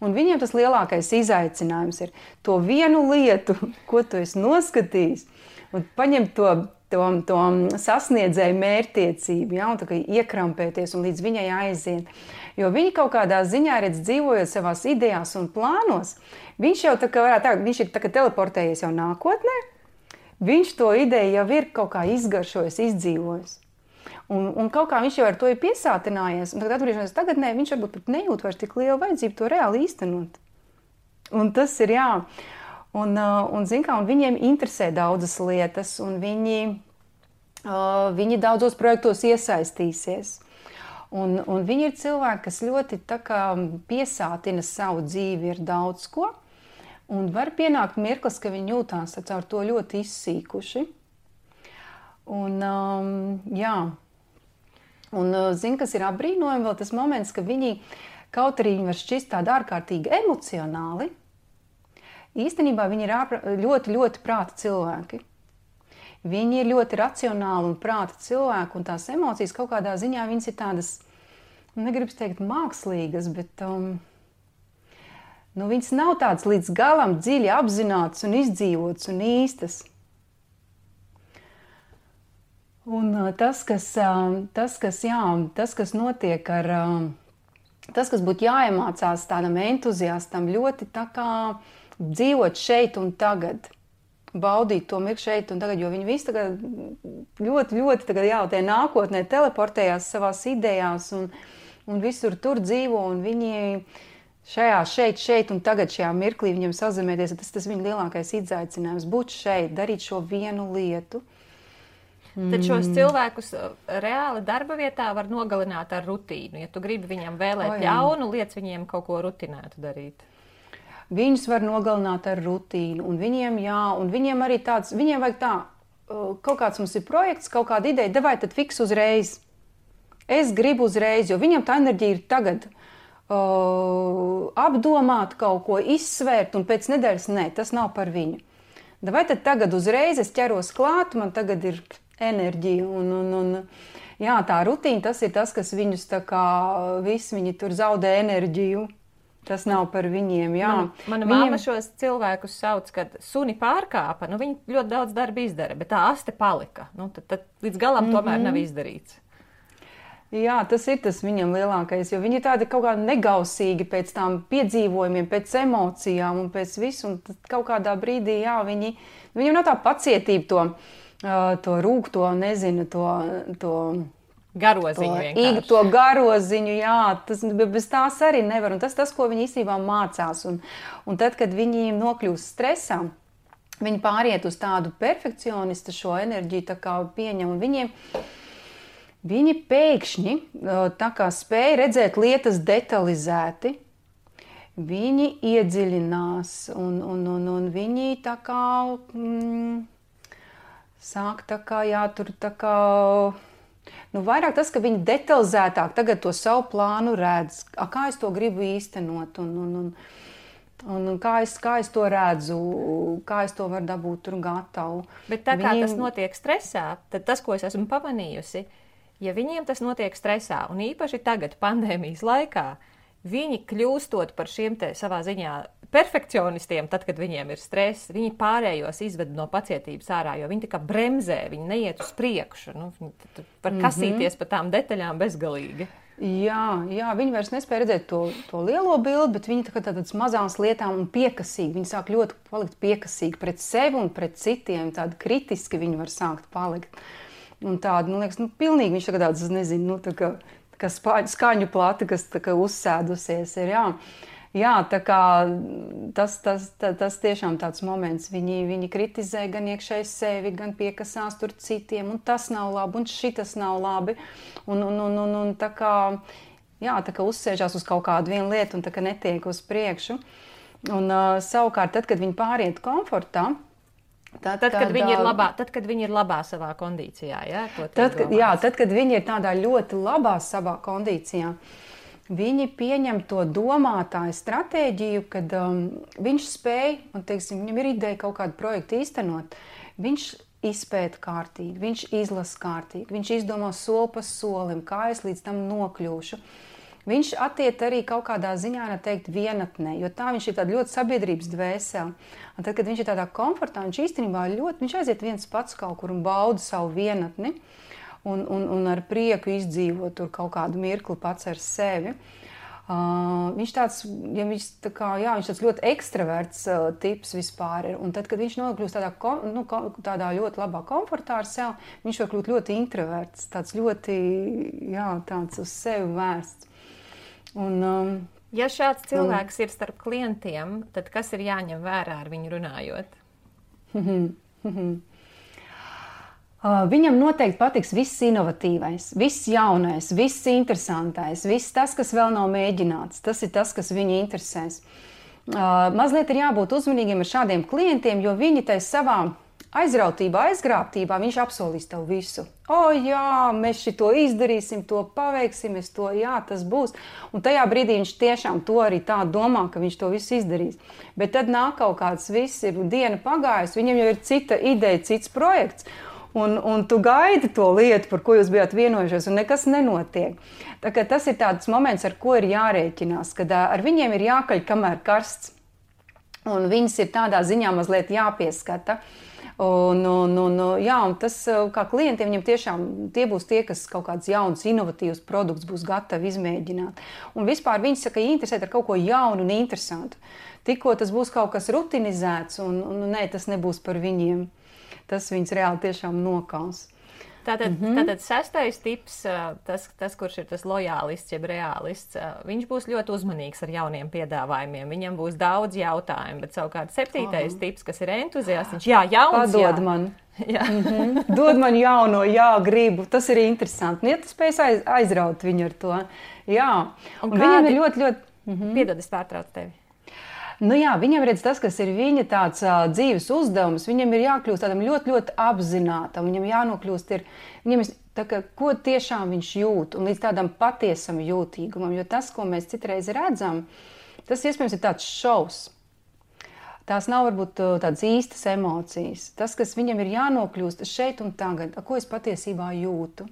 Un viņiem tas lielākais izaicinājums ir to vienu lietu, ko tu esi noskatījis, un paņemt to to sasniedzēju mērķtiecību, ja, un tā kā iekrampēties un līdz viņai aiziet. Jo viņi kaut kādā ziņā, dzīvojot savās idejās un plānos, viņš jau tā kā varētu teikt, viņš ir tā kā teleportējies jau nākotnē, viņš to ideju jau ir kaut kā izgaršojis, izdzīvojis. Un kaut kā viņš jau ar to ir piesātinājies, un tagad atgriežoties tagadnē, viņš varbūt pat nejūt vairs tik lielu vajadzību to reāli īstenot. Un tas ir, jā. Un zin kā, un viņiem interesē daudzas lietas, un viņi daudzos projektos iesaistīsies. Un viņi ir cilvēki, kas ļoti tā kā piesātina savu dzīvi ar daudz ko, un var pienākt mirklis, ka viņi jūtās caur to ļoti izsīkuši. Un, jā. Un zin, kas ir apbrīnojami vēl tas moments, ka viņi, kaut arī viņi var šķist tādi ārkārtīgi emocionāli, īstenībā viņi ir ļoti, ļoti prāta cilvēki. Viņi ir ļoti racionāli un prāta cilvēki, un tās emocijas kaut kādā ziņā viņas ir tādas, negribas teikt mākslīgas, bet viņas nav tādas līdz galam dziļi apzinātas un izdzīvotas un īstas. Un tas, kas notiek ar, tas, kas būtu jāiemācās tādam entuziastam, ļoti tā kā dzīvot šeit un tagad, baudīt to mirkli šeit un tagad, jo viņi visi tagad ļoti, ļoti tagad, jā, tie nākotnē teleportējās savās idejās un visur tur dzīvo, un viņi šajā šeit un tagad šajā mirklī viņiem sazemēties, tas viņu lielākais izaicinājums, būt šeit, darīt šo vienu lietu. Tad šos cilvēkus reāli darba vietā var nogalināt ar rutīnu. Ja tu gribi viņam vēlēt ļaunu, liec viņiem kaut ko rutinētu darīt. Viņus var nogalināt ar rutīnu, un viņiem arī tāds, viņiem vajag tā, kaut kāds mums ir projekts, kaut kāda ideja, davai tad fiks uzreiz. Es gribu uzreiz, jo viņam tā enerģija ir tagad apdomāt kaut ko, izsvērt, un pēc nedēļas, nē, tas nav par viņu. Davai tad tagad uzreiz, es ķeros klāt, man tagad ir enerģija, un jā, tā rutīna, tas ir tas, kas viņus tā kā visi viņi tur zaudē enerģiju. Tas nav par viņiem, jā. Mana mamma šos cilvēkus sauc, kad suni pārkāpa, viņi ļoti daudz darba izdara, bet tā aste palika. Tad līdz galam tomēr nav izdarīts. Jā, tas ir tas viņam lielākais, jo viņi ir tādi kaut kā negausīgi pēc tām piedzīvojumiem, pēc emocijām un pēc visu, un tad kaut kādā brīdī, jā, viņam nav tā pacietība to rūgto, nezinu, to garoziņu vienkārši. To garoziņu, jā, bez tās arī nevar, un tas, ko viņi īstenībā mācās, un tad, kad viņi nokļūst stresā, viņi pāriet uz tādu perfekcionistu šo enerģiju, tā kā pieņem, un viņi pēkšņi tā kā spēja redzēt lietas detalizēti, viņi iedziļinās, un viņi tā kā sāk tā kā, jā, tur tā kā, vairāk tas, ka viņi detalizētāk tagad to savu plānu redz, kā es to gribu īstenot, un kā es to redzu, kā es to varu dabūt tur gatavu. Bet tā kā tas notiek stresā, tad tas, ko es esmu pamanījusi, ja viņiem tas notiek stresā, un īpaši tagad pandēmijas laikā, viņi kļūstot par šiem te savā ziņā perfekcionistiem, tad, kad viņiem ir stress, viņi pārējos izved no pacietības ārā, jo viņi tā kā bremzē, viņi neiet uz priekšu, viņi var kasīties pa tām detaļām bezgalīgi. Jā, viņi vairs nespēja redzēt to lielo bildi, bet viņi tādas mazās lietām un piekasīgi, viņi sāk ļoti palikt piekasīgi pret sevi un pret citiem, tādi kritiski viņi var sākt palikt. Un tādi, liekas, pilnīgi viņš tagad tāds, nezinu, tā kā skaņu plati, kas tā kā uzsēdusies ir, jā. Jā, tā kā tas tiešām tāds moments, viņi kritizē gan iekšēji sevi, gan piekasās tur citiem, un tas nav labi, un šitas nav labi, un tā kā, jā, tā kā uzsēžās uz kaut kādu vienu lietu, un tā kā netiek uz priekšu. Un savukārt, tad, kad viņi pāriet komfortā, Tad, kad viņi ir labā savā kondīcijā, jā? Tad, kad viņi ir tādā ļoti labā savā kondīcijā, viņi pieņem to domātāju stratēģiju, kad viņš spēj, un teiksim, viņam ir ideja kaut kādu projektu īstenot, viņš izpēta kārtīgi, viņš izlasa kārtīgi, viņš izdomā soli pa solim, kā es līdz tam nokļūšu. Viņš attiek arī kaut kādā ziņā, teikt, vienatnē, jo tā viņš ir tāda ļoti sabiedrības dvēsele. Un tad, kad viņš ir tādā komfortā, viņš īstenībā viņš aiziet viens pats kaut kur un bauda savu vienatni un ar prieku izdzīvo tur kaut kādu mirkli pats ar sevi. Viņš tāds, viņš tāds ļoti ekstraverts tips vispār ir. Un tad, kad viņš nokļūst tādā ļoti labā komfortā ar sevi, viņš var kļūt ļoti introverts, tāds ļoti, tāds uz sevi vērsts. Ja šāds cilvēks ir starp klientiem, tad kas ir jāņem vērā ar viņu runājot? Viņam noteikti patiks viss inovatīvais, viss jaunais, viss interesantais, viss tas, kas vēl nav mēģināts. Tas ir tas, kas viņu interesēs. Mazliet ir jābūt uzmanīgiem ar šādiem klientiem, jo viņi tai savā aizrautībā, aizgrābtībā, viņš apsolīs tev visu. Mēs šito izdarīsim, to paveiksim, tas būs. Un tajā brīdī viņš tiešām to arī tā domā, ka viņš to visu izdarīs. Bet tad nāk kaut kāds viss, ir diena pagājusi, viņam jau ir cita ideja, cits projekts. Un tu gaidi to lietu, par ko jūs bijāt vienojušies, un nekas nenotiek. Tā kā tas ir tāds moments, ar ko ir jārēķinās, kad ar viņiem ir jākaļ, kamēr karsts. Un viņas ir tādā ziņā mazliet jāpieskata. Un tas, kā klientiem, viņam tiešām tie būs tie, kas kaut kāds jauns, inovatīvs produkts būs gatavi izmēģināt. Un vispār viņi saka, interesēt ar kaut ko jaunu un interesantu. Tikko tas būs kaut kas rutinizēts, un tas nebūs par viņiem. Tas viņus reāli tiešām nokals. Tātad sestais tips, tas, kurš ir tas lojālists, jeb reālists, viņš būs ļoti uzmanīgs ar jauniem piedāvājumiem. Viņam būs daudz jautājumu, bet savukārt septītais tips, kas ir entuziasts, jauns, padod man. Dod man jauno, gribu. Tas ir interesanti. Ja tu spēj aizraut viņu ar to. Un viņam ir ļoti... Piedod, es pārtraucu tevi. Viņam redz tas, kas ir viņa tāds dzīves uzdevums, viņam ir jākļūst tādam ļoti, ļoti apzinātam, viņam jānokļūst ko tiešām viņš jūt, un līdz tādam patiesam jūtīgumam, jo tas, ko mēs citreiz redzam, tas iespējams ir tāds šovs. Tās nav varbūt tādas īstas emocijas. Tas, kas viņam ir jānokļūst šeit un tagad, ko es patiesībā jūtu.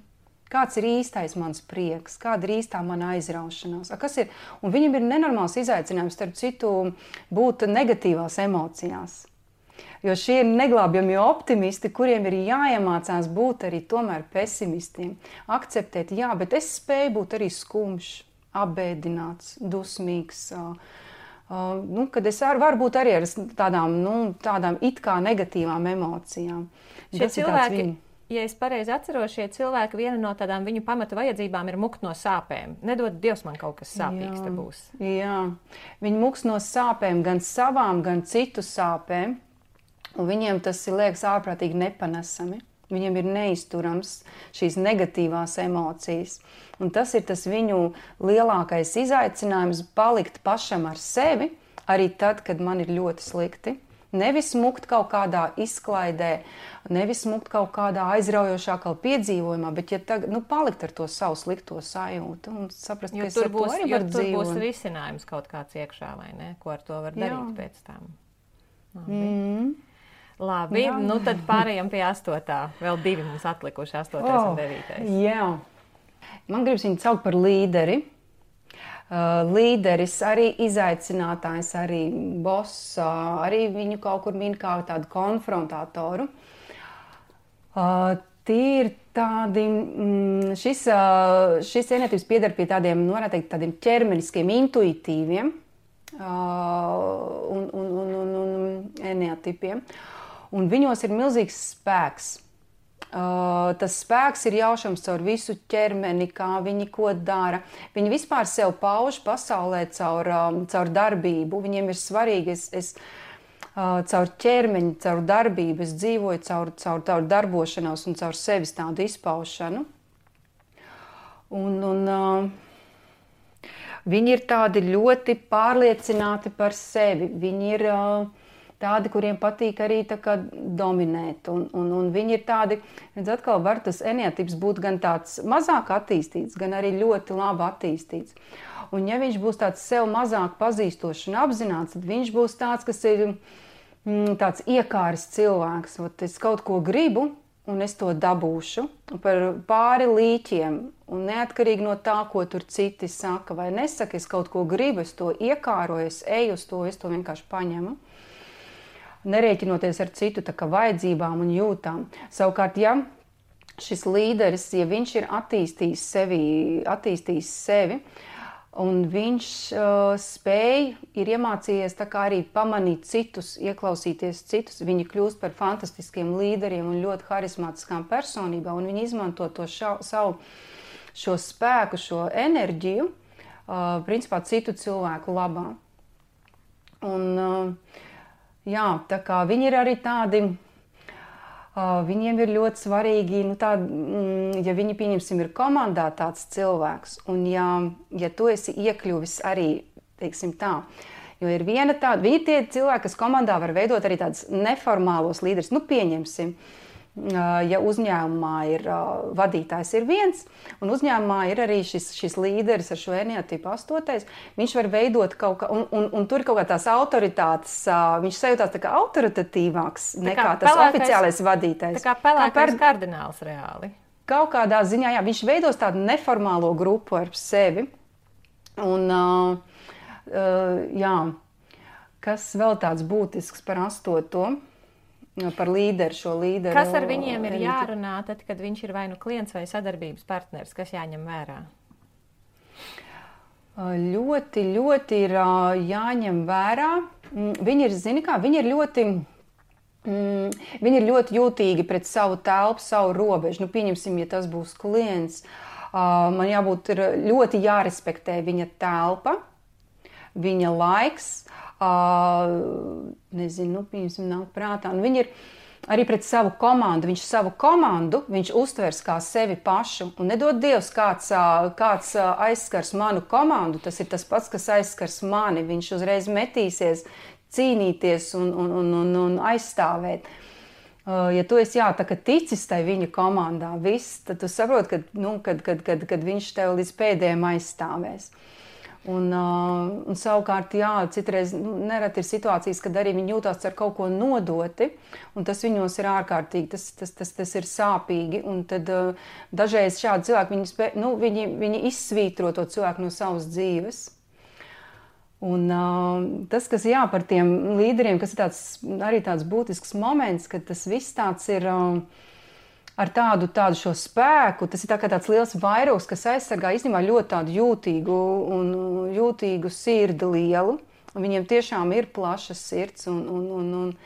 Kāds ir īstais mans prieks, kāda ir īstā mana aizraušanās. Un viņam ir nenormāls izaicinājums, starp citu, būt negatīvās emocijās. Jo šie ir neglābjamie optimisti, kuriem ir jāiemācās būt arī tomēr pesimistiem. Akceptēt, bet es spēju būt arī skumjš, apbēdināts, dusmīgs. Kad es varu būt arī ar tādām it kā negatīvām emocijām. Šie cilvēki... Ja es pareizi atceros, šie cilvēki, viena no tādām viņu pamata vajadzībām ir mukt no sāpēm. Nedod Dievs, man kaut kas sāpīgs te būs. Viņi muks no sāpēm, gan savām, gan citu sāpēm. Un viņiem tas liekas ārprātīgi nepanesami. Viņiem ir neizturams šīs negatīvās emocijas. Un tas ir tas viņu lielākais izaicinājums palikt pašam ar sevi, arī tad, kad man ir ļoti slikti. Nevis smukt kaut kādā izklaidē, nevis smukt kaut kādā aizraujošākā piedzīvojumā, bet palikt ar to savu slikto sajūtu un saprast, ka es ar to arī varu dzīvot. Tur būs risinājums kaut kāds iekšā, vai ne? Ko ar to var darīt pēc tam? Labi, tad pārējām pie 8. Vēl 2 mums atlikuši, 8. un 9. Man gribas viņu saukt par līderi. Līderis, arī izaicinātājs, arī boss, arī viņu kaut kur min kā tādu konfrontatoru. Tie ir tādi, šis ēnietības pieder pie tādiem, varētu teikt, tādiem ķermeniskiem, intuitīviem un ēnietipiem. Un viņos ir milzīgs spēks. Tas spēks ir jaušams caur visu ķermeni, kā viņi ko dara. Viņi vispār sev pauž pasaulē caur darbību. Viņiem ir svarīgi, es caur ķermeņu, caur darbību, es dzīvoju caur darbošanos un caur sevis tādu izpaušanu. Viņi ir tādi ļoti pārliecināti par sevi. Viņi ir tādi, kuriem patīk arī dominēt. Un viņi ir tādi, atkal var tas ēnietips būt gan tāds mazāk attīstīts, gan arī ļoti labi attīstīts. Un ja viņš būs tāds sev mazāk pazīstošs un apzināts, tad viņš būs tāds, kas ir tāds iekāris cilvēks. Es kaut ko gribu, un es to dabūšu par pāri līķiem, un neatkarīgi no tā, ko tur citi saka vai nesaka, es kaut ko gribu, es to iekāroju, es eju uz to, es to vienkārši paņemu, nerēķinoties ar citu tā kā vajadzībām un jūtām. Savukārt, ja šis līderis, ja viņš ir attīstījis sevi, un viņš ir iemācījies tā kā arī pamanīt citus, ieklausīties citus, viņi kļūst par fantastiskiem līderiem un ļoti harismātiskām personībām, un viņi izmanto to savu šo spēku, šo enerģiju, principā citu cilvēku labā. Un, jā, tā kā viņi ir arī tādi, viņiem ir ļoti svarīgi, ja viņi, pieņemsim, ir komandā tāds cilvēks, un ja tu esi iekļuvis arī, teiksim tā, jo ir viena tāda, viņi tie cilvēki, kas komandā var veidot arī tādus neformālos līderus, pieņemsim, ja uzņēmumā ir vadītājs ir viens, un uzņēmumā ir arī šis līderis ar šo eneatipu 8, viņš var veidot kaut kā, un tur ir kaut kā tās autoritātes, viņš sajūtās tā kā autoritatīvāks nekā tas oficiālais vadītājs. Tā kā pelēkais kardināls reāli. Kaut kādā ziņā, jā, viņš veidos tādu neformālo grupu ar sevi, un jā, kas vēl tāds būtisks par 8. Par līderu, šo līderu. Kas ar viņiem ir jārunā, tad, kad viņš ir vai nu klients vai sadarbības partners, kas jāņem vērā? Ļoti, ļoti ir jāņem vērā. Viņi ir, viņi ir ļoti jūtīgi pret savu telpu, savu robežu. Pieņemsim, ja tas būs klients, man jābūt ļoti jārespektē viņa telpa, viņa laiks, pieņemsim, nāk prātā. Un viņi ir arī pret savu komandu. Viņš uztvers kā sevi pašu. Un nedod Dievs, kāds aizskars manu komandu, tas ir tas pats, kas aizskars mani. Viņš uzreiz metīsies cīnīties un aizstāvēt. Ja tu esi tā kā ticis tai viņa komandā, tad tu saproti, kad viņš tev līdz pēdējiem aizstāvēs. Un savukārt, citreiz nereti ir situācijas, kad arī viņi jūtās ar kaut ko nodoti, un tas viņos ir ārkārtīgi, tas ir sāpīgi, un tad dažreiz šādi cilvēki, viņi izsvītro to cilvēku no savas dzīves. Un tas, kas par tiem līderiem, kas ir arī tāds būtisks moments, ka tas viss tāds ir ar tādu šo spēku, tas ir tāds liels vairogs, kas aizsargā īstenībā ļoti tādu jūtīgu sirdi lielu. Un viņiem tiešām ir plaša sirds, un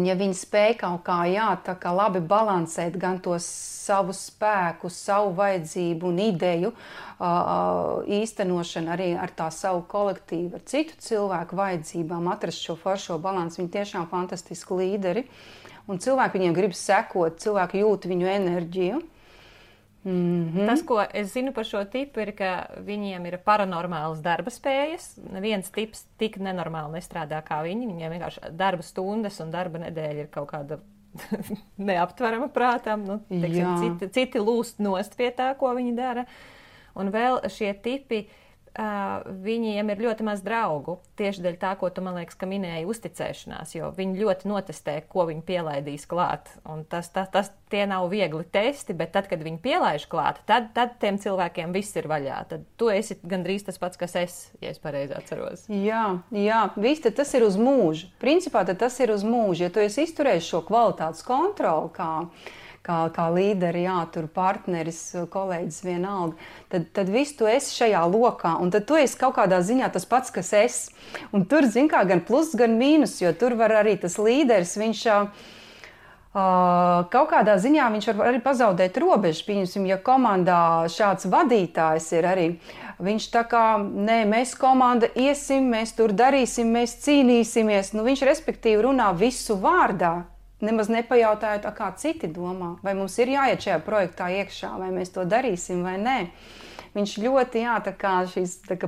ja viņi spēj kaut kā, tā kā labi balansēt gan to savu spēku, savu vajadzību un ideju īstenošanu arī ar tā savu kolektīvu, ar citu cilvēku vajadzībām, atrast šo foršo balansu, viņi tiešām fantastiski līderi. Un cilvēki viņiem grib sekot, cilvēki jūt viņu enerģiju. Tas, ko es zinu par šo tipu, ir, ka viņiem ir paranormālas darba spējas. Neviens tips tik nenormāli nestrādā kā viņi. Viņiem vienkārši darba stundas un darba nedēļa ir kaut kāda neaptverama prātām. Citi lūst nost pie tā, ko viņi dara. Un vēl šie tipi, viņiem ir ļoti maz draugu. Tieši dēļ tā, ko tu, man liekas, ka minēji, uzticēšanās, jo viņi ļoti notestē, ko viņi pielaidīs klāt. Un tie nav viegli testi, bet tad, kad viņi pielaiž klāt, tad tiem cilvēkiem viss ir vaļā. Tad tu esi gandrīz tas pats, kas es, ja es pareizi atceros. Jā, viss tas ir uz mūžu. Principā tas ir uz mūžu. Ja tu esi izturējis šo kvalitātes kontroli, kā līderi, tur partneris, kolēģis vienalga, tad viss tu esi šajā lokā, un tad tu esi kaut kādā ziņā tas pats, kas es. Un tur, gan plus, gan mīnus, jo tur var arī tas līderis, viņš kaut kādā ziņā viņš var arī pazaudēt robežu. Pieņemsim, ja komandā šāds vadītājs ir arī, viņš tā kā, mēs komanda iesim, mēs tur darīsim, mēs cīnīsimies, viņš respektīvi runā visu vārdā. Nemaz nepajautājot, kā citi domā, vai mums ir jāiet šajā projektā iekšā, vai mēs to darīsim vai nē. Viņš ļoti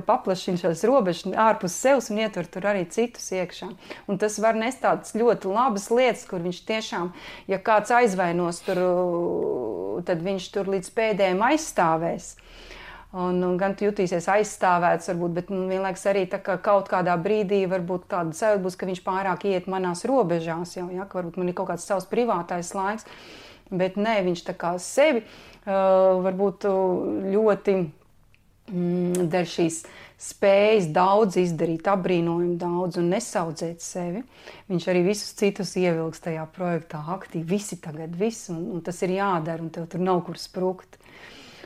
paplašina šās robežas ārpus sevis un ietver tur arī citus iekšā. Un tas var nest tādas ļoti labas lietas, kur viņš tiešām, ja kāds aizvainos tur, tad viņš tur līdz pēdējiem aizstāvēs. un gan tu jutīsies aizstāvēts, varbūt, bet vienlaikus arī tā kā kaut kādā brīdī varbūt tāda sajūta būs, ka viņš pārāk iet manās robežās, jau, ja, ka varbūt man ir kaut kāds savs privātais laiks, bet nē, viņš tā kā sevi varbūt ļoti dēļ šīs spējas daudz izdarīt, apbrīnojumu daudz un nesaudzēt sevi. Viņš arī visus citus ievilks tajā projektā aktīvi, visi tagad, viss, un tas ir jādara, un tev tur nav kur sprukt.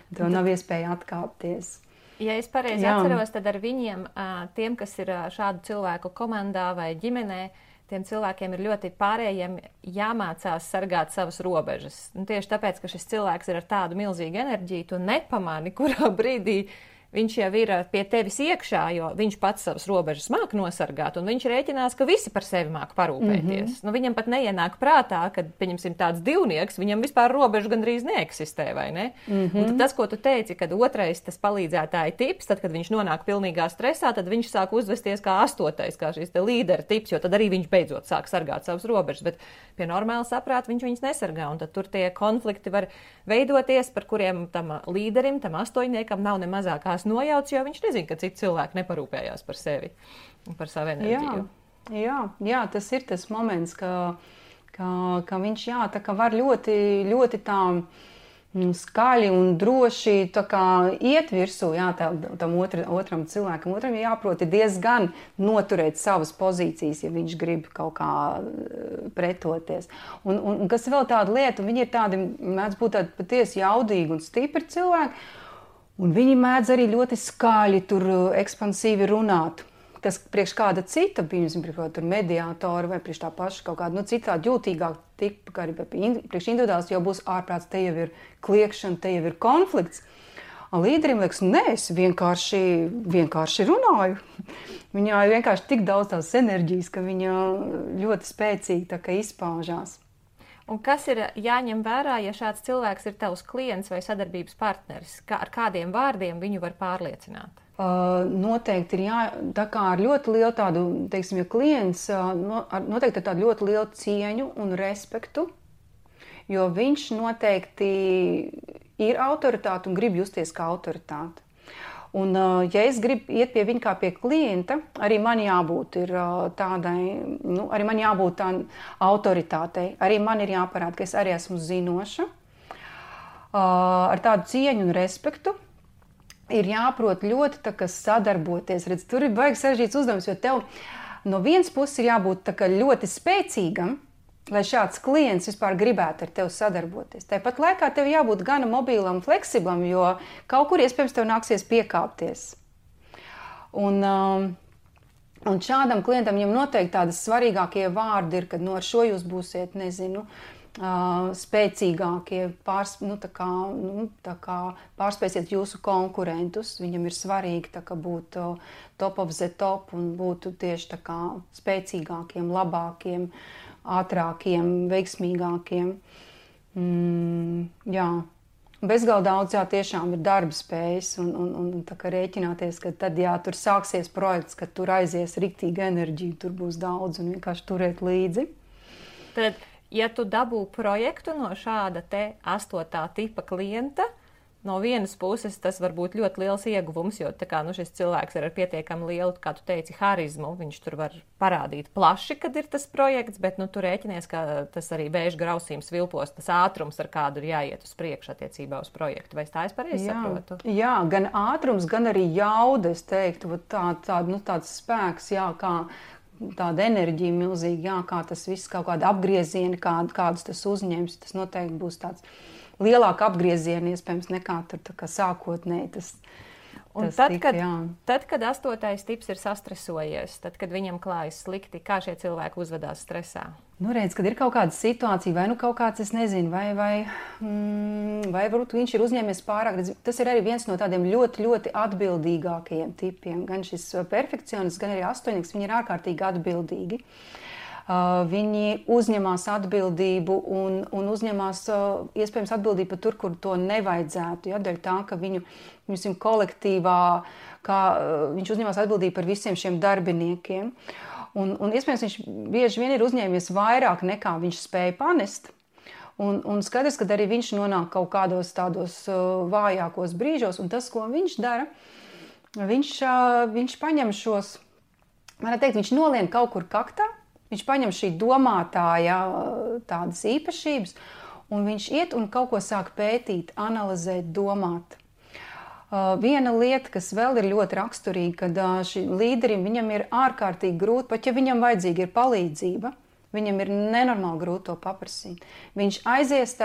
Tev nav iespēja atkāpties. Ja es pareizi atceros, tad ar viņiem, tiem, kas ir šādu cilvēku komandā vai ģimenē, tiem cilvēkiem ir ļoti pārējiem jāmācās sargāt savas robežas. Un tieši tāpēc, ka šis cilvēks ir ar tādu milzīgu enerģiju, tu nepamani, kurā brīdī viņš jau ir pie tevis iekšā, jo viņš pats savas robežas māk nosargāt, un viņš rēķinās, ka visi par sevi māk parūpēties. Nu, viņam pat neienāk prātā, kad, pieņemsim, tāds divnieks, viņam vispār robežu gandrīz neeksistē, vai ne? Un tad tas, ko tu teici, kad otrais tas palīdzētāja tips, tad, kad viņš nonāk pilnīgā stresā, tad viņš sāk uzvesties kā astotais, kā šis te līdera tips, jo tad arī viņš beidzot sāk sargāt savas robežas, bet pie normāla saprāta viņš viņas nesargā, un tad tur tie konflikti var veidoties, par kuriem tam līderim, tam astoņniekam nav ne mazākās nojauts, jo viņš nezina, ka citi cilvēki neparūpējās par sevi un par savu enerģiju. Jā, tas ir tas moments, ka viņš tā kā var ļoti, ļoti tā skaļi un droši tā kā iet virsū, tam otram cilvēkam. Otram jāprot diezgan noturēt savas pozīcijas, ja viņš grib kaut kā pretoties. Un kas vēl tāda lieta, viņi ir tādi, mēdz būt tādi patiesi jaudīgi un stipri cilvēki, un viņi mēdz arī ļoti skaļi tur ekspansīvi runāt. Tas priekš kāda cita, piemēram, priekš mediātora vai priekš tā paša kaut kāda, citādi jūtīgāk tipa, kā arī priekš individuāls jau būs ārprāts, te jau ir kliekšana, te jau ir konflikts. Un līderim liekas, nē, es vienkārši runāju. Viņā ir vienkārši tik daudz tās enerģijas, ka viņa ļoti spēcīgi tā kā izpaužās. Un kas ir jāņem vērā, ja šāds cilvēks ir tavs klients vai sadarbības partneris? Ar kādiem vārdiem viņu var pārliecināt? Noteikti ir tā kā ar ļoti lielu tādu, teiksim, ja klients noteikti ar tādu ļoti lielu cieņu un respektu, jo viņš noteikti ir autoritāte un grib justies kā autoritāte. Un, ja es gribu iet pie viņa kā pie klienta, arī man jābūt tādai, arī man jābūt tā autoritātei. Arī man ir jāparāda, ka es arī esmu zinoša. Ar tādu cieņu un respektu ir jāprot ļoti tā, sadarboties. Redz, tur ir baigi sarežģīts uzdevums, jo tev no vienas puses ir jābūt tā, ļoti spēcīgam, lai šāds klients vispār gribētu ar tevi sadarboties. Tāpat laikā tev jābūt gana mobīlam, fleksiblam, jo kaut kur iespējams tev nāksies piekāpties. Un šādam klientam viņam noteikti tādas svarīgākie vārdi ir, kad ar šo jūs būsiet, nezinu, spēcīgākie, pārspēsiet jūsu konkurentus. Viņam ir svarīgi būt top of the top un būt tieši tā kā spēcīgākiem, labākiem, ātrākiem, veiksmīgākiem. Bezgalīgi daudz tiešām ir darba spējas un tā kā rēķināties, ka tad, tur sāksies projekts, kad tur aizies riktīgi enerģija, tur būs daudz un vienkārši turēt līdzi. Tad, ja tu dabū projektu no šāda te 8. tipa klienta, no vienas puses tas var būt ļoti liels ieguvums, jo tā kā, šis cilvēks ir ar pietiekami lielu, kā tu teici, harizmu, viņš tur var parādīt plaši, kad ir tas projekts, bet tu rēķinies, ka tas arī vēža grausījums vilpos, tas ātrums, ar kādu ir jāiet uz priekšu attiecībā uz projektu. Vai tā es pareizi saprotu? Jā, gan ātrums, gan arī jauda, es teiktu, tāds spēks, kā tāda enerģija milzīga, kā tas viss, kaut kāda apgrieziena, kādus tas uzņems, tas noteikti būs tāds lielāka apgrieziena, iespējams, nekā tur tā kā sākotnēji Tad, kad 8. tips ir sastresojies, tad, kad viņam klājas slikti, kā šie cilvēki uzvedās stresā? Redz, kad ir kaut kāda situācija, vai kaut kāds, es nezinu, vai varbūt viņš ir uzņēmies pārāk. Tas ir arī viens no tādiem ļoti, ļoti atbildīgākajiem tipiem. Gan šis perfekcionists, gan arī astoņnieks, viņi ir ārkārtīgi atbildīgi. Viņi uzņemās atbildību un uzņemās iespējams atbildību pat tur, kur to nevajadzētu. Dēļ tā, ka viņu kolektīvā, viņš uzņemās atbildību par visiem šiem darbiniekiem. Un iespējams viņš bieži vien ir uzņēmies vairāk nekā viņš spēja panest. Un skaidrs, ka arī viņš nonāk kaut kādos tādos vājākos brīžos, un tas, ko viņš dara, viņš paņem šos, varētu teikt, viņš nolien kaut kur kaktā, viņš paņem šī domātāja tādas īpašības, un viņš iet un kaut ko sāk pētīt, analizēt, domāt. Viena lieta, kas vēl ir ļoti raksturīga, kad šim līderim viņam ir ārkārtīgi grūti, pat ja viņam vajadzīga ir palīdzība, viņam ir nenormāli grūti to paprasīt. Viņš aizies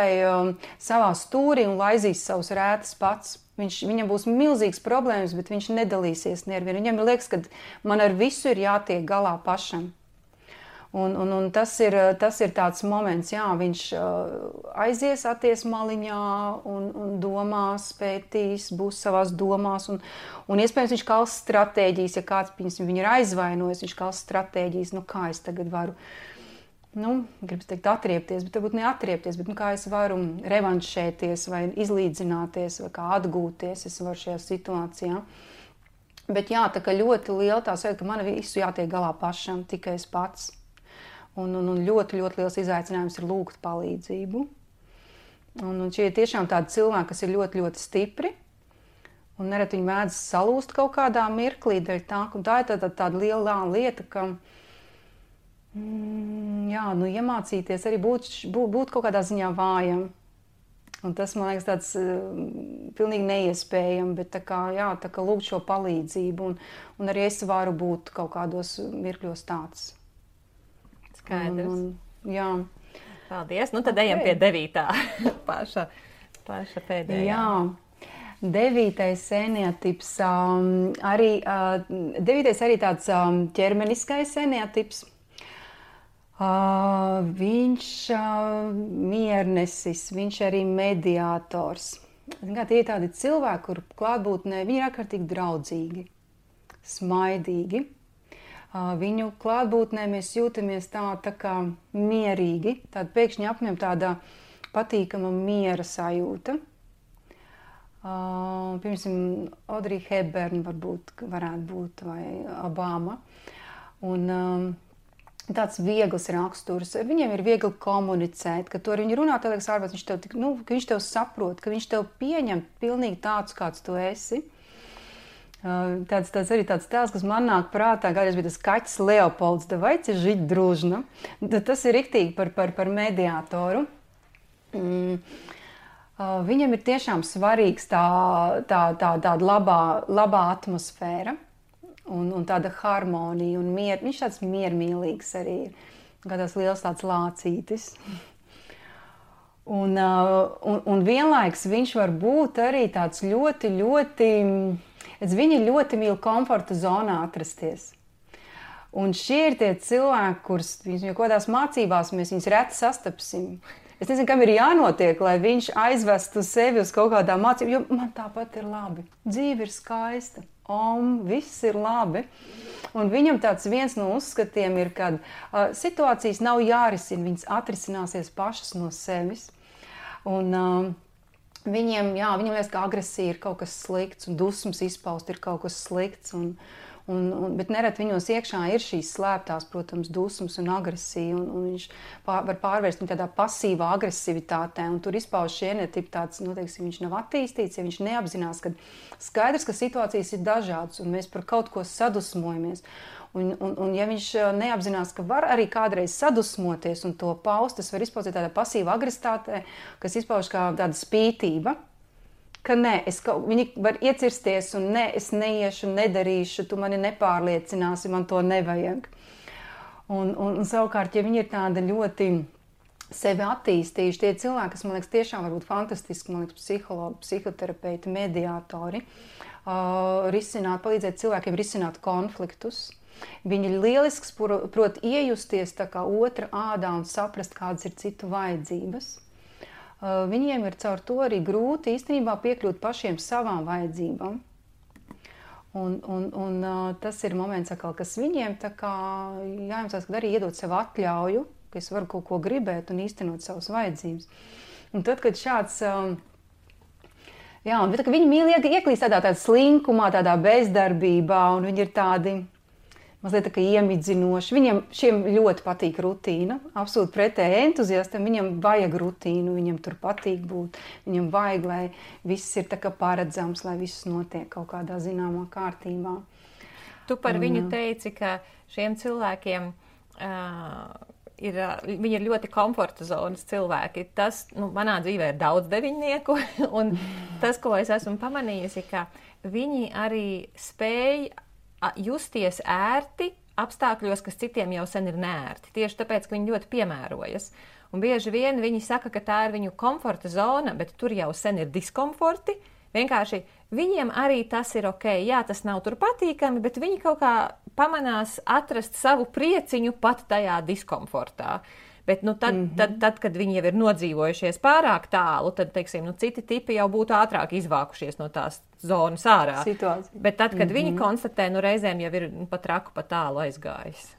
savā stūrī un laizīs savus rētas pats. Viņam būs milzīgas problēmas, bet viņš nedalīsies nevienu. Viņam liekas, ka man ar visu ir jātiek galā pašam. Un tas ir tāds moments, jā, viņš aizies atties maliņā un domās, pētīs, būs savās domās, un iespējams viņš kals stratēģijas, ja kāds viņu ir aizvainojis, viņš kals stratēģijas, kā es tagad varu, gribas teikt atriepties, bet varbūt neatriepties, bet kā es varu revanšēties vai izlīdzināties vai kā atgūties, es varu šajā situācijā. Bet jā, tā kā ļoti liela tā sajūta, ka man visu jātiek galā pašam, tikai es pats. Un ļoti, ļoti liels izaicinājums ir lūgt palīdzību. Un šie ir tiešām tādi cilvēki, kas ir ļoti, ļoti stipri. Un nereti viņi mēdz salūst kaut kādā mirklī dēļ tā. Un tā ir tāda liela lieta, ka iemācīties arī būt kaut kādā ziņā vājam. Un tas, man liekas, tāds pilnīgi neiespējami, bet tā kā lūgt šo palīdzību. Un arī es varu būt kaut kādos mirkļos tāds. Skaidrs. Jā. Paldies. Tad ejam pie 9. paša pēdējā. Jā. 9. eneatips. 9. arī tāds ķermeniskais eneatips. Viņš miernesis, viņš arī mediātors. Tie ir tādi cilvēki, kur klātbūtnē viņi ir ārkārtīgi draudzīgi, smaidīgi. Viņu klātbūtnē mēs jūtamies tā kā mierīgi, tāda pēkšņi apņem tāda patīkama miera sajūta. Piemēram, Audrey Hepburn varētu būt, vai Obama. Un tāds viegls raksturs. Viņiem ir viegli komunicēt, ka tu ar viņu runā, tev liekas ārpēc, ka viņš tev saprot, ka viņš tev pieņem pilnīgi tāds, kāds tu esi. Tāds arī tāds tēls, kas man nāk prātā, kādreiz bija tas kaķis Leopolds, давайте жить дружно. Tas ir riktīgi par mediātoru. Viņam ir tiešām svarīgs tāda labā atmosfēra un tāda harmonija un miera. Viņš tāds miermīlīgs arī ir, kā tāds liels tāds lācītis. Un vienlaiks viņš var būt arī tāds ļoti, ļoti... Viņi ļoti mīl komforta zonā atrasties. Un šie ir tie cilvēki, kurus jau kādās mācībās mēs viņus reti sastapsim. Es nezinu, kam ir jānotiek, lai viņš aizvestu sevi uz kaut kādām mācībām, jo man tāpat ir labi. Dzīve ir skaista, viss ir labi. Un viņam tāds viens no uzskatiem ir, kad situācijas nav jārisina, viņas atrisināsies pašas no sevis. Un viņiem liekas, ka agresija ir kaut kas slikts un dusmas izpaust ir kaut kas slikts. Bet nereti viņos iekšā ir šīs slēptās, protams, dusmas un agresija. Un viņš var pārvērst viņu tādā pasīvā agresivitātē. Un tur izpauž šie eneatipi tāds, viņš nav attīstīts, ja viņš neapzinās, ka skaidrs, ka situācijas ir dažādas un mēs par kaut ko sadusmojamies. Un ja viņš neapzinās, ka var arī kādreiz sadusmoties un to paust, tas var izpaust tādā pasīva agresivitātē, kas izpauž kā tāda spītība, ka viņi var iecirsties un es neiešu, nedarīšu, tu mani nepārliecināsi, man to nevajag. Un savukārt, ja viņi ir tāda ļoti sevi attīstījuši, tie cilvēki, kas, man liekas, tiešām var būt fantastiski, man liekas, psihologi, psihoterapeiti, mediātori, palīdzēt cilvēkiem risināt konfliktus. Viņi ir lielisks, prot iejusties tā kā otra ādā un saprast, kādas ir citu vajadzības. Viņiem ir caur to arī grūti īstenībā piekļūt pašiem savām vajadzībām. Un tas ir moments, kas viņiem tā kā jājemsās, kad arī iedot sev atļauju, ka es varu kaut ko gribēt un īstenot savas vajadzības. Un tad, kad šāds... un tad, kad viņi mīl ieklīst tādā slinkumā, tādā bezdarbībā, un viņi ir tādi... mazliet tā kā iemidzinoši. Šiem ļoti patīk rutīna, absolūti pretēji entuziastam, viņam vajag rutīnu, viņam tur patīk būt, viņam vajag, lai viss ir tā kā paredzams, lai viss notiek kaut kādā zināmā kārtībā. Tu par viņu teici, ka šiem cilvēkiem viņi ir ļoti komforta zonas cilvēki. Tas, manā dzīvē ir daudz deviņnieku, un tas, ko es esmu pamanījusi, ka viņi arī spēj justies ērti apstākļos, kas citiem jau sen ir neērti. Tieši tāpēc, ka viņi ļoti piemērojas. Un bieži vien viņi saka, ka tā ir viņu komforta zona, bet tur jau sen ir diskomforti. Vienkārši viņiem arī tas ir ok. Jā, tas nav tur patīkami, bet viņi kaut kā pamanās atrast savu prieciņu pat tajā diskomfortā. Bet tad, kad viņi jau ir nodzīvojušies pārāk tālu, tad, teiksim, citi tipi jau būtu ātrāk izvākušies no tās zonas ārā. Situācija. Bet tad, kad viņi konstatē, reizēm jau ir pat traku pa tālu aizgājis.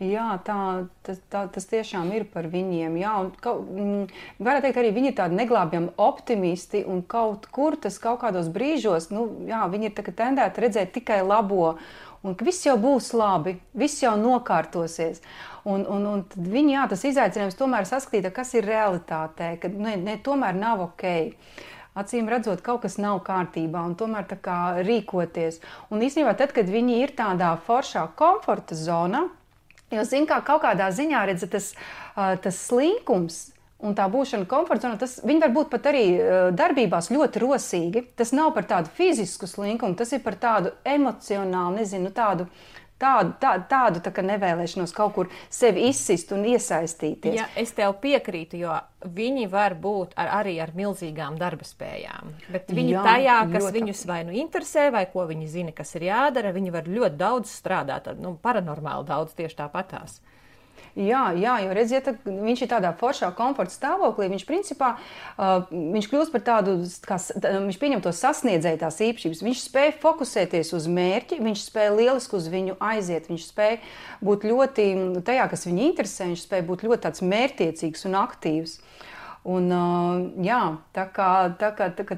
Jā, tas tiešām ir par viņiem. Jā, un varētu teikt, arī viņi ir tādi neglābjami optimisti, un kaut kur tas kaut kādos brīžos, viņi ir tendēti redzēt tikai labo, un ka viss jau būs labi, viss jau nokārtosies. Un tad viņi, tas izaicinājums tomēr saskatīt, kas ir realitātē, ka tomēr nav ok. Acīm redzot, kaut kas nav kārtībā, un tomēr tā kā rīkoties. Un īstenībā tad, kad viņi ir tādā foršā komforta zonā, jo zin, kā kaut kādā ziņā redz, tas slinkums un tā būšana komforta zonā, viņi var būt pat arī darbībās ļoti rosīgi. Tas nav par tādu fizisku slinkumu, tas ir par tādu emocionālu, nezinu, tādu tā kā nevēlēšanos kaut kur sevi izsist un iesaistīties. Ja, es tev piekrītu, jo viņi var būt arī ar milzīgām darba spējām. Bet viņi tajā, kas viņus vai interesē, vai ko viņi zina, kas ir jādara, viņi var ļoti daudz strādāt, paranormāli daudz tieši tāpatās. Jā, jo redziet, viņš ir tādā foršā komforta stāvoklī, viņš principā, viņš kļūst par tādu, viņš pieņem to sasniedzēju tās īpašības, viņš spēj fokusēties uz mērķi, viņš spēj lieliski uz viņu aiziet, viņš spēj būt ļoti, tajā, kas viņu interesē, viņš spēj būt ļoti tāds mērķtiecīgs un aktīvs. Un tā kā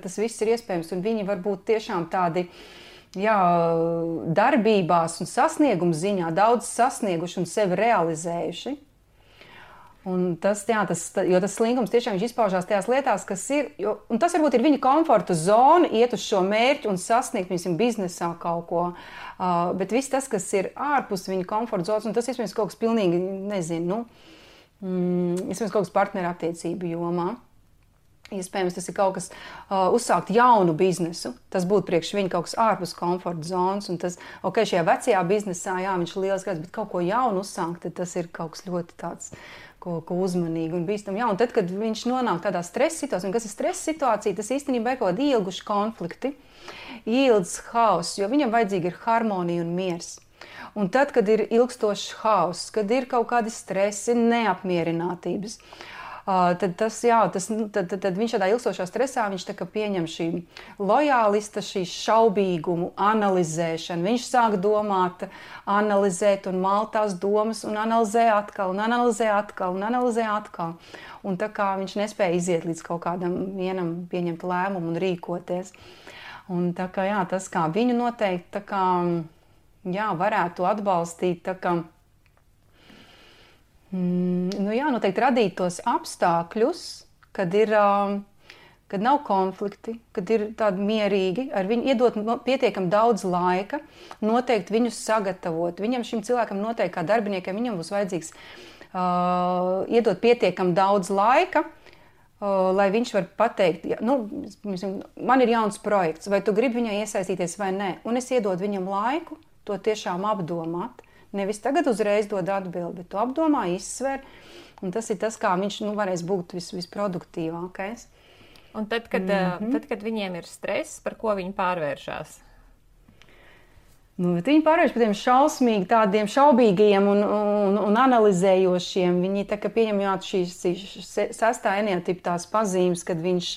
tas viss ir iespējams, un viņi var būt tiešām tādi, darbībās un sasniegumu ziņā daudz sasnieguši un sevi realizējuši. Un jo tas slinkums tiešām izpaužās tajās lietās, kas ir, un tas varbūt ir viņa komforta zona, iet uz šo mērķi un sasniegt, piemēram, biznesā kaut ko. Bet viss tas, kas ir ārpus viņa komforta zonas, un tas iespējams kaut kas pilnīgi, nezinu, iespējams kaut kas partneru attiecību jomā. Iespējams, tas ir kaut kas uzsākt jaunu biznesu. Tas būtu priekš viņa kaut kas ārpus komforta zonas. Un tas, šajā vecajā biznesā, viņš ir liels gars, bet kaut ko jaunu uzsākt, tad tas ir kaut kas ļoti tāds, ko uzmanīgi un bīstam. Un tad, kad viņš nonāk tādā stresa situācijā, un kas ir stresa situācija, tas īstenībā ir kaut kādi ilguši konflikti, ilgs hauss, jo viņam vajadzīgi ir harmonija un miers. Un tad, kad ir ilgstošs hauss, kad ir kaut kādi stresi, neapmierinātības, tad viņš tādā ilgstošā stresā, viņš tā kā pieņem šī lojālista, šī šaubīgumu, analizēšanu. Viņš sāk domāt, analizēt un malt tās domas un analizē atkal, un analizē atkal, un analizē atkal. Un tā kā viņš nespēja iziet līdz kaut kādam vienam pieņemt lēmumu un rīkoties. Un tā kā, tas kā viņu noteikti, tā kā, varētu atbalstīt, tā kā, noteikti radīt tos apstākļus, kad nav konflikti, kad ir tādi mierīgi, ar viņu iedot pietiekam daudz laika, noteikti viņus sagatavot. Šim cilvēkam noteikti kā darbiniekam, viņam būs vajadzīgs iedot pietiekam daudz laika, lai viņš var pateikt, man ir jauns projekts, vai tu gribi viņai iesaistīties vai nē, un es iedodu viņam laiku to tiešām apdomāt. Nevis tagad uzreiz dod atbildi, bet tu apdomā, izsver, un tas ir tas, kā viņš varēs būt visproduktīvākais. Un tad, kad viņiem ir stress, par ko viņi pārvēršās? Viņi pārvērš par tiem šausmīgi, tādiem šaubīgiem un analizējošiem. Viņi tā kā pieņem šīs sastā enneatipa tās pazīmes, kad viņš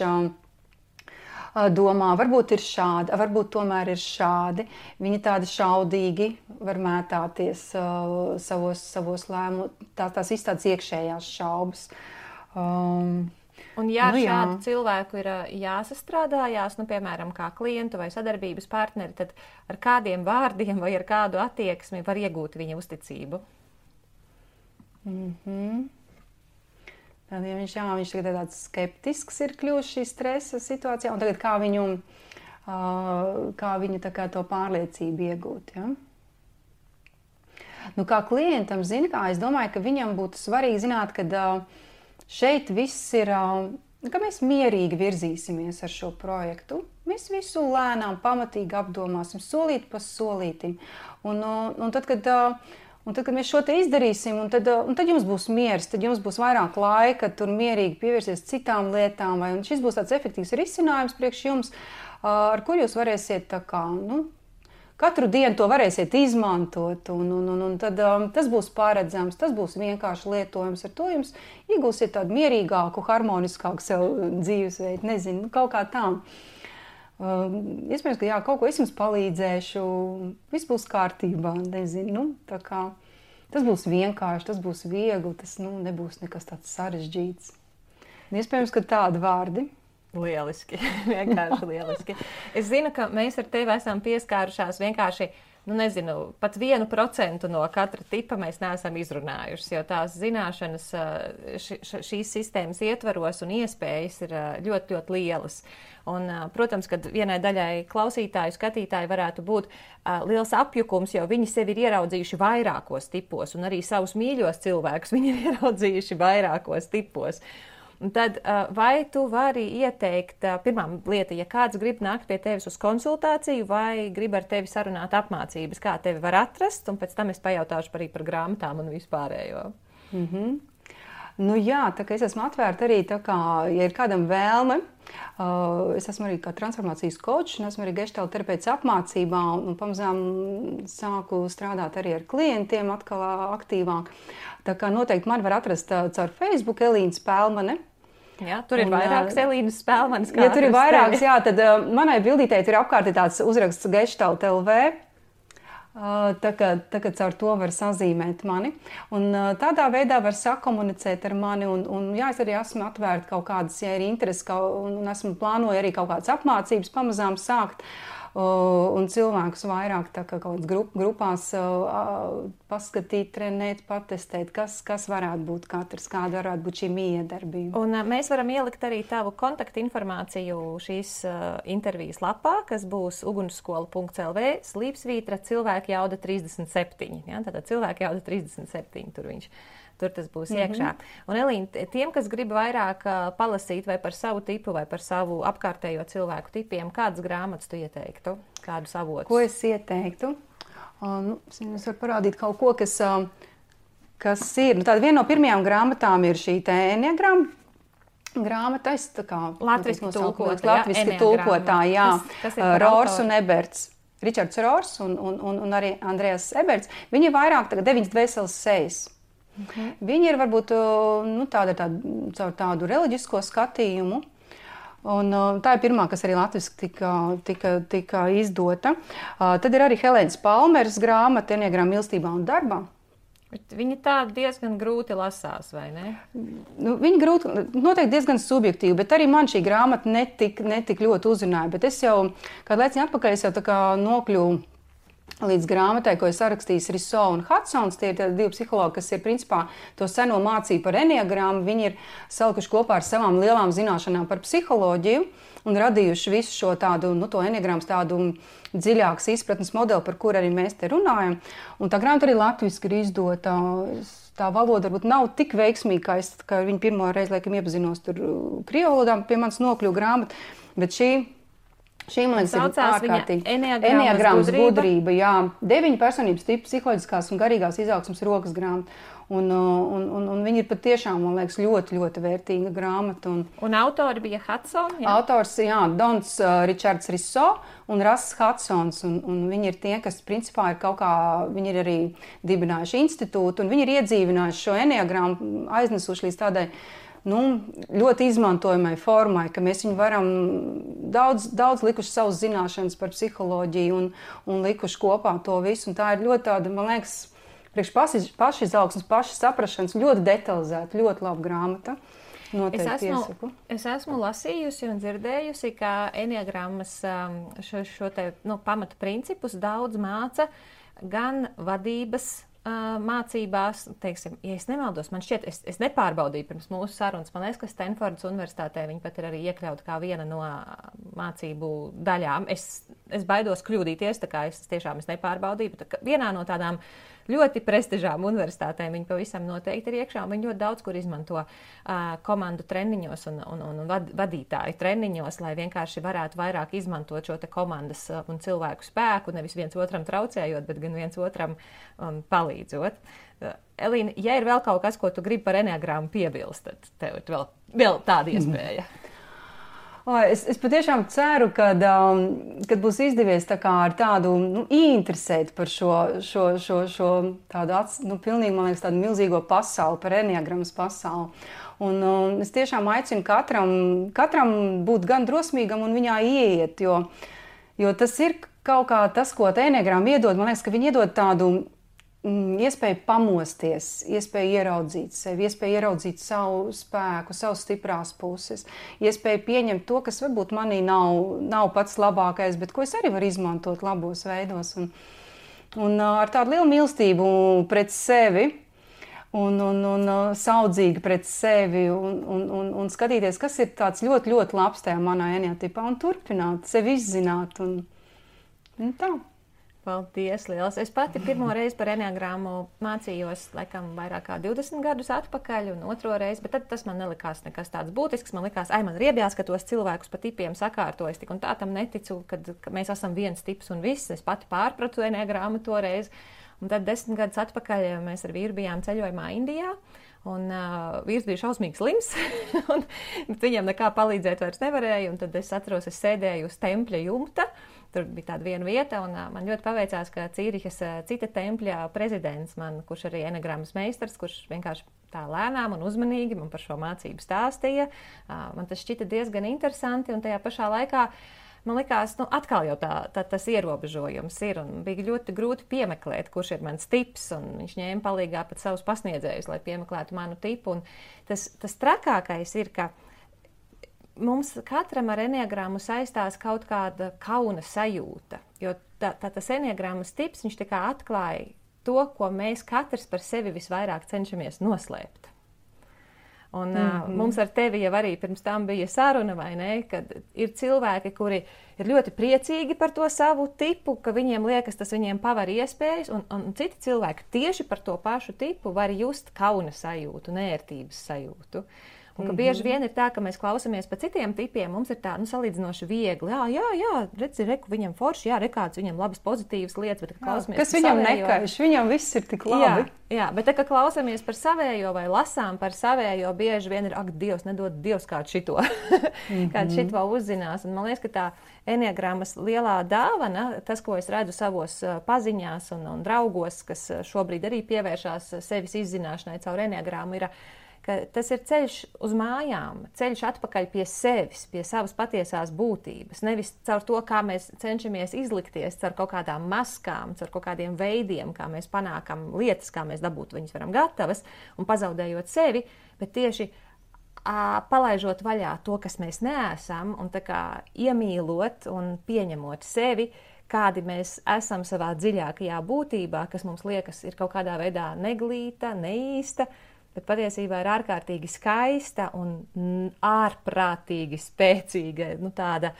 domā, varbūt ir šādi, varbūt tomēr ir šādi. Viņi tādi šaudīgi var mētāties savos lēmumos, tās izstādes iekšējās šaubas. Un ja šādu cilvēku ir jāsastrādājās, piemēram, kā klientu vai sadarbības partneri, tad ar kādiem vārdiem vai ar kādu attieksmi var iegūt viņa uzticību? Tad, ja viņš tagad tāds skeptisks ir kļuvis šī stresa situācijā, un tagad kā viņu tā kā to pārliecību iegūt, ja? Nu, kā klientam, es domāju, ka viņam būtu svarīgi zināt, ka šeit viss ir, ka mēs mierīgi virzīsimies ar šo projektu. Mēs visu lēnām, pamatīgi apdomāsim, solīt pa solītim. Un tad, kad mēs šo te izdarīsim, un tad jums būs miers, tad jums būs vairāk laika, tur mierīgi pievērsties citām lietām, un šis būs tāds efektīvs risinājums priekš jums, ar kur jūs varēsiet tā kā, katru dienu to varēsiet izmantot, un tad tas būs paredzams, tas būs vienkārši lietojams. Ar to jums iegūsiet tādu mierīgāku, harmoniskāku sev dzīvesveidu, nezinu, kaut kā tā. Iespējams, ka kaut ko es jums palīdzēšu, viss būs kārtībā, nezinu, tā kā tas būs vienkārši, tas būs viegli, tas nebūs nekas tāds sarežģīts. Iespējams, ka tādi vārdi. Lieliski, vienkārši lieliski. Es zinu, ka mēs ar tevi esam pieskārušās vienkārši, pat 1% no katra tipa mēs neesam izrunājušas, jo tās zināšanas šīs sistēmas ietvaros un iespējas ir ļoti, ļoti lielas. Un, protams, kad vienai daļai klausītāju, skatītāju varētu būt liels apjukums, jo viņi sevi ir ieraudzījuši vairākos tipos, un arī savus mīļos cilvēkus viņi ir ieraudzījuši vairākos tipos. Un tad vai tu vari ieteikt, pirmā lieta, ja kāds grib nākt pie tevis uz konsultāciju vai grib ar tevi sarunāt apmācības, kā tevi var atrast, un pēc tam es pajautāšu arī par grāmatām un vispārējo. Tā kā es esmu atvērta arī, tā kā, ja ir kādam vēlme, es esmu arī kā transformācijas kočs, un esmu arī geštāla terapeits apmācībā, un pamazām sāku strādāt arī ar klientiem atkal aktīvāk. Tā kā noteikti mani var atrast caur Facebook Elīna Spēlmane. Jā, tur ir vairākas Elīnas Spēlmanes. Ja tur ir vairākas, tad manai bildītei tur ir apkārt tāds uzraksts Gestalt LV. Tā kā caur to var sazīmēt mani. Un tādā veidā var sakomunicēt ar mani. Un es arī esmu atvērta kaut kādas, ja ir interesi, un esmu plānoju arī kaut kādas apmācības pamazām sākt. Un cilvēkus vairāk tā kā kaut kādas grupās paskatīt, trenēt, patestēt, kas varētu būt katrs, kāda varētu būt šī miedarbība. Un mēs varam ielikt arī tavu kontaktinformāciju šīs intervijas lapā, kas būs ugunsskola.lv /cilvēka jauda 37. Ja? Tātad cilvēka jauda 37, tur tas būs iekšā. Un Elīna, tiem, kas grib vairāk palasīt vai par savu tipu vai par savu apkārtējo cilvēku tipiem, kādas grāmatas tu ieteiktu? Kādus avotus? Ko es ieteiktu? Es varu parādīt kaut ko, kas ir. Tāda viena no pirmajām grāmatām ir šī Enneagrama grāmata. Latviski tulkotā, jā. Rors un Eberts. Ričards Rors un arī Andrejas Eberts. Viņi ir vairāk 9 dvēseles sejas. Viņi ir varbūt caur tādu reliģisko skatījumu, un tā ir pirmā, kas arī latviski tika izdota. Tad ir arī Helēnas Palmeras grāmata Enneagrama mīlestībā un darbā. Bet viņi tā diezgan grūti lasās, vai ne? Viņi noteikti diezgan subjektīvi, bet arī man šī grāmata netik ļoti uzrunāja. Bet es jau kādu laiciņu atpakaļ tā kā nokļuvu līdz grāmatai, ko ir sarakstījis Riso un Hudsons. Tie ir divi psihologi, kas ir principā to seno mācību par Enneagramu. Viņi ir salikuši kopā ar savām lielām zināšanām par psiholoģiju un radījuši visu šo tādu, to Enneagrams tādu dziļākas izpratnes modeli, par kur arī mēs te runājam. Un tā grāmata arī latviski ir izdota. Tā valoda varbūt nav tik veiksmīga, kā viņa pirmo reizi, laikam, iepazinos tur krievu valodā, pie manis nokļuva grāmata, bet šī man liekas ir ārkārtīgi. Enneagrams gudrība, jā. 9 personības tipu psiholoģiskās un garīgās izaugsmes rokas grāmata. Un viņi ir patiešām, man liekas, ļoti, ļoti vērtīga grāmata. Un autori bija Hudson, jā? Autors, jā, Dons Ričards Riso un Rass Hudsons. Un viņi ir tie, kas principā ir kaut kā, viņi ir arī dibinājuši institūtu, un viņi ir iedzīvinājuši šo Enneagramu, aiznesuši līdz tādai ļoti izmantojamai formai, ka mēs viņu varam daudz likuši savus zināšanas par psiholoģiju un likuši kopā to visu. Un tā ir ļoti tāda, man liekas, priekš pašizaugsmes, pašsaprašanas, ļoti detalizēta, ļoti laba grāmata. noteikti iesaku. Es esmu lasījusi un dzirdējusi, ka enneagrammas šo te pamata principus daudz māca gan vadības mācībās, teiksim, ja es nemaldos, man šķiet, es nepārbaudīju pirms mūsu sarunas, man liekas, ka Stanfordas universitātē viņi pat ir arī iekļauti kā viena no mācību daļām. Es baidos kļūdīties, tā kā es nepārbaudīju, bet vienā no tādām ļoti prestižām universitātēm viņi pavisam noteikti ir iekšā, un viņi ļoti daudz kur izmanto komandu treniņos un vadītāju treniņos, lai vienkārši varētu vairāk izmantot šo te komandas un cilvēku spēku, nevis viens otram traucējot, bet gan viens otram palīdzot. Elīna, ja ir vēl kaut kas, ko tu gribi par enneagrammu piebilst, tad tev ir vēl tāda iespēja. Es patiešām ceru, kad būs izdevies tā kā ar tādu ieinteresēt par šo tādu pilnīgi, man liekas, tādu milzīgo pasauli, par enneagrammas pasauli. Un es tiešām aicinu katram būt gan drosmīgam un viņā ieiet, jo tas ir kaut kā tas, ko enneagramma iedod. Man liekas, ka viņi iedod tādu iespēju pamosties, iespēju ieraudzīt sevi, iespēju ieraudzīt savu spēku, savas stiprās puses, iespēju pieņemt to, kas varbūt manī nav pats labākais, bet ko es arī varu izmantot labos veidos. Un ar tādu lielu mīlestību pret sevi un saudzīgi pret sevi un skatīties, kas ir tāds ļoti, ļoti labs tajā manā enneatipā un turpināt, sevi izzināt un tā. Paldies, liels. Es pati pirmo reizi par enneagrammu mācījos, laikam, vairāk kā 20 gadus atpakaļ un otro reizi, bet tad tas man nelikās nekas tāds būtisks. Man likās, man riebjās, ka tos cilvēkus pa tipiem sakārtojas, tik un tā tam neticu, ka mēs esam viens tips un viss. Es pati pārpratu enneagrammu toreiz. Un tad 10 gadus atpakaļ mēs ar vīru bijām ceļojumā Indijā. Un vīrs bija šausmīgi slims, bet viņam nekā palīdzēt vairs nevarēja. Un tad es atceros, es sēdēju uz tempļa jumta. Tur bija tāda viena vieta, un man ļoti paveicās, ka Cīrihas cita tempļa prezidents, kurš arī enneagrammas meistars, kurš vienkārši tā lēnām un uzmanīgi man par šo mācību stāstīja. Man tas šķita diezgan interesanti, un tajā pašā laikā man likās, atkal jau tas ierobežojums ir, un bija ļoti grūti piemeklēt, kurš ir mans tips, un viņš ņēma palīgā pat savus pasniedzējus, lai piemeklētu manu tipu. Un tas trakākais ir, ka mums katram ar enneagrammu saistās kaut kāda kauna sajūta, jo tas enneagrammas tips, viņš tā kā atklāja to, ko mēs katrs par sevi visvairāk cenšamies noslēpt. Un mums ar tevi jau arī pirms tam bija saruna, vai ne, kad ir cilvēki, kuri ir ļoti priecīgi par to savu tipu, ka viņiem liekas, tas viņiem paver iespējas, un citi cilvēki tieši par to pašu tipu var just kauna sajūtu, nērtības sajūtu. Un ka bieži vien ir tā, ka mēs klausamies pa citiem tipiem, mums ir tā, salīdzinoši viegli. Jā, redzi, reku viņam forši, jā, rekāds viņam labas pozitīvas lietas, bet klausamies kas viņam nekaiš, viņam viss ir tik labi. Jā, bet kad klausamies par savējo vai lasām par savējo, bieži vien ir, Dievs, nedod Dievs kādu šito, kādu šito uzzinās. Un man liekas, ka tā enneagrammas lielā dāvana, tas, ko es redzu savos paziņās un draugos, kas šobrīd arī pievēršās sevis izzināšanai caur enneagrammu, ir ka tas ir ceļš uz mājām, ceļš atpakaļ pie sevis, pie savas patiesās būtības. Nevis caur to, kā mēs cenšamies izlikties, caur kaut kādām maskām, caur kaut kādiem veidiem, kā mēs panākam lietas, kā mēs dabūt viņas varam gatavas un pazaudējot sevi, bet tieši palaižot vaļā to, kas mēs neesam, un tā kā iemīlot un pieņemot sevi, kādi mēs esam savā dziļākajā būtībā, kas mums liekas ir kaut kādā veidā neglīta, neīsta, bet patiesībā ir ārkārtīgi skaista un ārprātīgi spēcīga, tāda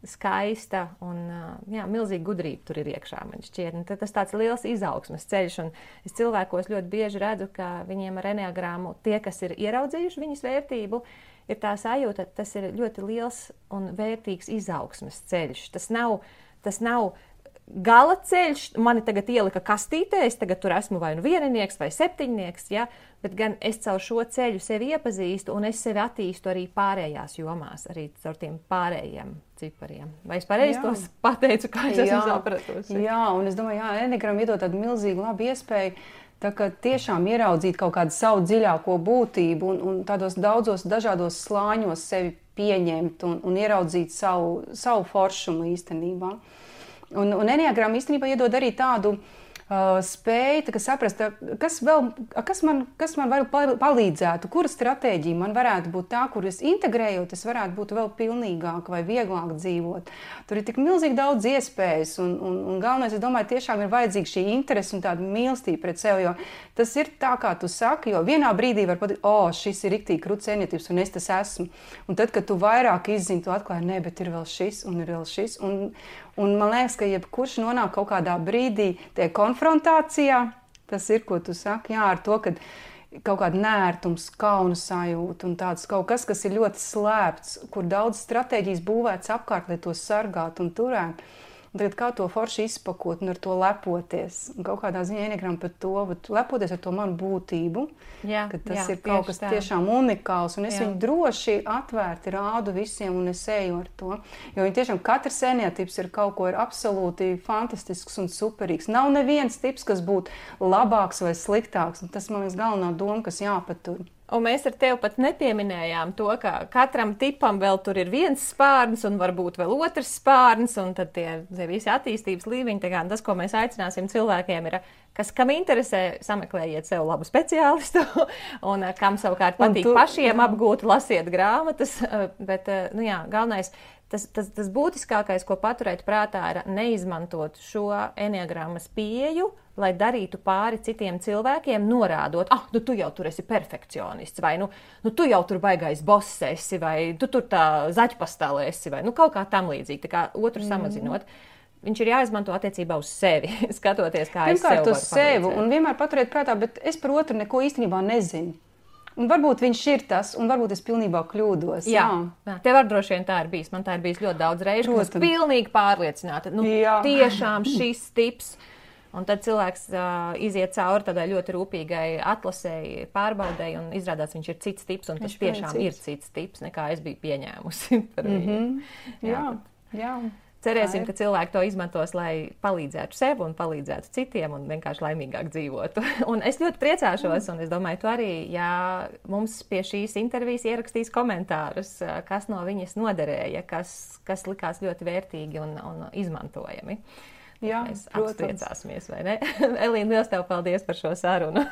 skaista un milzīga gudrība tur ir iekšā, man šķiet. Tas tāds liels izaugsmes ceļš, un es cilvēkos ļoti bieži redzu, ka viņiem ar enneagrammu tie, kas ir ieraudzījuši viņas vērtību, ir tā sajūta, tas ir ļoti liels un vērtīgs izaugsmes ceļš. Tas nav gala ceļš, mani tagad ielika kastītē, es tagad tur esmu vai nu vieninieks vai septiņnieks, ja? Bet gan es caur šo ceļu sevi iepazīstu un es sevi attīstu arī pārējās jomās, arī caur tiem pārējiem cipariem. Vai es pareizi tos pateicu, kā es esmu sapratusi? Jā, un es domāju, enneagramma iedod tādu milzīgu labu iespēju, tā kā tiešām ieraudzīt kaut kādu savu dziļāko būtību un tādos daudzos dažādos slāņos sevi pieņemt un ieraudzīt savu foršumu īstenībā. Un enneagramma īstenībā iedod arī tādu spēju saprast, kas man var palīdzētu, kura stratēģija man varētu būt tā, kur es integrējot, es varētu būt vēl pilnīgāk vai vieglāk dzīvot. Tur ir tik milzīgi daudz iespējas, un galvenais, es domāju, tiešām ir vajadzīga šī interese un tāda mīlestība pret sevi, jo tas ir tā, kā tu saki, jo vienā brīdī var pateikt, šis ir riktīgi krūts ēnietības, un es tas esmu. Un tad, kad tu vairāk izzini, tu atklāji, ne, bet ir vēl šis, un ir vēl šis, un man liekas, ka jebkurš nonāk kaut kādā brīdī tie konfrontācijā, tas ir, ko tu saki, jā, ar to, ka kaut kāda nērtums, kauna sajūta un tāds kaut kas, kas ir ļoti slēpts, kur daudz stratēģijas būvēts apkārt, lai to sargātu un turētu. Un tagad kā to forši izpakot un ar to lepoties. Un kaut kādā ziņā ienegram par to, lepoties ar to manu būtību, ka tas ir kaut kas tiešām unikāls. Un es viņu droši atvērti rādu visiem un es eju ar to. Jo viņi tiešām katrs ēnietips ir kaut ko ir absolūti fantastisks un superīgs. Nav neviens tips, kas būtu labāks vai sliktāks. Un tas, man liekas, galvenā doma, kas jāpatur. Un mēs ar tevi pat nepieminējām to, ka katram tipam vēl tur ir viens spārns un varbūt vēl otrs spārns, un tad tie visi attīstības līmeņi, tā kā tas, ko mēs aicināsim cilvēkiem, ir, kam interesē, sameklējiet sev labu speciālistu, un kam savukārt patīk pašiem apgūt, lasiet grāmatas, bet, galvenais, tas būtiskākais, ko paturēt prātā, ir neizmantot šo enneagrammas pieeju, lai darītu pāri citiem cilvēkiem, norādot, tu jau tur esi perfekcionists, vai tu jau tur baigais boss esi, vai tu tur tā zaķpastāle esi, vai kaut kā tam līdzīgi, tā kā otru samazinot. Viņš ir jāizmanto attiecībā uz sevi, skatoties, kā es sev varu palīdzēt. Pirmkārt uz sevi, un vienmēr paturēt prātā, bet es par otru neko īstenībā nezinu. Un varbūt viņš ir tas, un varbūt es pilnībā kļūdos. Jā. Tev ar droši vien tā ir bijis. Man tā ir bijis ļoti daudz reižu, ka es pilnīgi pārliecināta. Tiešām šis tips. Un tad cilvēks iziet cauri tādai ļoti rūpīgai atlasēji, pārbaudēji, un izrādās viņš ir cits tips, un tas tiešām ir cits tips, nekā es biju pieņēmusi par viņu. Jā. Cerēsim, ka cilvēki to izmantos, lai palīdzētu sev un palīdzētu citiem un vienkārši laimīgāk dzīvotu. Un es ļoti priecāšos, un es domāju, tu arī, ja mums pie šīs intervijas ierakstīs komentārus, kas no viņas noderēja, kas likās ļoti vērtīgi un izmantojami. Jā, mēs apstriecāsimies, vai ne? Elīna, liels tev paldies par šo sarunu.